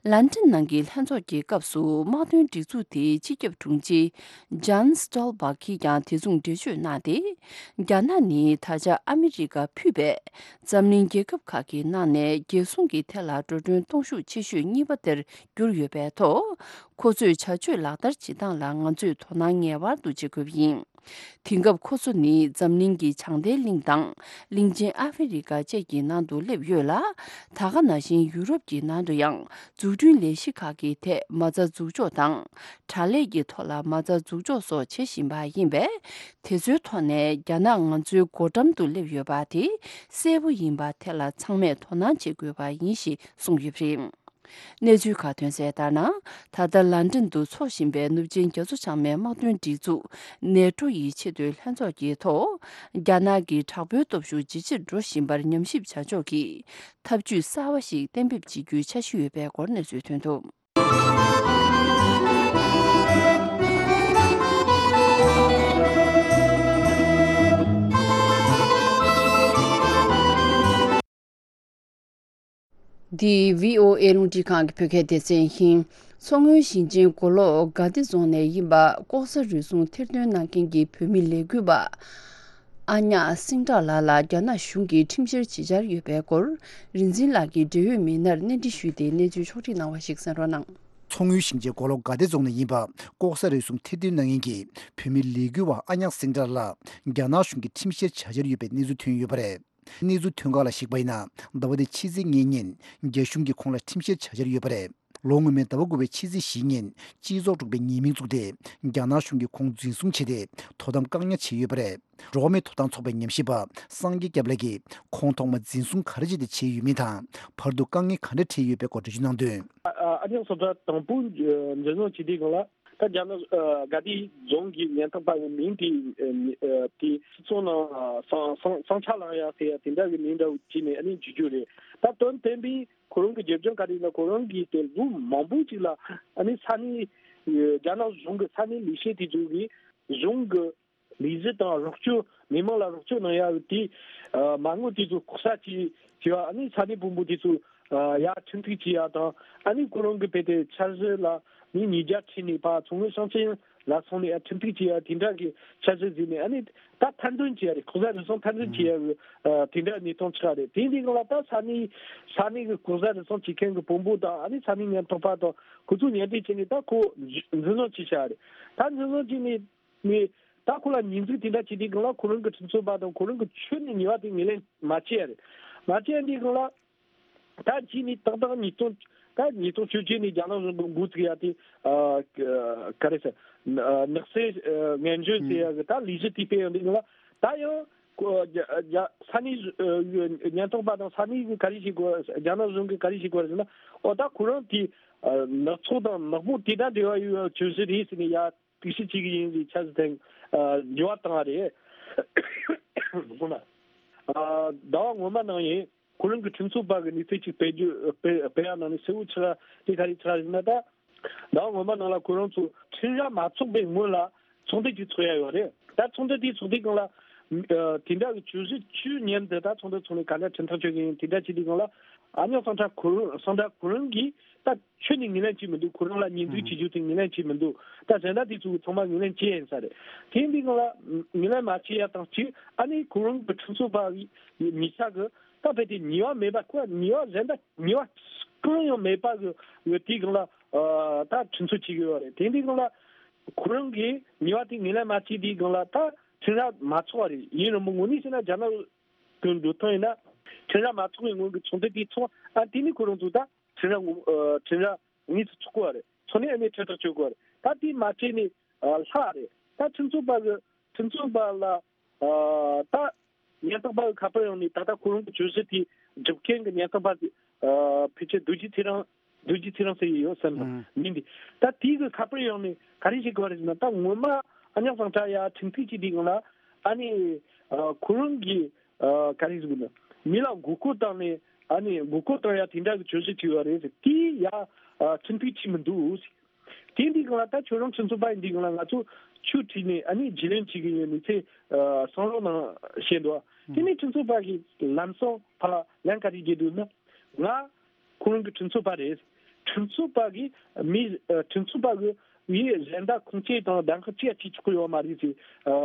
ལན་ཀྲན་ནང་གི་ལྷན་ཚོགས་ཀྱི་སྐབས་སུ་དམག་དོན་སྒྲིག་འཛུགས་དེའི་སྤྱི་ཁྱབ་དྲུང་ཆེ་ཇཱན་སི་ཊོལ་བྷག་གིས་ཀྱང་དེ་མཚུངས་འགྲེལ་བརྗོད་གནང་སྟེ། རྒྱ་ནག་ནི་ད་ཆ་ཨ་མི་རི་ཀ་ཕུད་པའི་འཛམ་གླིང་རྒྱལ་ཁབ་ཁག་གི་ནང་ནས་རྒྱལ་སྲུང་གི་ཐད་ལ་འགྲོ་གྲོན་གཏོང་ཤུགས་ཆེ་ཤོས་གཉིས་པ་དེར་གྱུར་ཡོད་པའི་ཐོག་ཁོ་ཚོས་བྱ་སྤྱོད་ལག་བསྟར་བྱེད་སྟངས་ལ་ང་ཚོས་དོ་སྣང་ངེས་པར་དུ་བྱེད་དགོས་པ་ཡིན། དེང་སྐབས་ཁོ་ཚོ་ནི་འཛམ་གླིང་གི་བྱང་མཐའི་གླིང་དང་གླིང་ཆེན་ཨ་ཧྥེ་རི་ཀ་བཅས་ཀྱི་ནང་དུ་སླེབས་ཡོད་ལ། ད་ག་ནང་བཞིན་ཡུ་རོབ་ཀྱི་ནང་དུ་ཡང་འཛུགས་སྐྲུན་ལས་གཞི་ཁག་གི་ཐད་མ་རྩ་འཛུགས་འཇོག་དང་། དྲ་ལས་ཀྱི་ཐོག་ལ་མ་རྩ་འཛུགས་འཇོག་སོགས་བྱེད་བཞིན་པ་ཡིན་པས། དེ་ཚོའི་ཐོག་ནས་རྒྱ་ནག་ང་ཚོའི་སྒོ་འགྲམ་དུ་སླེབས་ཡོད་པ་དེ་གསལ་པོ་ཡིན་པ་དེ་ལ་ཚང་མས་དོ་སྣང་བྱེད་དགོས་པ་ཡིན་ཞེས་གསུངས་ཡོད་པ་རེད། གནས་ཚུལ་ཁག་ཐོན་གསལ་ལྟར་ན། ད་ལྟ་ལན་ཀྲན་དུ་འཚོགས་བཞིན་པའི་ནུབ་ཆིངས་རྒྱ་མཚོ་བྱང་མའི་དམག་དོན་སྒྲིག་འཛུགས་ནེ་ཏྲོ་ཡི་ཆེས་མཐོའི་ལྷན་ཚོགས་ཀྱི་ཐོག་རྒྱ་ནག་གི་དྲག་པོའི་སྟོབས་ཤུགས་ཇེ་ཆེར་འགྲོ་བཞིན་པར་ཉམས་ཞིབ་བྱ་ཕྱོགས་ཀྱི་ཐབས་ཇུས་གསར་བ་ཞིག་གཏན་འབེབས་བྱེད་རྒྱུའི་འཆར་གཞི་ཡོད་པའི་སྐོར་གནས་ཚུལ་ཐོན་འདུག་འདི་བྷི་ཨོ་ཨེ་རླུང་འཕྲིན་ཁང་གི་བོད་སྐད་སྡེ་ཚན་ཡིན། མཚོ་སྔོན་ཞིང་ཆེན་མགོ་ལོག་དགའ་བདེ་རྫོང་ནས་ཡིན་པ་ལྐོག་ཟ་རུལ་སུངས་ཐེར་འདོན་གནང་མཁན་གྱི་བོད་མི་ལས་འགུལ་བ་ཨ་ཉག་སེང་བྲག་ལགས་ལ་རྒྱ་ནག་གཞུང་གིས་ཁྲིམས་བཤེར་བྱེད་འཆར་ཡོད་པའི་སྐོར། རིག་འཛིན་ལགས་ཀྱིས་འབྲེལ་ཡོད་མི་སྣར་གནས་འདྲི་ཞུས་ཏེ་གནས་ཚུལ་ཕྱོགས་སྒྲིག་གནང་བ་ཞིག་གསན་རོགས་གནང་། མཚོ་སྔོན་ཞིང་ཆེན་མགོ་ལོག་དགའ་བདེ་རྫོང་ནས་ཡིན་པ་ལྐོག་ཟ་རུལ་སུངས་ཐེར་འདོན་གནང་མཁན་གྱི་བོད་མི་ལས་འགུལ་བ་ཨ་ཉག་སེང་བྲག་ལགས་རྒྱ་ནག་གཞུང་གིས་ཁྲིམས་བཤེར་བྱ་འཆར་ཡོད་པའི་གནས་ཚུལ་ཐོན་ཡོད་པ་རེད། གནས་ཚུལ་ཐོན་ཁག་ལ་གཞིགས་པ་ཡིན་ན། ཟླ་བ་འདིའི་ཕྱི་ཚེས་ལྔ་ཉིན་རྒྱ་གཞུང་གིས་ཁོང་ལ་ཁྲིམས་བཤེར་བྱ་འཆར་ཡོད་པ་རེད། ལོ་སྔོན་མའི་ཟླ་བ་དགུ་པའི་ཕྱི་ཚེས་བཞི་ཉིན་སྤྱི་ཚོགས་དྲུག་པའི་ཉེས་མིང་བཙུགས་ཏེ་རྒྱ་ནག་གཞུང་གིས་ཁོང་འཛིན་བཟུང་བྱས་ཏེ་དོ་དམ་བཀག་ཉར་བྱས་ཡོད་པ་རེད། འགྲོ་བ་མིའི་ཐོབ་ཐང་ཚོགས་པའི་ཉམས་ཞིབ་པ་སངས་རྒྱས་སྐྱབས་ལགས་ཀྱིས་ཁོང་ཐོག་མ་འཛིན་བཟུང་ག་རེ་བྱས་ཏེ་བྱས་ཡོད་མིན་དང་། བར་དུ་དཀའ་ངལ་ག་འདྲ་འཕྲད་ཡོད་པའི་སྐོར་འགྲེལ་བརྗོད་གནང་དོན། ཨ་ཨ་ཉག་སེང་བྲག་དང་པོ་འཛིན་བཟུང་བྱས་དུས་སྒང་ལ། ད་རྒྱ་ནག་ཨ་དགའ་བདེ་རྫོང་གི་ཉེན་རྟོག་པ་ཡི་མིང་དེ་ཨ་དེ་སྤྱི་ཚོགས་ནང་ཨ་བསང་བསང་བསང་ཆ་ལངས་ཡ་ཟེར་ཡ་དེ་འདྲ་བའི་མིང་འདྲ་བོ་བྲིས་ནས་ཨ་ནི་འཇུག་རྒྱུ་རེད། ད་དོན་དམ་པའི་ ཁོ་རང་གི་རྒྱབ་ལྗོངས་ག་རེ་ཡིན་ན། ཁོ་རང་གིས་དེ་ལོ་མང་པོ་ཅིག་ལ་ཨ་ནི་ས་གནས་རྒྱ་ནག་གཞུང་གི་ས་གནས་ལས་བྱེད་དེ་ཚོ་གིས་གཞུང་གི་ལས་གཞི་དང་རོགས་སྐྱོར། མི་མང་ལ་རོགས་སྐྱོར་གནང་ཡག་གི་དེ་མ་དངུལ་དེ་ཚོ་ལྐོག་ཟ་བྱས་བྱས་པ། ཨ་ནི་ས་གནས་དཔོན་པོ་དེ་ཚོ་ཡར་ཁྲིམས་གཏུག་བྱེད་ཡག་དང་། ཨ་ནི་ཁོ་རང་གི་དཔེ་དེ་འཆར་གཞི་ལ་མི་ཉིས་བརྒྱ་ཁྲིད་ནས་ཕར་མཚོ་སྔོན་ཞིང་ཆེན་ལ་སོང་ནས་ཡར་ཁྲིམས་གཏུག་བྱེད་ཡག་དེ་འདྲ་གི་འཆར་གཞི་བཟོས་ནས། ཨ་ནི་ད་ཐེར་འདོན་བྱེད་ཡག་རེད། ལྐོག་ཟ་རུལ་སུངས་ཐེར་འདོན་བྱེད་ཡག་གི་དེ་འདྲ་གནས་སྟངས་ཆགས་རེད། དེ་འདི་སྒང་ལ་ད་ས་གནས་ས་གནས་གི་ལྐོག་ཟ་རུལ་སུངས་བྱེད་མཁན་གི་དཔོན་པོ་དང་། ཨ་ནི་ས་གནས་ཉེན་རྟོག་པ་དང་ཁོ་ཚོ་ཉེ་འབྲེལ་བྱས་ནས་ད་ཁོ་འཛིན་བཟུང་བྱས་བཞག་རེད། ད་འཛིན་བཟུང་བྱས་ནས། ནས་ད་ཁོ་ལ་ཉེས་འཛུགས་དེ་འདྲ་བྱས་དུས་སྒང་ལ་ཁོ་རང་གི་ཁྲིམས་རྩོད་པ་དང་ཁོ་རང་གི་ཆོས་ནས་ཉེས་པ་དེ་ངོས་ལེན་མ་བྱས་ཡ་རེད། མ་བྱས་ཡ་དུས་སྒང་ལ་ད་རྗེས་ནས་ཏག་ཏག་ཉིས་སྟོང་ད་ཉིས་སྟོང་བཅོ་བརྒྱད་ནས་རྒྱ་ནག་གཞུང་གི་འགོ་བཙུགས་ཡ་དེ། ཨ་ག་རེ་ཟེར། ནག་སེལ་ངན་ཇུས་ཟེར་ཡ་གི་ད་ལས་གཞི་དེ་སྤེལ་ཡོང་དུས་སྒང་ལ། ད་ཡང་ཁོ་རྒྱ་རྒྱ་ས་གནས་ཉེན་རྟོག་པ་དང་ས་གནས་གི་ག་རེ་བྱེད་དགོས། རྒྱ་ནག་གཞུང་གི་ག་རེ་བྱེད་དགོས་རེད་ཟེར་ན། ཨོ་ད་ཁོ་རང་དེ་ནག་ཚོགས་དང་ནག་པོ་དེ་དང་འབྲེལ་བ་ཡོད་པའི་བཅོས་གཞི་རེད་ཟེར་ནས་ཡ། དུས་ཕྱིས་གཅིག་ཡིན་ཟེར་ཆ་ཟིག་དེང་འགྱུར་བ་བཏང་བ་རེད། དགོངས་ན། ཟླ་བ་སྔོན་མ་ནང་ཡིན་ཁོ་རང་གི་ཁྲིམས་རྩོད་པ་གི་གནས་ཚུལ་གཅིག་སྤེལ་རྒྱུ་སྤེལ་སྤེལ་ཡག་ནང་ནས་གསལ་བོ་ཆགས་དེ་ག་རེ་ཆགས་ཡིན་ན། ད་ཟླ་བ་སྔོན་མ་ནང་ལ་ཁོ་རང་ཚོ་ཁྲིམས་ར་མ་ཚོགས་པའི་སྔོན་ལ་ཚོགས་འདུ་གཅིག་ཚོགས་ཡག་ཡོད་རེད། ད་ཚོགས་འདུ་དེ་ཚོགས་དུས་སྒང་ལ་དེ་འདྲ་གི་བཅོས་གཞི་བཅུ་མཉམ་དུ་ད་ཚོགས་འདུ་ཚོགས་ནས་ག་འདྲ་ཁྲིམས་ཐག་གཅོད་གི་ཡིན་དེ་འདྲ་བྱེད་དུས་སྒང་ལ། ཨ་ཉག་སང་ཁྲ་ཁོ་རང་སང་ཁྲ་ཁོ་རང་གིས་ད་ཁྱོན་ནས་ངོས་ལེན་བྱེད་མི་འདུག་ཁོ་རང་ལ་ཉེས་འཛུགས་བྱེད་རྒྱུ་དེ་ངོས་ལེན་བྱེད་མི་འདུག་ད་གཞན་དག་དེ་ཚོ་ཚང་མ་ངོས་ལེན་བྱས་ཡིན་ས་རེད། དེ་འདི་སྒང་ལ་ངོས་ལེན་མ་བྱས་ཡ་དང་གཅིག་ཨ་ནི་ཁོ་རང་གི་ཁྲིམས་རྩོད་པ་ཉིས་ཆ་གི་ད་དཔེ་དེ་ཉེས་པ་མེད་པ། ཁོ་ཉེས་པ་གཞན་དག་ཉེས་པ་གང་ཡང་མེད་པ་གི་དེའི་སྒང་ལ་ད་ཁྲིམས་རྩོད་བྱེད་གི་ཡོད་རེད། དེ་འདི་སྒང་ལ་ཁོ་རང་གིས་ཉེས་པ་དེ་ངོས་ལེན་མ་བྱས་དེའི་སྒང་ལ་ད་ཁྲིམས་ར་མ་ཚོགས་པ་རེད། ཡིན་རུང་མོ་དངོས་གནས་བྱས་ན་རྒྱ་ནག་དུ་འགྲོ་ཐང་ཡིན་ན། ཁྲིམས་ར་མ་ཚོགས་པའི་སྔོན་གྱི་ཚོགས་འདུ་དེ་ཚོགས། ཨ་དེ་ནི་ཁོ་རང་ཚོ་ད་ཁྲིམས་ར་ངོ་ཨ་ཁྲིམས་ར་དངོས་སུ་ཚོགས་དགོས་རེད། ཚོགས་ནས་ཨ་ནི་ཁྲིམས་ཐག་གཅོད་དགོས་རེད། ད་དེ་མ་བྱས་ནས་ཨ་ལྷག་རེད། ད་ཁྲིམས་རྩོད་པ་གི་ཁྲིམས་རྩོད་པ་ལ་ཨ་ད་ཉེན་རྟོག་པ་གི་ཁ་པར་ཡོང་ནས། ད་ལྟ་ཁོ་རང་གི་བཅོས་གཞི་དེ་སྒྲུབ་མཁན་གྱི་ཉེན་རྟོག་པ་དེ་ཨ་ཕལ་ཆེར་རྡོ་རྗེ་ཚེ་རིང་རྡོ་རྗེ་ཚེ་རིང་ཟེར་གྱི་ཡོད་བསམ་ན་ཨང་། མིང་འདི། ད་དེའི་གི་ཁ་པར་ཡོང་ནས་ག་རེ་བྱེད་དགོས་རེད་ཟེར་ན། ད་ངོ་མ་ཨ་ཉག་སང་ཁྲ་ཡ་ཁྲིམས་ཐིག་ཅིག་དེའི་སྒང་ལ་ཨ་ནི་ཨ་ཁོ་རང་གིས་ཨ་ག་རེ་ཟེར་དགོས་ན། མི་ལ་མགོ་སྐོར་བཏང་ནས་ཨ་ནི་མགོ་སྐོར་བཏང་ཡ་དེ་འདྲ་གི་བཅོས་གཞི་བྲིས་པ་རེད་ཟེར། དེ་ཡ་ཨ་ཁྲིམས་ཐིག་ཅིག་མི་འདུག་ཟེར། དེ་འདི་སྒང་ལ་ད་ཁྱོད་རང་ཁྲིམས་རྩོད་པ་ཡིན་དུས་སྒང་ལ་ང་ཚོ་ཆོས་ཁྲིད་ནས་ཨ་ནི་རྒྱུས་ལོན་བྱེད་ཀྱི་ཡོད་ནི་ཚེ་ཨ་གསུང་རོགས་གནང་བཤད་འདུག་དེ་ནས་ཁྲིམས་རྩོད་པ་གིས་ལམ་སང་ཕར་ལན་ག་རེ་བརྒྱབ་འདུག་ན། ང་ཁོ་རང་གི་ཁྲིམས་རྩོད་པ་རེད། ཁྲིམས་རྩོད་པ་གིས་མི་ཨ་ཁྲིམས་རྩོད་པ་གི་ཡི་གཞན་དག་ཁུངས་སྐྱེལ་དང་གདམ་ཁ་ཅི་ཡང་བྱེད་ཆོག་གི་ཡོད་མ་རེད་ཟེར། ཨ་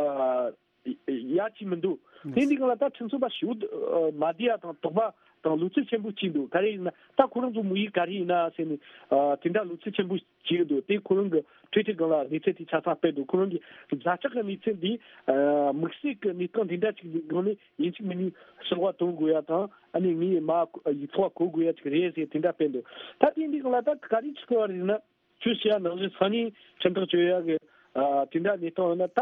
ཡ་གཅིག་མི་འདུག་དེ་འདི་སྒང་ལ་ད་ཁྲིམས་རྩོད་པ་ཞེ་པོ་མ་བསྡད་ཡ་དང་དོགས་པ་དང་ལོ་ཚིགས་ཆེན་པོ་གཅིག་འདུག་ག་རེ་ཡིན་ན་ད་ཁོ་རང་ཚོ་དམིགས་ཡུལ་ག་རེ་ཡིན་ན་ཟེར་ནས་ཨ་དེ་འདྲ་ལོ་ཚིགས་ཆེན་པོ་གཅིག་འདུག་དེ་ཁོ་རང་གི་ཊུའི་ཊར་སྒང་ལ་གནས་ཚུལ་དེ་ཆ་ཚང་སྤེལ་འདུག་ཁོ་རང་གི་ཛ་དྲག་གི་གནས་ཚུལ་འདི་ཨ་དམིགས་བསལ་གྱི་གནས་སྟངས་དེ་འདྲ་ཅིག་གི་སྒང་ནས་ཡིན་གཅིག་མིན་གཉིས་གསོལ་བ་འདེབས་དགོས་ཡ་དང་། ཨ་ནི་ངའི་མ་ཡིག་ཐོག་གོ་དགོས་ཡ་ཅིག་རེད་ཟེར་དེ་འདྲ་སྤེལ་འདུག་ད་དེ་འདི་སྒང་ལ་ད་ག་རེ་བྱེད་དགོས་རེད་ན། ཁྱོད་བཤད་ཡ་ནང་བཞིན་ས་གནས་ཁྲིམས་ཐག་གཅོད་ཡ་གི་ཨ་དེ་འདྲ་གནས་སྟངས་ཡོད་ན། ད་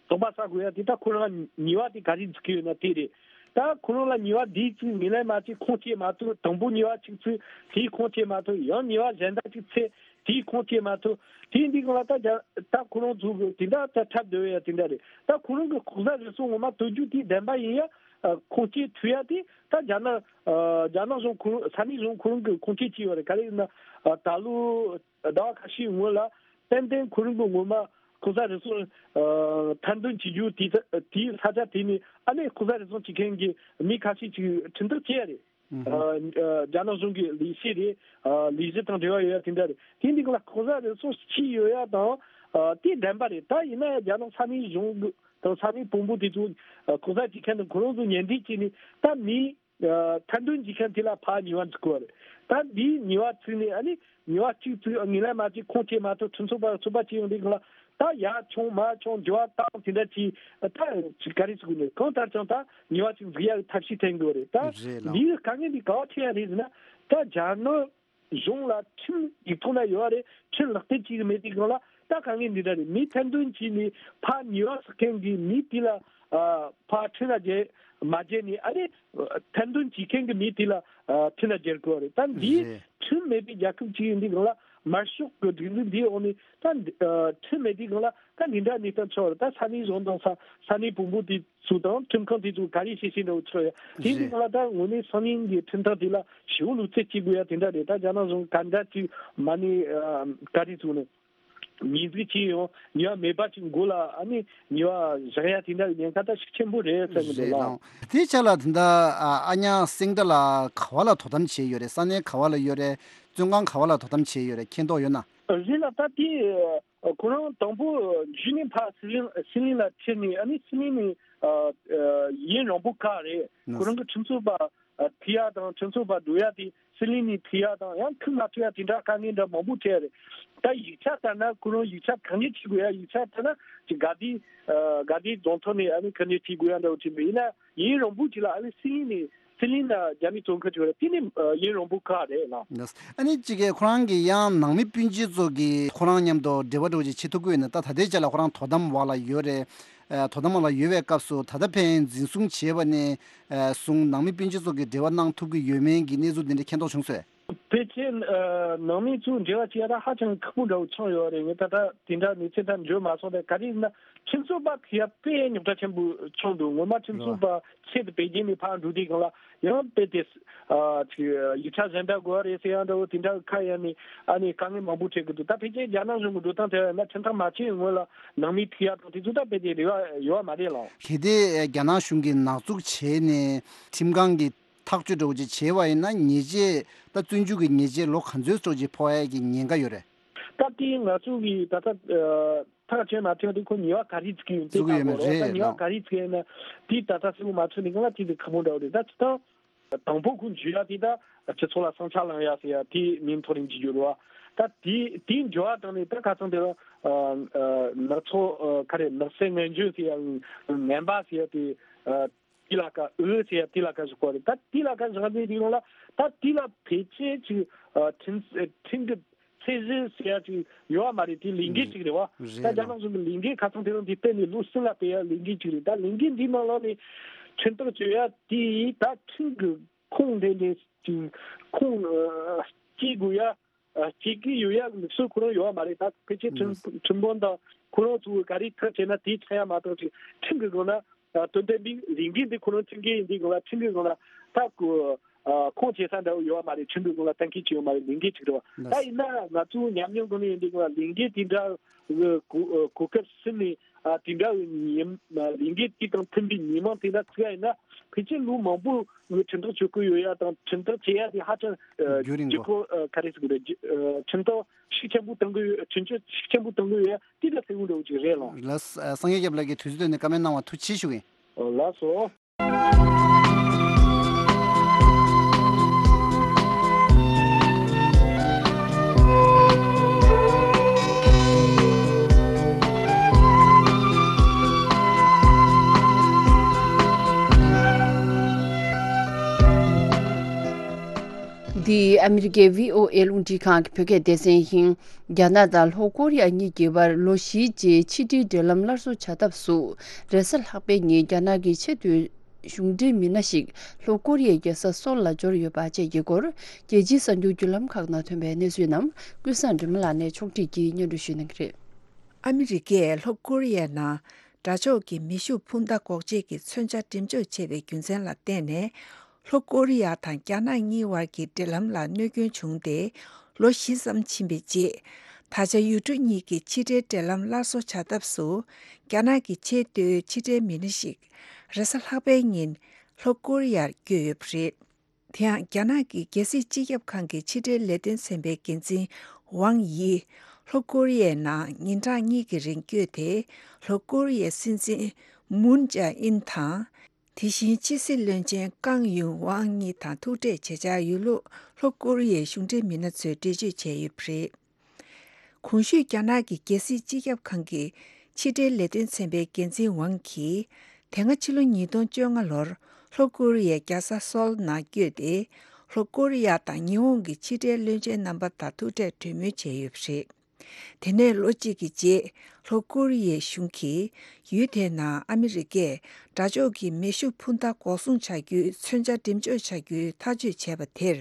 དོགས་པ་ཟ་དགོས་ཡ་དེ་ད་ཁོ་རང་ཉེས་པ་དེ་ག་རེ་འཛུགས་ཀྱི་ཡོད་ན་དེ་རེད། ད་ཁོ་རང་ལ་ཉེས་པ་འདི་ཚིག་ངོས་ལེན་མ་བྱས་ཁུངས་སྐྱེལ་མ་ཐུབ། དང་པོ་ཉེས་པ་གཅིག་ཚིག་དེའི་ཁུངས་སྐྱེལ་མ་ཐུབ། ཡང་ཉེས་པ་གཞན་དག་ཅིག་ཚིག་དེའི་ཁུངས་སྐྱེལ་མ་ཐུབ། དེ་འདི་སྒང་ལ་ད་རྒྱ་ད་ཁོ་རང་ཚོ་གི་དེ་འདྲ་ད་འཁྲབ་སྡོད་ཡ་དེ་འདྲ་རེད། ད་ཁོ་རང་གི་ལྐོག་ཟ་རུལ་སུངས་ངོ་མ་གཏོང་རྒྱུ་དེ་བདེན་པ་ཡིན་ཡ། ཨ་ཁུངས་སྐྱེལ་ཐུབ་ཡ་དེ་ད་རྒྱ་ནག་ཨ་རྒྱ་ནག་གཞུང་ཁོ་རང་ས་གནས་གཞུང་ཁོ་རང་གི་ཁུངས་སྐྱེལ་བྱས་ཡོད་རེད། ག་རེ་ཡིན་ན་ཨ་ད་ལོ་ཟླ་བ་ཁ་ཤས་སྔོན་ལ་ཏན་ཏན་ཁོ་རང་གི་ངོ་མ་ལྐོག་ཟ་རུལ་སུངས་ཨ་ཐེར་འདོན་བྱེད་རྒྱུ་དེ་དེའི་ས་ཆ་དེ་ནས་ཨ་ནི་ལྐོག་ཟ་རུལ་སུངས་བྱེད་མཁན་གྱི་མི་ཁ་ཤས་ཅིག་ཁྲིམས་ཐག་བཅད་ཡ་རེད། ཨ་ཨ་རྒྱ་ནག་གཞུང་གི་ལས་བྱེད་རེད། ཨ་ལས་གཞི་དང་འབྲེལ་བ་ཡོད་ཡ་དེ་འདྲ་རེད། དེ་འདི་སྒང་ལ་ལྐོག་ཟ་རུལ་སུངས་བྱས་ཡོད་ཡ་དང་ཨ་དེ་བདེན་པ་རེད། ད་ཡིན་ན་ཡང་རྒྱ་ནག་ས་གནས་གཞུང་གི་དང་ས་གནས་དཔོན་པོ་དེ་ཚོ་ཨ་ལྐོག་ཟ་བྱེད་མཁན་དང་ཁོ་རང་ཚོ་ཉེ་འབྲེལ་བྱས་ནས་ད་མི་ཨ་ཐེར་འདོན་བྱེད་མཁན་དེ་ལ་ཕར་ཉེས་པ་འཛུགས་དགོས་རེད། ད་འདིའི་ཉེས་པ་ཚིག་ནས་ཨ་ནི་ཉེས་པ་གཅིག་ཚིག་ངོས་ལེན་མ་བྱས་ཁུངས་སྐྱེལ་མ་ཐུབ། ཁྲིམས་རྩོད་པ་ཚོད་དཔག་བྱས་ཡོང་དུས་སྒང་ལ་ད་ཡར་མཆོང་མར་མཆོང་འགྱུར་བ་བཏང་དེ་འདྲ་བྱས། ད་ཅིག་ག་རེ་ཟེར་དགོས་ནས་གང་ལྟར་ཀྱང་ད་ཉེས་པ་ཅིག་འཛུགས་ཡག་གི་ཐབས་ཤེས་འཐེན་དགོས་རེད། ད་རེད་ལགས། འདིའི་དཀའ་ངལ་འདི་ག་པར་འཕྲད་ཡ་རེད་ཟེར་ན། ད་རྒྱ་ནག་གཞུང་ལ་ཁྲིམས་ཡིག་ཐོག་ན་ཡོད་རེད། ཁྲིམས་ལག་བསྟར་བྱེད་ཀྱི་མེད་དུས་སྒང་ལ་ད་དཀའ་ངལ་འདི་འདྲ་རེད། མི་ཐེར་འདོན་བྱས་ནས་ཕར་ཉེས་པ་བསགས་མཁན་གྱི་མི་དེ་ལ་ཨ་ཕར་ཁྲིམས་ལ་འཇལ་མ་འཇལ་ནས་ཨ་ནི་ཐེར་འདོན་བྱེད་མཁན་གྱི་མི་དེ་ལ་ཨ་ཁྲིམས་ལ་འཇལ་དགོས་རེད། ད་འདི་རེད། ཁྲིམས་མེད་པའི་རྒྱལ་ཁབ་ཅིག་ཡིན་དུས་སྒང་ལ་ དམར་ཤོག་གི་སྒྲིག་འཛུགས་འདིའི་འོག་ནས་ད་འདི་ཨ་ཁྲིམས་མེད་དུས་སྒང་ལ་ད་འདི་འདྲ་གནས་སྟངས་ཆགས་ཡོད་རེད། ད་ས་གནས་གཞུང་དང་ས་ས་གནས་དཔོན་པོ་དེ་ཚོ་དང་ཁྲིམས་ཁང་དེ་ཚོ་ག་རེ་བྱེད་བཞིན་འདུག་ཆགས་ཡོད། དེ་འདི་རེད། སྒང་ལ་ད་དངོས་གནས་སང་ཉིན་གྱི་ཁྲིམས་ཐག་དེ་ལ་ཞེ་པོ་ལོ་ཚད་བྱེད་དགོས་ཡ་དེ་འདྲ་རེད། ད་རྒྱ་ནག་གཞུང་ག་འདྲ་ཅིག་མ་ནས་ཨ་ག་རེ་ཚུགས་ནས། ཉེས་འཛུགས་བྱས་ཡང་ཉེས་པ་མེད་པ་ཅིག་མགོ་ལ་ཨ་ནི་ཉེས་པ་བཞག་ཡ་དེ་འདྲ་ཉེན་ཁ་ད་ཤུགས་ཆེན་པོ་རེད་བསམ་གྱི་འདུག་རེད་ལགས། ལགས། དེའི་ཆ་ལ་ད་ལྟ་ཨ་ཨ་ཉག་སེང་སྒྲ་ལགས་ག་བ་ལ་དོ་དམ་བྱས་ཡོད་རེད། ས་གནས་ག་བ་ལ་ཡོད་རེད། བཙོན་ཁང་ག་བ་ལ་དོ་དམ་བྱས་ཡོད་རེད། མཁྱེན་རྟོགས་ཡོད་ན། རེད་ལགས། ད་དེ་ཁོ་རང་དང་པོ་འཇུས་ནས་ཕར་སི་ལིང་སི་ལིང་ལ་ཁྲིད་ནས་ཨ་ནི་སི་ལིང་ནས་ཨ་ཨ་ཡུན་རིང་པོ་ཁག་རེད། ཁོ་རང་གི་ཁྲིམས་རྩོད་པ་ཨ་ཐུག་ཡ་དང་ཁྲིམས་རྩོད་པ་འགྲོ་ཡ་དེ་སི་ལིང་ནས་ཐུག་ཡ་དང་ཡང་ཁྲིམས་མ་ཐུག་ཡ་དེ་འདྲ་དཀའ་ངལ་འདྲ་མང་པོ་འཕྲད་ཡ་རེད། ད་ཡིག་ཆ་ལྟར་ན་ཁོ་རང་ཡིག་ཆ་གང་ངེས་བྱེད་དགོས་ཡ། ཡིག་ཆ་ལྟར་ན་ཅིག་དགའ་ལྡན་ཨ་དགའ་ལྡན་རྫོང་ཐོག་ནས་ཨ་ནི་གང་ངེས་བྱེད་དགོས་ཡ་འདྲ་བོ་ཅིག་མེད། ཡིན་ན་ཡུན་རིང་པོ་ཅིག་ལ་ཨ་ནི་སི་ལིང་ནས་སི་ལིང་ལ་རྒྱ་མི་བཙོན་ཁང་ཅིག་ཡོད་རེད། དེ་ནི་ཨ་ཡུན་རིང་པོ་ཁག་རེད་ལགས། ཨ་ནི་གཅིག་གིས་ཁོ་རང་གི་ཡང་ནང་མི་སྤུན་མཆེད་ཚོ་གིས་ཁོ་རང་མཉམ་དུ་འབྲེལ་བ་འདྲ་བོ་ཅིག་བྱེད་ཐུབ་ཀྱི་ཡོད་ན། ད་ད་ལྟའི་ཆ་ལ་ཁོ་རང་དོ་དམ་འོག་ལ་ཡོད་རེད། ཨ་དོ་དམ་འོག་ལ་ཡོད་པའི་སྐབས་སུ་ད་ལྟ་ཕན་འཛིན་བཟུང་བྱས་པ་ནས་ཨ་བཟུང་ནང་མི་སྤུན་མཆེད་ཚོ་གིས་འབྲེལ་བ་གནང་ཐུབ་ཀྱི་ཡོད་མེད་ཀྱི་གནས་ཚུལ་འདི་འདྲ་མཁྱེན་རྟོགས་བྱུང་སོང་། ཕལ་ཆེར་ཨ་ནང་མི་ཚོའི་འབྲེལ་བ་བྱེད་ཡ་ད་ཧ་ཅང་ཁག་པོ་འདྲ་བོ་ཆགས་ཡོད་རེད། ངས་ད་ལྟ་དེ་འདྲ་གནས་ཚུལ་ད་འབྱོར་མ་སོང་། ད་ག་རེ་ཡིན་ན་ཁྲིམས་རྩོད་པ་ཁྲིད་ཡ་དཔེ་རྙོག་དྲ་ཆེན་པོ་བྱུང་འདུག་སྔོན་མ་ཁྲིམས་རྩོད་པ་ཆེད་དུ་པེ་ཅིན་ནས་ཕར་འགྲོ་དུས་སྒང་ལ་ཡང་དཔེ་དེ་ཨ་ཅིག་ཡིག་ཆ་གཞན་དག་དགོས་རེད་ཟེར་ཡ་འདྲ་བོ་དེ་འདྲ་ཁ་ཡ་ནས་ཨ་ནི་དཀའ་ངལ་མང་པོ་འཕྲད་ཀྱི་འདུག་ད་ཕལ་ཆེར་རྒྱ་ནག་གཞུང་གི་འགྲོ་སྟངས་དེ་ཡིན་ན་ཁྲིམས་ཐག་མ་ཆོད་སྔོན་ལ་ནང་མི་ཁྲིད་ཡ་དང་དེ་ཚོ་ད་དཔེ་དེ་རེ་བ་ཡོད་པ་མ་རེད་ལགས། གལ་ཏེ་རྒྱ་ནག་གཞུང་གིས་ནག་བཙུགས་བྱས་ནས་ཁྲིམས་ཁང་གིས་ཐག་གཅོད་འདྲ་བོ་ཅིག་བྱས་པ་ཡིན་ན་ཉེས་ཆད་ད་བཙོན་འཇུག་གི་ཉེས་ཆད་ལོ་ག་ཚོད་ཙམ་ཅིག་ཕོག་ཡ་གི་ཉེན་ཁ་ཡོད་རེད། ད་དེ་ང་ཚོ་གི་ད་ལྟ་ཨ་ཐག་གཅོད་མ་ཐེངས་དེ་ཁོ་ཉེས་པ་ག་རེ་བཙུགས་ཡོད་དེ། བཙུགས་ཡོད་མ་ད་རེད་ཉེས་པ་ལགས། ག་རེ་བཙུགས་ཡོད་ན་དེ་ད་ལྟ་གསལ་པོ་མ་ཚོར་ནི་གང་ལ་དེ་དེ་ཁག་པོ་འདྲ་བོ་རེད། ད་སྤྱིར་བཏང་དང་པོ་ཁོ་འཇུས་ཡ་དེ་ད་སྤྱི་ཚོགས་ལ་བསམ་འཆར་ལངས་ཡ་ཟེར་ཡ་དེ་མིང་ཐོག་ནས་འཇུས་རྒྱུ་རེད་བ། ད་དེ་དེ་འཇུ་བ་དང་ནི་ད་ཁ་སང་དེ་ལ་ཨ་ཨ་ནག་ཚོགས་ཨ་ག་རེ་ནག་སེལ་ངན་ཇུས་ཟེར་ཡ་ངན་པ་ཟེར་ཡ་དེ་ཨ་དེ་ལ་ཀ་འོས་ཟེར་ཡ་དེ་ལ་ཀ་བཞག་གོ་རེད། ད་དེ་ལ་ཀ་བཞག་ནས་དེ་ཡོང་ལ་ད་དེ་ལ་ཕལ་ཆེར་ཅིག་ཨ་ཁྲིམས་ཁྲིམས་ཀྱི་ཚད་གཞི་ཟེར་ཡ་ཅིག་ཡོད་བ་མ་རེད། དེ་ལས་འགན་ཅིག་རེད་བ། རེད་ད་རྒྱ་ལགས། ནག་གཞུང་གི་ལས་འགན་ཁ་སང་དེ་རིང་དེ་སྤེལ་ནས་ལོ་གསུམ་ལ་སྤེལ་ཡ་ལས་འགན་ཅིག་རེད། ད་ལས་འགན་འདིའི་ནང་ལོགས་ནས་ཁྲིམས་ཐག་གཅོད་ཡ་དེ་ད་ཁྲིམས་ཀྱི་ཁུངས་ལྡན་ལྡན་ཅིག་ཁུངས་ཨ་སྐྱེལ་དགོས་ཡ་ཨ་སྐྱེལ་གྱི་ཡོད་ཡ་ལུགས་སྲོལ་ཁོ་རང་ཡོད་བ་མ་རེད། ད་ཕལ་ཆེར་ཁྲིམས་ཁྲིམས་དཔོན་དང་ཁོ་རང་ཚོ་ག་རེ་ཐག་བཅད་ན་དེ་ཆགས་ཡ་མ་གཏོགས་ཅིག་ཁྲིམས་ཀྱི་སྒང་ལ་ཨ་དོན་དམ་པའི་ལས་འགན་འདི་ཁོ་རང་ཁྲིམས་འགན་ཡིན་དུས་སྒང་ལ་ཁྲིམས་ཀྱི་སྒང་ལ་ད་ཁོ་ཨ་ཁུངས་སྐྱེལ་ས་འདྲ་བོ་ཡོད་བ་མ་རེད། ཁྲིམས་ཀྱི་སྒང་ལ་གཏན་འཁེལ་བྱས་ཡོད་མ་རེད། ལས་འགན་ཅིག་རེད་བ། ད་ཡིན་ན་ང་ཚོ་ཉམས་མྱོང་སྒང་ནས་ཡིན་དུས་སྒང་ལ་ལས་འགན་དེ་འདྲ་གི་གོ་གོ་སྐབས་ཟིན་ནས་ཨ་དེ་འདྲ་གི་ཉིན་ལས་འགན་དེ་དང་མཐུན་པའི་ཉིན་མང་དེ་འདྲ་བརྩི་ཡ་ཡིན་ན་ཕལ་ཆེར་ལོ་མང་པོ་གི་ཁྲིམས་ཐག་གཅོད་ཀྱི་ཡོད་ཡ་དང་ཁྲིམས་ཐག་བཅད་ཡ་དེ་ཧ་ཅང་ཨ་རྒྱུན་རིང་ལྗིད་པོ་ཁོག་ཨ་ག་རེ་ཟེར་དགོས་རེད། ཨ་ཁྲིམས་ཐག་ཤུགས་ཆེན་པོ་གཏོང་གི་ཡོད། ཁྲིམས་གཅོད་ཤུགས་ཆེན་པོ་གཏོང་གི་ཡོད་ཡ་དེ་འདྲ་ཟེར་དགོས་འདྲ་བོ་ཅིག་རེད་ལགས། ལགས། ཨ་སངས་རྒྱས་སྐྱབས་ལགས་ཀྱིས་དུས་ཚོད་བཏོན་ནས་བཀའ་མོལ་གནང་བར་ཐུགས་རྗེ་ཆེ་ཞུ་གི་ཡིན། ལགས་སོ། འདི་ཨ་མི་རི་ཀའི་བྷི་ཨོ་ཨེ་རླུང་འཕྲིན་ཁང་གི་བོད་སྐད་སྡེ་ཚན་ཡིན། རྒྱ་ནག་དང་ལྷོ་ཀོ་རི་ཡ་གཉིས་ཀྱི་བར་ལོ་བཞིའི་རྗེས་ཕྱི་འབྲེལ་འབྲེལ་ལམ་སླར་གསོ་བྱ་ཐབས་སུ། རེས་གཟའ་ལྷག་པའི་ཉིན་རྒྱ་ནག་གི་ཆེས་མཐོའི་གཞུང་འབྲེལ་མི་སྣ་ཞིག་ལྷོ་ཀོ་རི་ཡའི་རྒྱལ་ས་སོལ་ལ་འབྱོར་ཡོད་པ་བཅས་ཀྱི་སྐོར། རྒྱལ་སྤྱིའི་གསར་འགྱུར་བརྒྱུད་ལམ་ཁག་ནང་ཐོན་པའི་གནས་ཚུལ་རྣམས་ཀུན་བཟང་སྒྲོལ་མ་ལགས་ནས་ཕྱོགས་སྒྲིག་གིས་སྙན་སྒྲོན་ཞུ་གནང་གི་རེད། ཨ་མི་རི་ཀས་ལྷོ་ཀོ་རི་ཡའི་ནང་དགྲ་ཕྱོགས་ཀྱི་མེ་ཤུགས་འཕུར་མདའ་འགོག་བྱེད་ཀྱི་མཚོན་ཆ་འགྲེམས་འཇོག་བྱས་པའི་རྒྱུ་མཚན་ལ་བརྟེན་ནས། ལྷོ་ཀོ་རི་ཡ་དང་རྒྱ་ནག་གཉིས་བར་གྱི་འབྲེལ་ལམ་ལ་གནོད་སྐྱོན་བྱུང་སྟེ་ལོ་བཞི་ཙམ་ཕྱིན་པའི་རྗེས། ད་ཆ་ཡུལ་གྲུ་གཉིས་ཀྱི་ཕྱི་འབྲེལ་འབྲེལ་ལམ་སླར་གསོ་བྱ་ཐབས་སུ། རྒྱ་ནག་གི་ཆེས་མཐོའི་ཕྱི་འབྲེལ་མི་སྣ་ཞིག་རེས་གཟའ་ལྷག་པའི་ཉིན་ལྷོ་ཀོ་རི་ཡར་བསྐྱོད་ཡོད་པ་རེད། དེ་ཡང་རྒྱ་ནག་གི་རྒྱལ་སྲིད་སྤྱི་ཁྱབ་ཁང་གི་ཕྱི་འབྲེལ་ལས་དོན་ཚན་པའི་འགན་འཛིན་ཝང་ཡི་ལྷོ་ཀོ་རི་ཡའི་ནང་ཉིན་གྲངས་གཉིས་ཀྱི་རིང་བསྐྱོད་དེ། ལྷོ་ཀོ་རི་ཡའི་སྲིད་འཛིན་མུན་ཅཱ་ཨིན་དང་། དེ་བཞིན་ཕྱི་སྲིད་བློན་ཆེན་ཀང་ཡུང་ཝང་གཉིས་དང་ཐུག་འཕྲད་བྱེད་འཆར་ཡོད་ལུགས་ལྷོ་ཀོ་རི་ཡའི་གཞུང་འབྲེལ་མི་སྣ་ཚོས་འགྲེལ་བརྗོད་བྱས་ཡོད་པ་རེད། གོང་ཞུས་རྒྱ་ནག་གི་རྒྱལ་སྲིད་སྤྱི་ཁྱབ་ཁང་གི་ཕྱི་འབྲེལ་ལས་དོན་ཚན་པའི་འགན་འཛིན་ཝང་གིས། དེ་སྔ་ཕྱི་ལོ་ཉིས་སྟོང་བཅོ་ལྔ་ལོར་ལྷོ་ཀོ་རི་ཡའི་རྒྱལ་ས་སོལ་ནང་བསྐྱོད་དེ། ལྷོ་ཀོ་རི་ཡ་དང་ཉི་ཧོང་གི་ཕྱི་འབྲེལ་བློན་ཆེན་རྣམ་པ་དང་ཐུག་འཕྲད་གྲོས་མོལ་བྱས་ཡོད་པ་རེད། དེ་ནས་ལོ་གཅིག་གི་རྗེས། ལྷོ་ཀོ་རི་ཡའི་གཞུང་གིས་ཡུལ་དེའི་ནང་ཨ་མི་རི་ཀས་དགྲ་ཕྱོགས་ཀྱི་མེ་ཤུགས་འཕུར་མདའ་འགོག་སྲུང་བྱ་རྒྱུའི་མཚོན་ཆ་འགྲེམས་འཇོག་བྱ་རྒྱུའི་ཐག་གཅོད་བྱས་པ་དེར།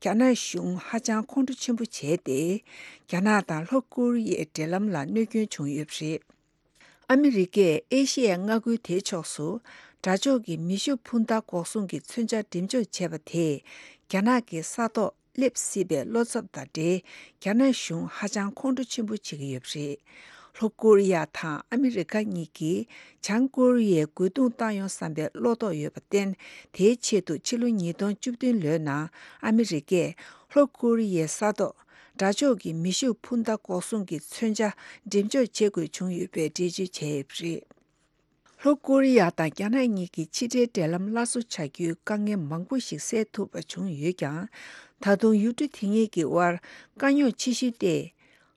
རྒྱ་ནག་གཞུང་ཧ་ཅང་ཁོང་ཁྲོ་ཆེན་པོ་བྱས་ཏེ། རྒྱ་ནག་དང་ལྷོ་ཀོ་རི་ཡའི་འབྲེལ་ལམ་ལ་གནོད་སྐྱོན་བྱུང་ཡོད་པ་རེད། ཨ་མི་རི་ཀས་ཨེ་ཤི་ཡའི་མངའ་ཁུལ་དེའི་ཕྱོགས་སུ་དགྲ་ཕྱོགས་ཀྱི་མེ་ཤུགས་འཕུར་མདའ་འགོག་སྲུང་གི་མཚོན་ཆ་འགྲེམས་འཇོག་བྱས་པ་དེས། རྒྱ་ནག་གི་ས་ཐོག་སླེབས་སྲིད་པའི་བློ་འཚབ་དང་འབྲེལ། རྒྱ་ནག་གཞུང་ཧ་ཅང་ཁོང་ཁྲོ་ཆེན་པོ་བྱེད་ཀྱི་ཡོད་པ་རེད། ལྷོ་ཀོ་རི་ཡ་དང་ཨ་མི་རི་ཀ་གཉིས་ཀྱིས་བྱང་ཀོ་རི་ཡའི་རྒོལ་རྡུང་བཏང་ཡོང་བསམ་པའི་བློ་དོགས་ཡོད་པར་བརྟེན། དེའི་ཆེད་དུ་ཕྱི་ལོ་ཉིས་སྟོང་བཅུ་བདུན་ལོའི་ནང་ཨ་མི་རི་ཀས་ལྷོ་ཀོ་རི་ཡའི་ས་ཐོག་དགྲ་ཕྱོགས་ཀྱི་མེ་ཤུགས་འཕུར་མདའ་འགོག་སྲུང་གི་མཚོན་ཆ་འགྲེམས་འཇོག་བྱེད་དགོས་བྱུང་ཡོད་པའི་འགྲེལ་བརྗོད་བྱས་ཡོད་པ་རེད། ལྷོ་ཀོ་རི་ཡ་དང་རྒྱ་ནག་གཉིས་ཀྱི་ཕྱི་འབྲེལ་འབྲེལ་ལམ་སླར་གསོ་བྱ་རྒྱུའི་དཀའ་ངལ་མང་པོ་ཞིག་སེལ་ཐུབ་པ་བྱུང་ཡོད་ཀྱང་། ད་དུང་ཡུལ་གྲུ་དེ་གཉིས་ཀྱི་དབར་དཀའ་རྙོག་ཆེ་ཤོས་དེ།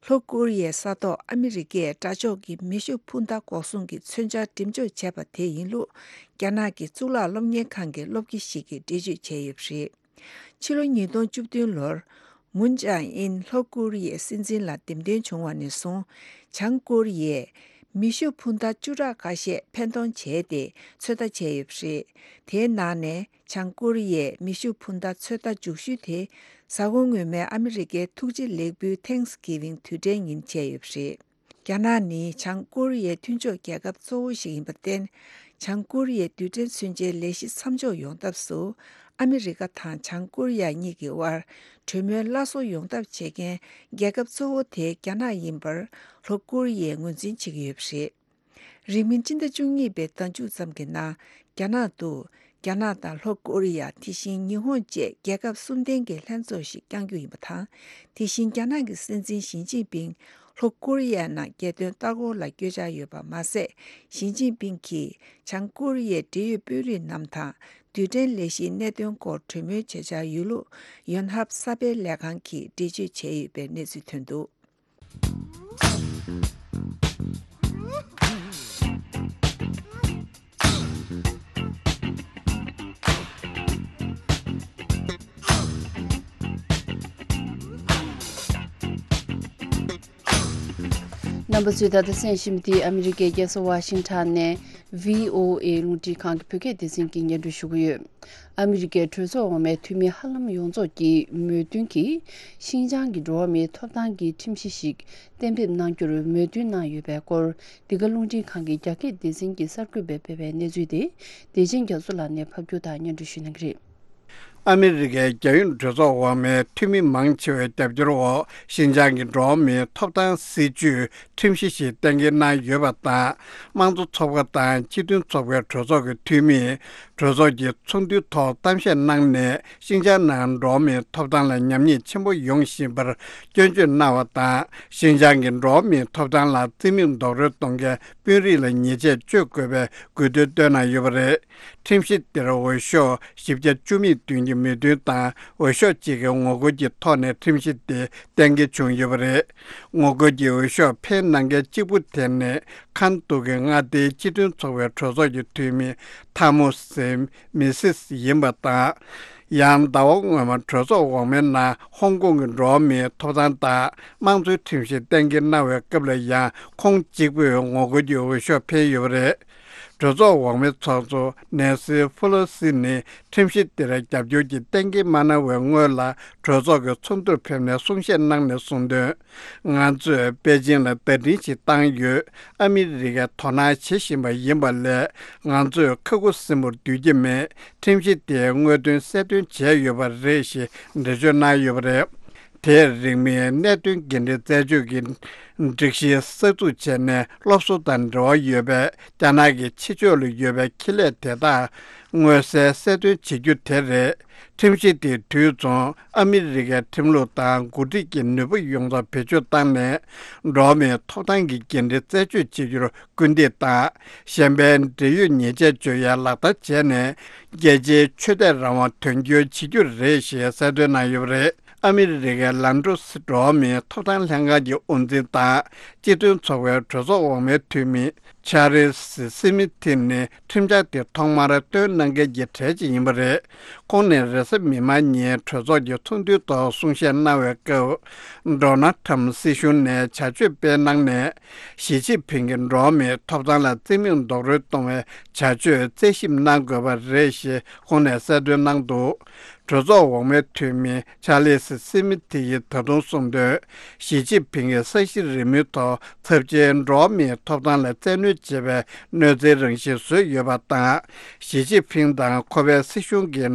ལྷོ་ཀོ་རི་ཡའི་ས་ཐོག་ཨ་མི་རི་ཀས་དགྲ་ཕྱོགས་ཀྱི་མེ་ཤུགས་འཕུར་མདའ་འགོག་སྲུང་གི་མཚོན་ཆ་འགྲེམས་འཇོག་བྱས་པ་དེ་ཡིན་ལུགས། རྒྱ་ནག་གི་གཙུག་ལག་སློབ་གཉེར་ཁང་གི་སློབ་དགེ་ཞིག་གིས་འགྲེལ་བརྗོད་བྱས་ཡོད་པ་རེད། ཕྱི་ལོ་ཉིས་སྟོང་བཅུ་བདུན་ལོར། མུན་ཅང་ཨིན་ལྷོ་ཀོ་རི་ཡའི་སྲིད་འཛིན་ལ་འདེམས་ཐོན་བྱུང་བ་ནས་བཟུང་། བྱང་ཀོ་རི་ཡས་མེ་ཤུགས་འཕུར་མདའ་བཅུ་ཕྲག་ཁ་ཤས་འཕེན་གཏོང་བྱས་ཏེ་ཚོད་ལྟ་བྱས་ཡོད་པ་རེད། དེའི་ནང་ནས། བྱང་ཀོ་རི་ཡས་མེ་ཤུགས་འཕུར་མདའ་ཚོད་ལྟ་མཇུག་ཤོས་དེ། གཟའ་འཁོར་སྔོན་མའི་ཨ་མི་རི་ཀའི་ཐུགས་རྗེ་ལེགས་འབུལ་Thanksgiving དུས་དྲན་ཉིན་བྱས་ཡོད་པ་རེད། རྒྱ་ནག་ནི་བྱང་ཀོ་རི་ཡའི་མཐུན་ཕྱོགས་རྒྱལ་ཁབ་གཙོ་བོ་ཞིག་ཡིན་པར་བརྟེན། བྱང་ཀོ་རི་ཡའི་རྡུལ་ཕྲན་མཚོན་ཆའི་ལས་གཞི་མཚམས་འཇོག་ཡོང་ཐབས་སུ། ཨ་མི་རི་ཀ་དང་བྱང་ཀོ་རི་ཡ་གཉིས་ཀྱི་དབར་གྲོས་མོལ་སླར་གསོ་ཡོང་ཐབས་བྱེད་མཁན་རྒྱལ་ཁབ་གཙོ་བོ་དེ་རྒྱ་ནག་ཡིན་པར་ལྷོ་ཀོ་རི་ཡས་ངོས་འཛིན་བྱེད་ཀྱི་ཡོད་པ་རེད། རིང་མིན་སྤྱི་ཟླ་བཅུ་གཉིས་པའི་ཟླ་མཇུག་ཙམ་གྱི་ནང་། རྒྱ་ནག་ཏུ། རྒྱ་ནག་དང་ལྷོ་ཀོ་རི་ཡ། དེ་བཞིན་ཉི་ཧོང་བཅས་རྒྱལ་ཁབ་གསུམ་ལྡན་གྱི་ལྷན་ཚོགས་ཤིག་བསྐྱང་རྒྱུ་ཡིན་པ་དང་། དེ་བཞིན་རྒྱ་ནག་གི་སྲིད་འཛིན་ཞི་ཅིན་ཕིང་ལྷོ་ཀོ་རི་ཡའི་ནང་རྒྱལ་དོན་ལྟ་སྐོར་ལ་བསྐྱོད་འཆར་ཡོད་པ་མ་ཟད། ཞི་ཅིན་ཕིང་གིས་བྱང་ཀོ་རི་ཡའི་འབྲེལ་ཡོད་དཔོན་རིགས་རྣམས་དང་རྡུལ་ཕྲན་ལས་གཞིའི་གནད་དོན་སྐོར་གྲོས་མོལ་བྱེད་འཆར་ཡོད་ལུགས་ཡོན་ཧབ་གསར་སྤེལ་ལས་ཁང་གིས་འགྲེལ་བརྗོད་བྱས་ཡོད་པའི་གནས་ཚུལ་ཐོན་འདུག་རྣམ་པ་ཚོས་ད་ལྟ་གསན་བཞིན་པ་འདི་ཨ་མི་རི་ཀའི་རྒྱལ་ས་ཝ་ཤིང་ཊོན་ནས་བྷི་ཨོ་ཨེ་རླུང་འཕྲིན་ཁང་གི་བོད་སྐད་སྡེ་ཚན་གྱིས་སྙན་སྒྲོན་ཞུ་གི་ཡོད། ཨ་མི་རི་ཀའི་གྲོས་ཚོགས་འོག་མའི་འཐུས་མི་ཧ་ལམ་ཡོངས་རྫོགས་ཀྱིས་མོས་མཐུན་གྱིས་ཤིན་ཅང་གི་འགྲོ་བ་མིའི་ཐོབ་ཐང་གི་ཁྲིམས་གཞི་ཞིག་གཏན་འབེབས་གནང་རྒྱུར་མོས་མཐུན་གནང་ཡོད་པའི་སྐོར། འདི་ག་རླུང་འཕྲིན་ཁང་གི་རྒྱ་སྐད་སྡེ་ཚན་གྱིས་གསར་འགོད་པར་སྤེལ་བའི་གནས་ཚུལ་དེ། བདེ་ཆེན་རྒྱ་མཚོ་ལགས་ནས་ཕབ་སྒྱུར་དང་སྙན་སྒྲོན་ཞུ་གནང་གི་རེད། ཨ་མི་རི་ཀའི་རྒྱལ་ཡོངས་གྲོས་ཚོགས་འོག་མའི་འཐུས་མི་མང་ཆེ་བའི་རྒྱབ་སྐྱོར་འོག་ཤིན་ཅང་གི་འགྲོ་བ་མིའི་ཐོབ་ཐང་སྲིད་ཇུས་ཁྲིམས་གཞི་ཞིག་གཏན་འཁེལ་གནང་ཡོད་པ་དང་། དམངས་གཙོ་ཚོགས་པ་དང་སྤྱི་མཐུན་ཚོགས་པའི་གྲོས་ཚོགས་ཀྱི་འཐུས་མིས་གྲོས་ཚོགས་ཀྱི་ཚོགས་འདུའི་ཐོག་གཏམ་བཤད་གནང་ནས། ཤིན་ཅང་ནང་འགྲོ་བ་མིའི་ཐོབ་ཐང་ལ་ཉམས་ཉེས་ཆེན་པོ་ཡོང་བཞིན་པར་སྐྱོན་བརྗོད་གནང་བ་དང་། ཤིན་ཅང་གི་འགྲོ་བ་མིའི་ཐོབ་ཐང་ལ་རྩིས་མེད་རྡོག་རོལ་གཏོང་མཁན་དཔོན་རིགས་ལ་ཉེས་ཆད་གཅོད་དགོས་པའི་དགོས་འདུན་བཏོན་གནང་ཡོད་པ་རེད། ཁྲིམས་གཞི་དེར་འོས་ཤོག་བཞི་བརྒྱ་བཅུ་མེད་བདུན་གྱི་མོས་མཐུན་དང་། འོས་ཤོག་གཅིག་གི་ངོ་རྒོལ་གྱི་ཐོག་ནས་ཁྲིམས་གཞི་དེ་གཏན་འཁེལ་བྱུང་ཡོད་པ་རེད། ངོ་རྒོལ་གྱི་འོས་ཤོག་འཕེན་གནང་མཁན་གཅིག་པུ་དེ་ནི་ཁ་ཐུག་གི་མངའ་སྡེའི་སྤྱི་མཐུན་ཚོགས་པའི་གྲོས་ཚོགས་ཀྱི་འཐུས་མི་ཐ་མོ་སི་མི་སིས་ཡིན་པ་དང་། ཡང་ཟླ་བ་སྔོན་མ་གྲོས་ཚོགས་འོག་མའི་ནང་ཧོང་ཀོང་གི་འགྲོ་བ་མིའི་ཐོབ་ཐང་དང་དམངས་གཙོའི་ཁྲིམས་གཞི་གཏན་འཁེལ་གནང་བའི་སྐབས་ལ་ཡང་ཁོང་གཅིག་པུས་ངོ་རྒོལ་གྱི་འོས་ཤོག་འཕེན་ཡོད་པ་རེད། གྲོས་ཚོགས་འོག་མའི་ཚོགས་གཙོ་ནེན་སི་ཕུ་ལོ་སི་ནི་ཁྲིམས་གཞི་དེར་རྒྱབ་སྐྱོར་གྱིས་གཏན་འཁེལ་མ་གནང་བའི་སྔོན་ལ་གྲོས་ཚོགས་ཀྱི་ཚོགས་འདུར་ཕེབས་ནས་གསུང་བཤད་གནང་ནས་གསུངས་དོན། ང་ཚོས་པེ་ཅིང་ལ་བརྡ་འཕྲིན་ཞིག་བཏང་ཡོད། ཨ་མི་རི་ཀས་དོ་སྣང་བྱེད་བཞིན་པ་ཡིན་པ་ལས། ང་ཚོས་ཁ་ཁུ་སིམ་པོར་སྡོད་ཀྱི་མེད། ཁྲིམས་གཞི་དེའི་དངོས་དོན་གསལ་སྟོན་བྱས་ཡོད་པ་རེད་ཞེས་འགྲེལ་བརྗོད་གནང་ཡོད་པ་རེད། དེས་རིང་མིན་གནད་དོན་འགན་འཁྲི་རྩད་གཅོད་ཀྱི་སྒྲིག་གཞི་གསར་འཛུགས་བྱས་ནས། སློབ་གསོ་དང་འབྲེལ་བ་ཡོད་པའི་རྒྱ་ནག་གི་ཕྱི་ཕྱོགས་ལ་ཡོད་པའི་ཁེ་ལས་དེ་དག་མངོན་གསལ་གསལ་སྟོན་བྱེད་རྒྱུ་དེ་རེད། ཁྲིམས་གཞི་དེ་དུས་མཚུངས་ཨ་མི་རི་ཀའི་ཁྲིམས་ལུགས་དང་འགོ་ཁྲིད་ཀྱི་ནུས་པ་ཡོངས་རྫོགས་བེད་སྤྱོད་བཏང་ནས། འགྲོ་བ་མིའི་ཐོབ་ཐང་གི་འགན་འཁྲི་རྩད་གཅོད་བྱེད་རྒྱུར་སྐུལ་འདེད་དང་། གཞན་ཕན་འབྲེལ་ཡོད་ཉེས་ཆད་གཅོད་ཡ་ལག་བསྟར་བྱས་ནས། རྒྱལ་སྤྱིའི་ཆོས་དད་རང་དབང་དོན་འཁྱོལ་བྱེད་རྒྱུ་རེད་ཞེས་གསལ་སྟོན་གནང་ཡོད་པ་རེད། ཨ་མི་རི་ཀའི་ལན་ཀྲུ་སི་འགྲོ་བ་མིའི་ཐོབ་ཐང་ལྷན་ཁང་གི་དབུ་འཛིན་དང་སྤྱི་མཐུན་ཚོགས་པའི་གྲོས་ཚོགས་འོག་མའི་འཐུས་མི་ཆར་ལི་སི་སི་མི་ཐི་ནི་ཁྲིམས་འཆར་དེ་ཐོག་མར་བཏོན་གནང་མཁན་གྱི་གྲས་ཅིག་ཡིན་པ་རེད། ཁོང་ནས་རེས་གཟའ་མིག་དམར་ཉིན་གྲོས་ཚོགས་ཀྱི་ཚོགས་འདུའི་ཐོག་གསུང་བཤད་གནང་བའི་སྐབས། ཌོ་ནལ་ཁྲམ་སྲིད་གཞུང་ནས་བྱ་སྤྱོད་སྤེལ་གནང་ནས། ཞི་ཅིན་ཕིང་གི་འགྲོ་བ་མིའི་ཐོབ་ཐང་ལ་བརྩི་མེད་རྡོག་རོལ་གཏོང་བའི་བྱ་སྤྱོད་རྩད་ཞིབ་གནང་དགོས་པ་རེད་ཞེས་ཁོང་ནས་གསལ་སྟོན་གནང་འདུག་གྲོས་ཚོགས་འོག་མའི་འཐུས་མི་ཆར་ལི་སི་སི་མི་ཐི་ཡིས་ད་དུང་གསུངས་དོན། ཞི་ཅིན་ཕིང་གིས་ས་གཞི་རིལ་མོའི་ཐོག་ཚབས་ཆེའི་འགྲོ་བ་མིའི་ཐོབ་ཐང་ལ་བཙན་གནོན་བྱེད་པའི་གནོད་འཚེའི་རང་བཞིན་བཟོས་ཡོད་པ་དང་། ཞི་ཅིན་ཕིང་དང་ཁོ་པའི་སྲིད་གཞུང་གིས་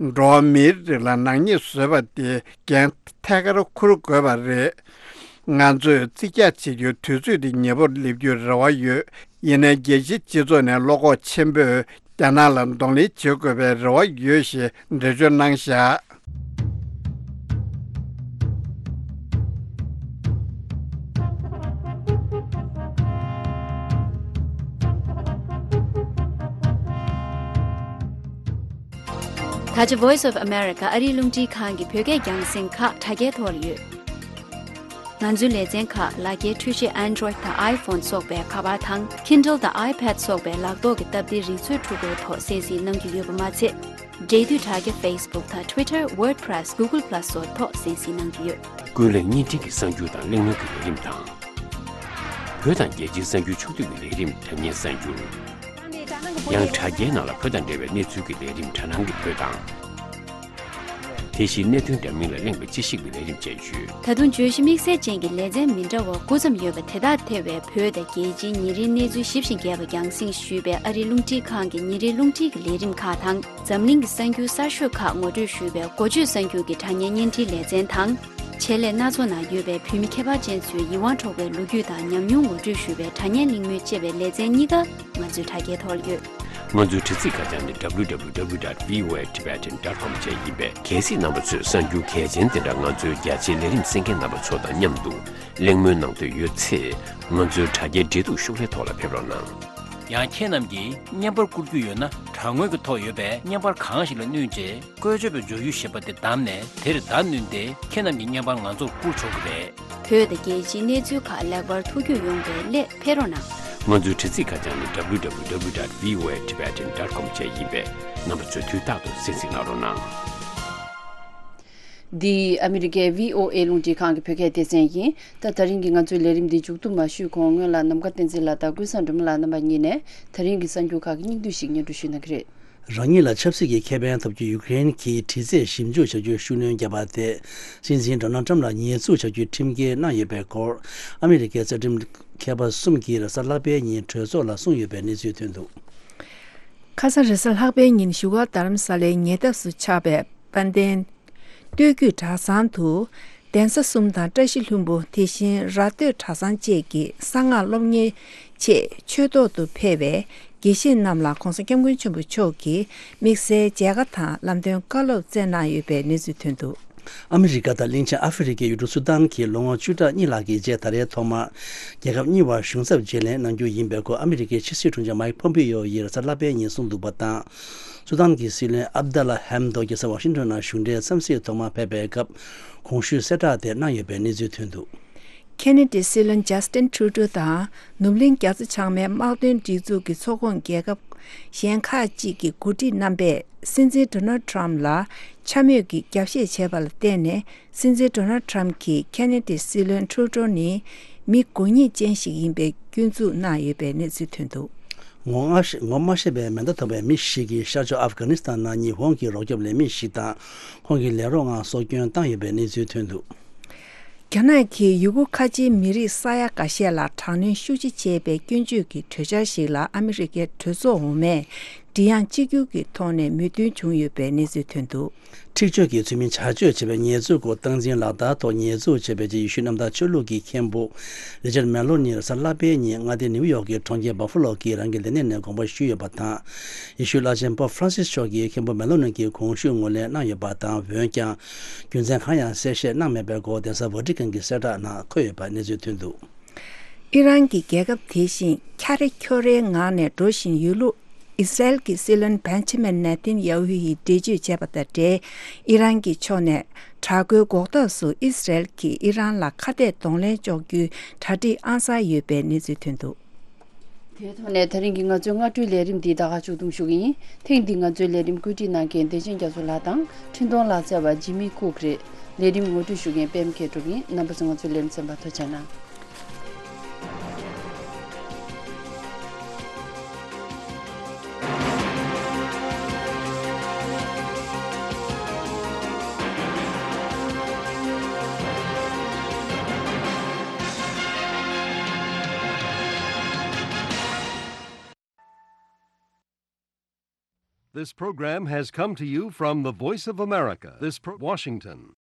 འགྲོ་བ་མིའི་རིགས་ལ་ནག་ཉེས་བཟོས་པ་དེ་འགན་ཐད་ཀར་འཁུར་དགོས་པ་རེད། ང་ཚོས་རྩིས་རྒྱག་བྱེད་རྒྱུའི་དུས་ཚོད་དེ་ཉེ་པོར་སླེབས་རྒྱུའི་རེ་བ་ཡོད། ཡིན་ནའི་རྒྱལ་སྤྱིའི་སྤྱི་ཚོགས་ནས་བློ་ཁོག་ཆེན་པོས་རྒྱ་ནག་ལ་གདོང་ལེན་བྱེད་དགོས་པའི་རེ་བ་ཡོད་ཞེས་འགྲེལ་བརྗོད་གནང་བཞག་ད་ཆ་Voice of America ཨ་རིའི་རླུང་འཕྲིན་ཁང་གི་བོད་སྐད་རྒྱང་སྲིང་ཁག་དྲ་རྒྱའི་ཐོག་ལ་ཡོད། ང་ཚོའི་ལེ་ཚན་ཁག་ལག་འཁྱེར་འཕྲུལ་ཆས་Android དང་iPhone སོགས་པའི་ཁ་པར་དང་Kindle དང་iPad སོགས་པའི་ལག་ཐོག་གི་སྟབས་བདེའི་རིག་མཛོད་འཕྲུལ་འཁོར་ཐོག་གསན་གཟིགས་གནང་རྒྱུ་ཡོད་པ་མ་ཚད། འབྲེལ་མཐུད་དྲ་རྒྱ་Facebook དང་Twitter, WordPress, Google Plus སོགས་ཐོག་གསན་གཟིགས་གནང་རྒྱུ་ཡོད། ཀུན་གླེང་བརྙན་འཕྲིན་གྱི་གསར་འགྱུར་དང་གླེང་མོལ་གྱི་ལས་རིམ་དང་། བོད་དང་རྒྱལ་སྤྱིའི་གསར་འགྱུར་ཕྱོགས་བསྡུས་ཀྱི་ལས་རིམ་དྲ་བརྙན་གསར་འགྱུར། ཡང་དྲ་རྒྱའི་ནང་ལ་བོད་དང་འབྲེལ་བའི་གནས་ཚུལ་གྱི་ལས་རིམ་དྲ་སྣང་གི་བོད་དང་། དེ་བཞིན་གནད་དོན་འདྲ་མིན་ལ་གླེང་བའི་དཔྱད་ཞིབ་ཀྱི་ལས་རིམ་བཅས་ཡོད། ད་དུང་བརྗོད་གཞི་དམིགས་བསལ་ཅན་གྱི་ལེ་ཚན་མི་འདྲ་བ་དགུ་ཙམ་ཡོད་པ་དེ་དག་ཐེ་བའི་བོད་དང་རྒྱལ་སྤྱིའི་ཉིན་རེའི་གནས་ཚུལ་ཞིབ་ཅིང་རྒྱས་པ་རྒྱང་སྲིང་ཞུས་པའི་ཨ་རིའི་རླུང་འཕྲིན་ཁང་གི་ཉིན་རེའི་རླུང་འཕྲིན་གྱི་ལས་རིམ་ཁག་དང་། འཛམ་གླིང་གི་གསར་འགྱུར་གསར་ཤོས་ཁག་ངོ་སྤྲོད་ཞུས་པའི་འགོ་བརྗོད་གསར་འགྱུར་གྱི་དྲ་བརྙན་བརྙན་འཕྲིན་ལེ་ཚན་དང་། ཆེད་ལས་སྣ་ཚོགས་ནང་ཡོད་པའི་བོད་མི་ཁྱད་པར་ཅན་ཚོའི་ཡིད་དབང་འཕྲོག་པའི་ལོ་རྒྱུས་དང་ཉམས་མྱོང་ངོ་སྤྲོད་ཞུས་པའི་དྲ་བརྙན་གླེང་མོལ་ཅེས་པའི་ལེ་ཚན་གཉིས་ཀ་ང་ཚོའི་དྲ་རྒྱའི་ཐོག་ལ་ཡོད། ང་ཚོའི་དྲ་ཚིགས་ཁ་བྱང་ནི་W W W dot V O A Tibetan dot com བཅས་ཡིན་པས། གལ་སྲིད་རྣམ་པ་ཚོས་གསར་འགྱུར་གལ་ཆེན་དེ་འདྲ་ང་ཚོའི་རྒྱ་ཆེའི་ལས་རིམ་གསན་མཁན་རྣམ་པ་ཚོ་དང་མཉམ་དུ་གླེང་མོལ་གནང་འདོད་ཡོད་ཚེ། ང་ཚོའི་དྲ་རྒྱའི་འབྲེལ་གཏུག་ཤོག་ལྷེ་ཐོག་ལ་ཕེབས་རོགས་གནང་། ཡང་ཁྱེད་རྣམས་ཀྱིས་བརྙན་པར་བསྐུར་རྒྱུ་ཡོད་ན། དྲ་ངོས་ཀྱི་ཐོག་ཡོད་པའི་བརྙན་པར་གང་ཞིག་ལ་བསྣུན་རྗེས། བཀོལ་སྤྱོད་པའི་མཇུག་ཡུ་ཞེས་པ་དེ་བདམས་ནས། དེར་བརྡ་བསྣུན་ཏེ། ཁྱེད་རྣམས་ཀྱི་བརྙན་པར་ང་ཚོར་བསྐུར་ཆོག་གི་རེད། བོད་དང་རྒྱལ་སྤྱིའི་གནས་ཚུལ་ཁག་ལེགས་པར་ཐུགས་རྒྱུས་ཡོང་བའི་སླད་ཕེབས་རོགས་གནང་། ང་ཚོའི་དྲ་ཚིགས་ཁ་བྱང་ནི་W W W dot V O A Tibetan dot com བཅས་ཡིན་པས། རྣམ་པ་ཚོས་དུས་རྟག་ཏུ་གསན་གཟིགས་གནང་རོགས་གནང་། འདི་ཨ་མི་རི་ཀའི་V O A རླུང་འཕྲིན་ཁང་གི་བོད་སྐད་སྡེ་ཚན་ཡིན། ད་ད་རིང་གི་ང་ཚོའི་ལས་རིམ་འདི་མཇུག་བསྡོམས་མ་ཞུས་གོང་སྔོན་ལ་ནམ་མཁའ་བསྟན་འཛིན་ལགས་དང་ཀུན་བཟང་སྒྲོལ་མ་ལགས་རྣམ་པ་གཉིས་ནས་ད་རིང་གི་གསར་འགྱུར་ཁག་གི་སྙིང་བསྡུས་ཤིག་སྙན་སྒྲོན་ཞུ་གནང་གི་རེད། རང་ཉིད་ལ་ཆབ་སྲིད་ཀྱི་ཁེ་ཕན་ཐོབ་རྒྱུའི་ཡུཀ་རེན་གྱི་གྲི་རྩད་ཞིབ་འཇུག་བྱ་རྒྱུར་ཤུགས་སྣོན་བརྒྱབ་པ་དེ། སྲིད་འཛིན་ཌོ་ནལ་ཊམ་ལ་ཉེས་འཛུགས་བྱ་རྒྱུའི་ཁྲིམས་འགལ་གནང་ཡོད་པའི་སྐོར། ཨ་མི་རི་ཀའི་རྩ་ཁྲིམས་མཁས་པ་གསུམ་གྱིས་རེས་གཟའ་ལྷག་པའི་ཉིན་གྲོས་ཚོགས་ལ་གསུངས་ཡོད་པའི་གནས་ཚུལ་ཐོན་འདུག་ཁ་སང་རེས་གཟའ་ལྷག་པའི་ཉིན་བཞུགས་སྒར་རྡ་རམ་ས་ལའི་ཉེ་འདབས་སུ་ཆགས་པའི་དཔལ་ལྡན་སྟོད་རྒྱུད་གྲྭ་ཚང་དུ། གདན་ས་གསུམ་དང་བཀྲ་ཤིས་ལྷུན་པོ། དེ་བཞིན་ར་སྟོད་གྲྭ་ཚང་བཅས་ཀྱི་གསང་སྔགས་སློབ་གཉེར་ཆེད་ཆོས་ཐོག་ཏུ་ཕེབས་པའི་དགེ་བཤེས་རྣམས་ལ་༸གོང་ས་༸སྐྱབས་མགོན་ཆེན་པོ་མཆོག་གིས་དམིགས་བསལ་མཇལ་ཁ་དང་ལམ་སྟོན་བཀའ་སློབ་སྩལ་གནང་ཡོད་པའི་གནས་ཚུལ་ཐོན་འདུག་ཨ་མི་རི་ཀ་དང་གླིང་ཆེན་ཨ་ཧྥེ་རི་ཁའི་ཡུལ་གྲུ་སུ་དཱན་གྱིས་ལོ་ངོ་བཅུ་ཕྲག་གཉིས་ལྷག་གི་རྗེས་ད་རེས་ཐོག་མར་རྒྱལ་ཁབ་གཉིས་བར་གཞུང་ཚབ་བརྗེ་ལེན་གནང་རྒྱུ་ཡིན་པའི་སྐོར་ཨ་མི་རི་ཀའི་ཕྱི་སྲིད་དྲུང་ཆེ་མའིག་ཕོམ་པེ་ཡོ་ཡིས་རེས་གཟའ་ལྷག་པའི་ཉིན་གསུངས་འདུག་པ་དང་། སུ་དཱན་གྱི་སྲིད་བློན་ཨབ་དཱ་ལ་ཧེམ་དོག་གིས་གཟའ་ཝ་ཤིང་ཊོན་ནང་གཞུང་འབྲེལ་འཚམས་གཟིགས་ཐོག་མར་ཕེབས་པའི་སྐབས་གོང་ཞུས་གསལ་བསྒྲགས་དེ་གནང་ཡོད་པའི་གནས་ཚུལ་ཐོན་འདུག་ཁེ་ན་ཌའི་སྲིད་བློན་ཇ་སི་ཊིན་ཁྲུ་ཌོ་དང་ནུབ་གླིང་རྒྱ་མཚོ་བྱང་མའི་དམག་དོན་སྒྲིག་འཛུགས་ཀྱི་ཚོགས་ཁོངས་རྒྱལ་ཁབ་གཞན་ཁག་ཅིག་གི་འགོ་ཁྲིད་རྣམ་པས་སྲིད་འཛིན་ཌོ་ནལ་ཌི་ཊརམ་ཕ་ལ་འཕྱ་སྨོད་ཀྱི་རྒྱབ་བཤད་བྱས་པ་ལ་བརྟེན་ནས། སྲིད་འཛིན་ཌོ་ནལ་ཌི་ཊརམ་ཕ་གྱིས་ཁེ་ན་ཌའི་སྲིད་བློན་ཁྲུ་ཌོ་ནི་མི་མགོ་རྙིང་ཅན་ཞིག་ཡིན་པའི་སྐྱོན་འཛུགས་གནང་ཡོད་པའི་གནས་ཚུལ་ཐོན་འདུག་ངོ་ང་ཤེས་ངོ་མ་ཤེས་པའི་མེ་མདའ་ཐོགས་པའི་མི་ཞིག་གིས་ཤར་ཕྱོགས་ཨབ་གྷ་ནི་སི་ཐན་ནང་ཉི་ཧོང་གི་རོགས་སྐྱོབ་ལས་མི་ཞིག་དང་ཁོང་གི་ལས་རོགས་ལྔ་སྲོག་སྐྱོན་བཏང་ཡོད་པའི་གནས་ཚུལ་ཐོན་འདུག་རྒྱ་ནག་གིས་ཡུ་གུར་ཁ་ཆེའི་མི་རིགས་ས་ཡ་འགའ་ཤས་ལ་དྲག་གནོན་ཤུགས་ཆེ་བྱས་པའི་སྐྱོན་བརྗོད་ཀྱི་གྲོས་འཆར་ཞིག་ལ་ཨ་མི་རི་ཀའི་གྲོས་ཚོགས་འོག་མས་མགྲིན་དབྱངས་གཅིག་གྱུར་གྱི་ཐོག་ནས་མོས་མཐུན་བྱུང་ཡོད་པའི་གནས་ཚུལ་ཐོན་འདུག་འཁྲིག་སྤྱོད་ཀྱི་ཚུལ་མིན་བྱ་སྤྱོད་བྱས་པའི་ཉེས་འཛུགས་སྐོར་སྟངས་འཛིན་ལག་བསྟར་ཐོག་ཉེས་འཛུགས་བྱས་པའི་རྗེས་ཡེ་ཤུའི་གནམ་བདག་ཆོས་ལུགས་ཀྱི་མཁན་པོ་རི་ཅར་མེ་ལོ་ནི་རེས་གཟའ་ལྷག་པའི་ཉིན་མངའ་སྡེ་ནིའུ་ཡོག་གི་གྲོང་ཁྱེར་བྷ་ཧྥ་ལོ་གི་རང་གི་ལས་གནས་ནས་དགོངས་པ་ཞུས་ཡོད་པ་དང་། ཡེ་ཤུའི་བླ་ཆེན་པོབ་ཧྥ་རན་སིས་མཆོག་གིས་མཁན་པོ་མེ་ལོ་ནི་གི་གོང་ཞུས་ངོས་ལེན་གནང་ཡོད་པ་དང་། འོན་ཀྱང་། རྒྱུ་མཚན་གང་ཡང་གསལ་བཤད་གནང་མེད་པའི་སྐོར་གདན་ས་ཝ་ཏི་ཀན་གྱི་གསལ་བསྒྲགས་ནང་འཁོད་ཡོད་པ་གནས་ཚུལ་ཐོན་འདུག་ཨི་རན་གྱི་རྒྱལ་ཁབ་དེ་བཞིན་འཁྱར་རེ་འཁྱོར་རེའི་ངང་ནས་འགྲོ་བཞིན་ཡོད་ལུགས། ཨི་སི་རལ་གྱི་སྲིད་བློན་བན་ཆི་མེན་ནེ་ཐན་ཡ་ཧུ་ཡིས་འགྲེལ་བརྗོད་བྱས་པ་དང་འབྲེལ། ཨི་རན་གྱི་ཕྱོགས་ནས་ དྲག་རྒོལ་འགོག་ཐབས་སུ་ཨི་སི་རལ་གྱིས་ཨི་རན་ལ་ཁ་གཏད་གདོང་ལེན་གཅོག་རྒྱུའི་གྲ་སྒྲིག་ཨང་གསར་ཡོད་པའི་གནས་ཚུལ་ཐོན་འདུག། དེའི་ཐོག་ནས་ད་རིང་གི་ང་ཚོའི་སྔ་དྲོའི་ལས་རིམ་འདི་ད་ག་མཇུག་བསྡོམས་ཞུ་གི་ཡིན། ཐེངས་འདིའི་ང་ཚོའི་ལས་རིམ་བཀོད་སྒྲིག་གནང་མཁན་བདེ་ཆེན་རྒྱ་མཚོ་ལགས་དང་འཕྲིན་གཏོང་ལག་རྩལ་བ་ཇི་མི་ཀུག་རེད། ལས་རིམ་ངོ་སྤྲོད་ཞུ་མཁན་པད་མ་མཁས་གྲུབ་ཡིན། རྣམ་པ་ཚོ་ང་ཚོའི་ལས་རིམ་གསན་པར་ཐུགས་རྗེ་གནང་། This program has come to you from the Voice of America, this pro- Washington.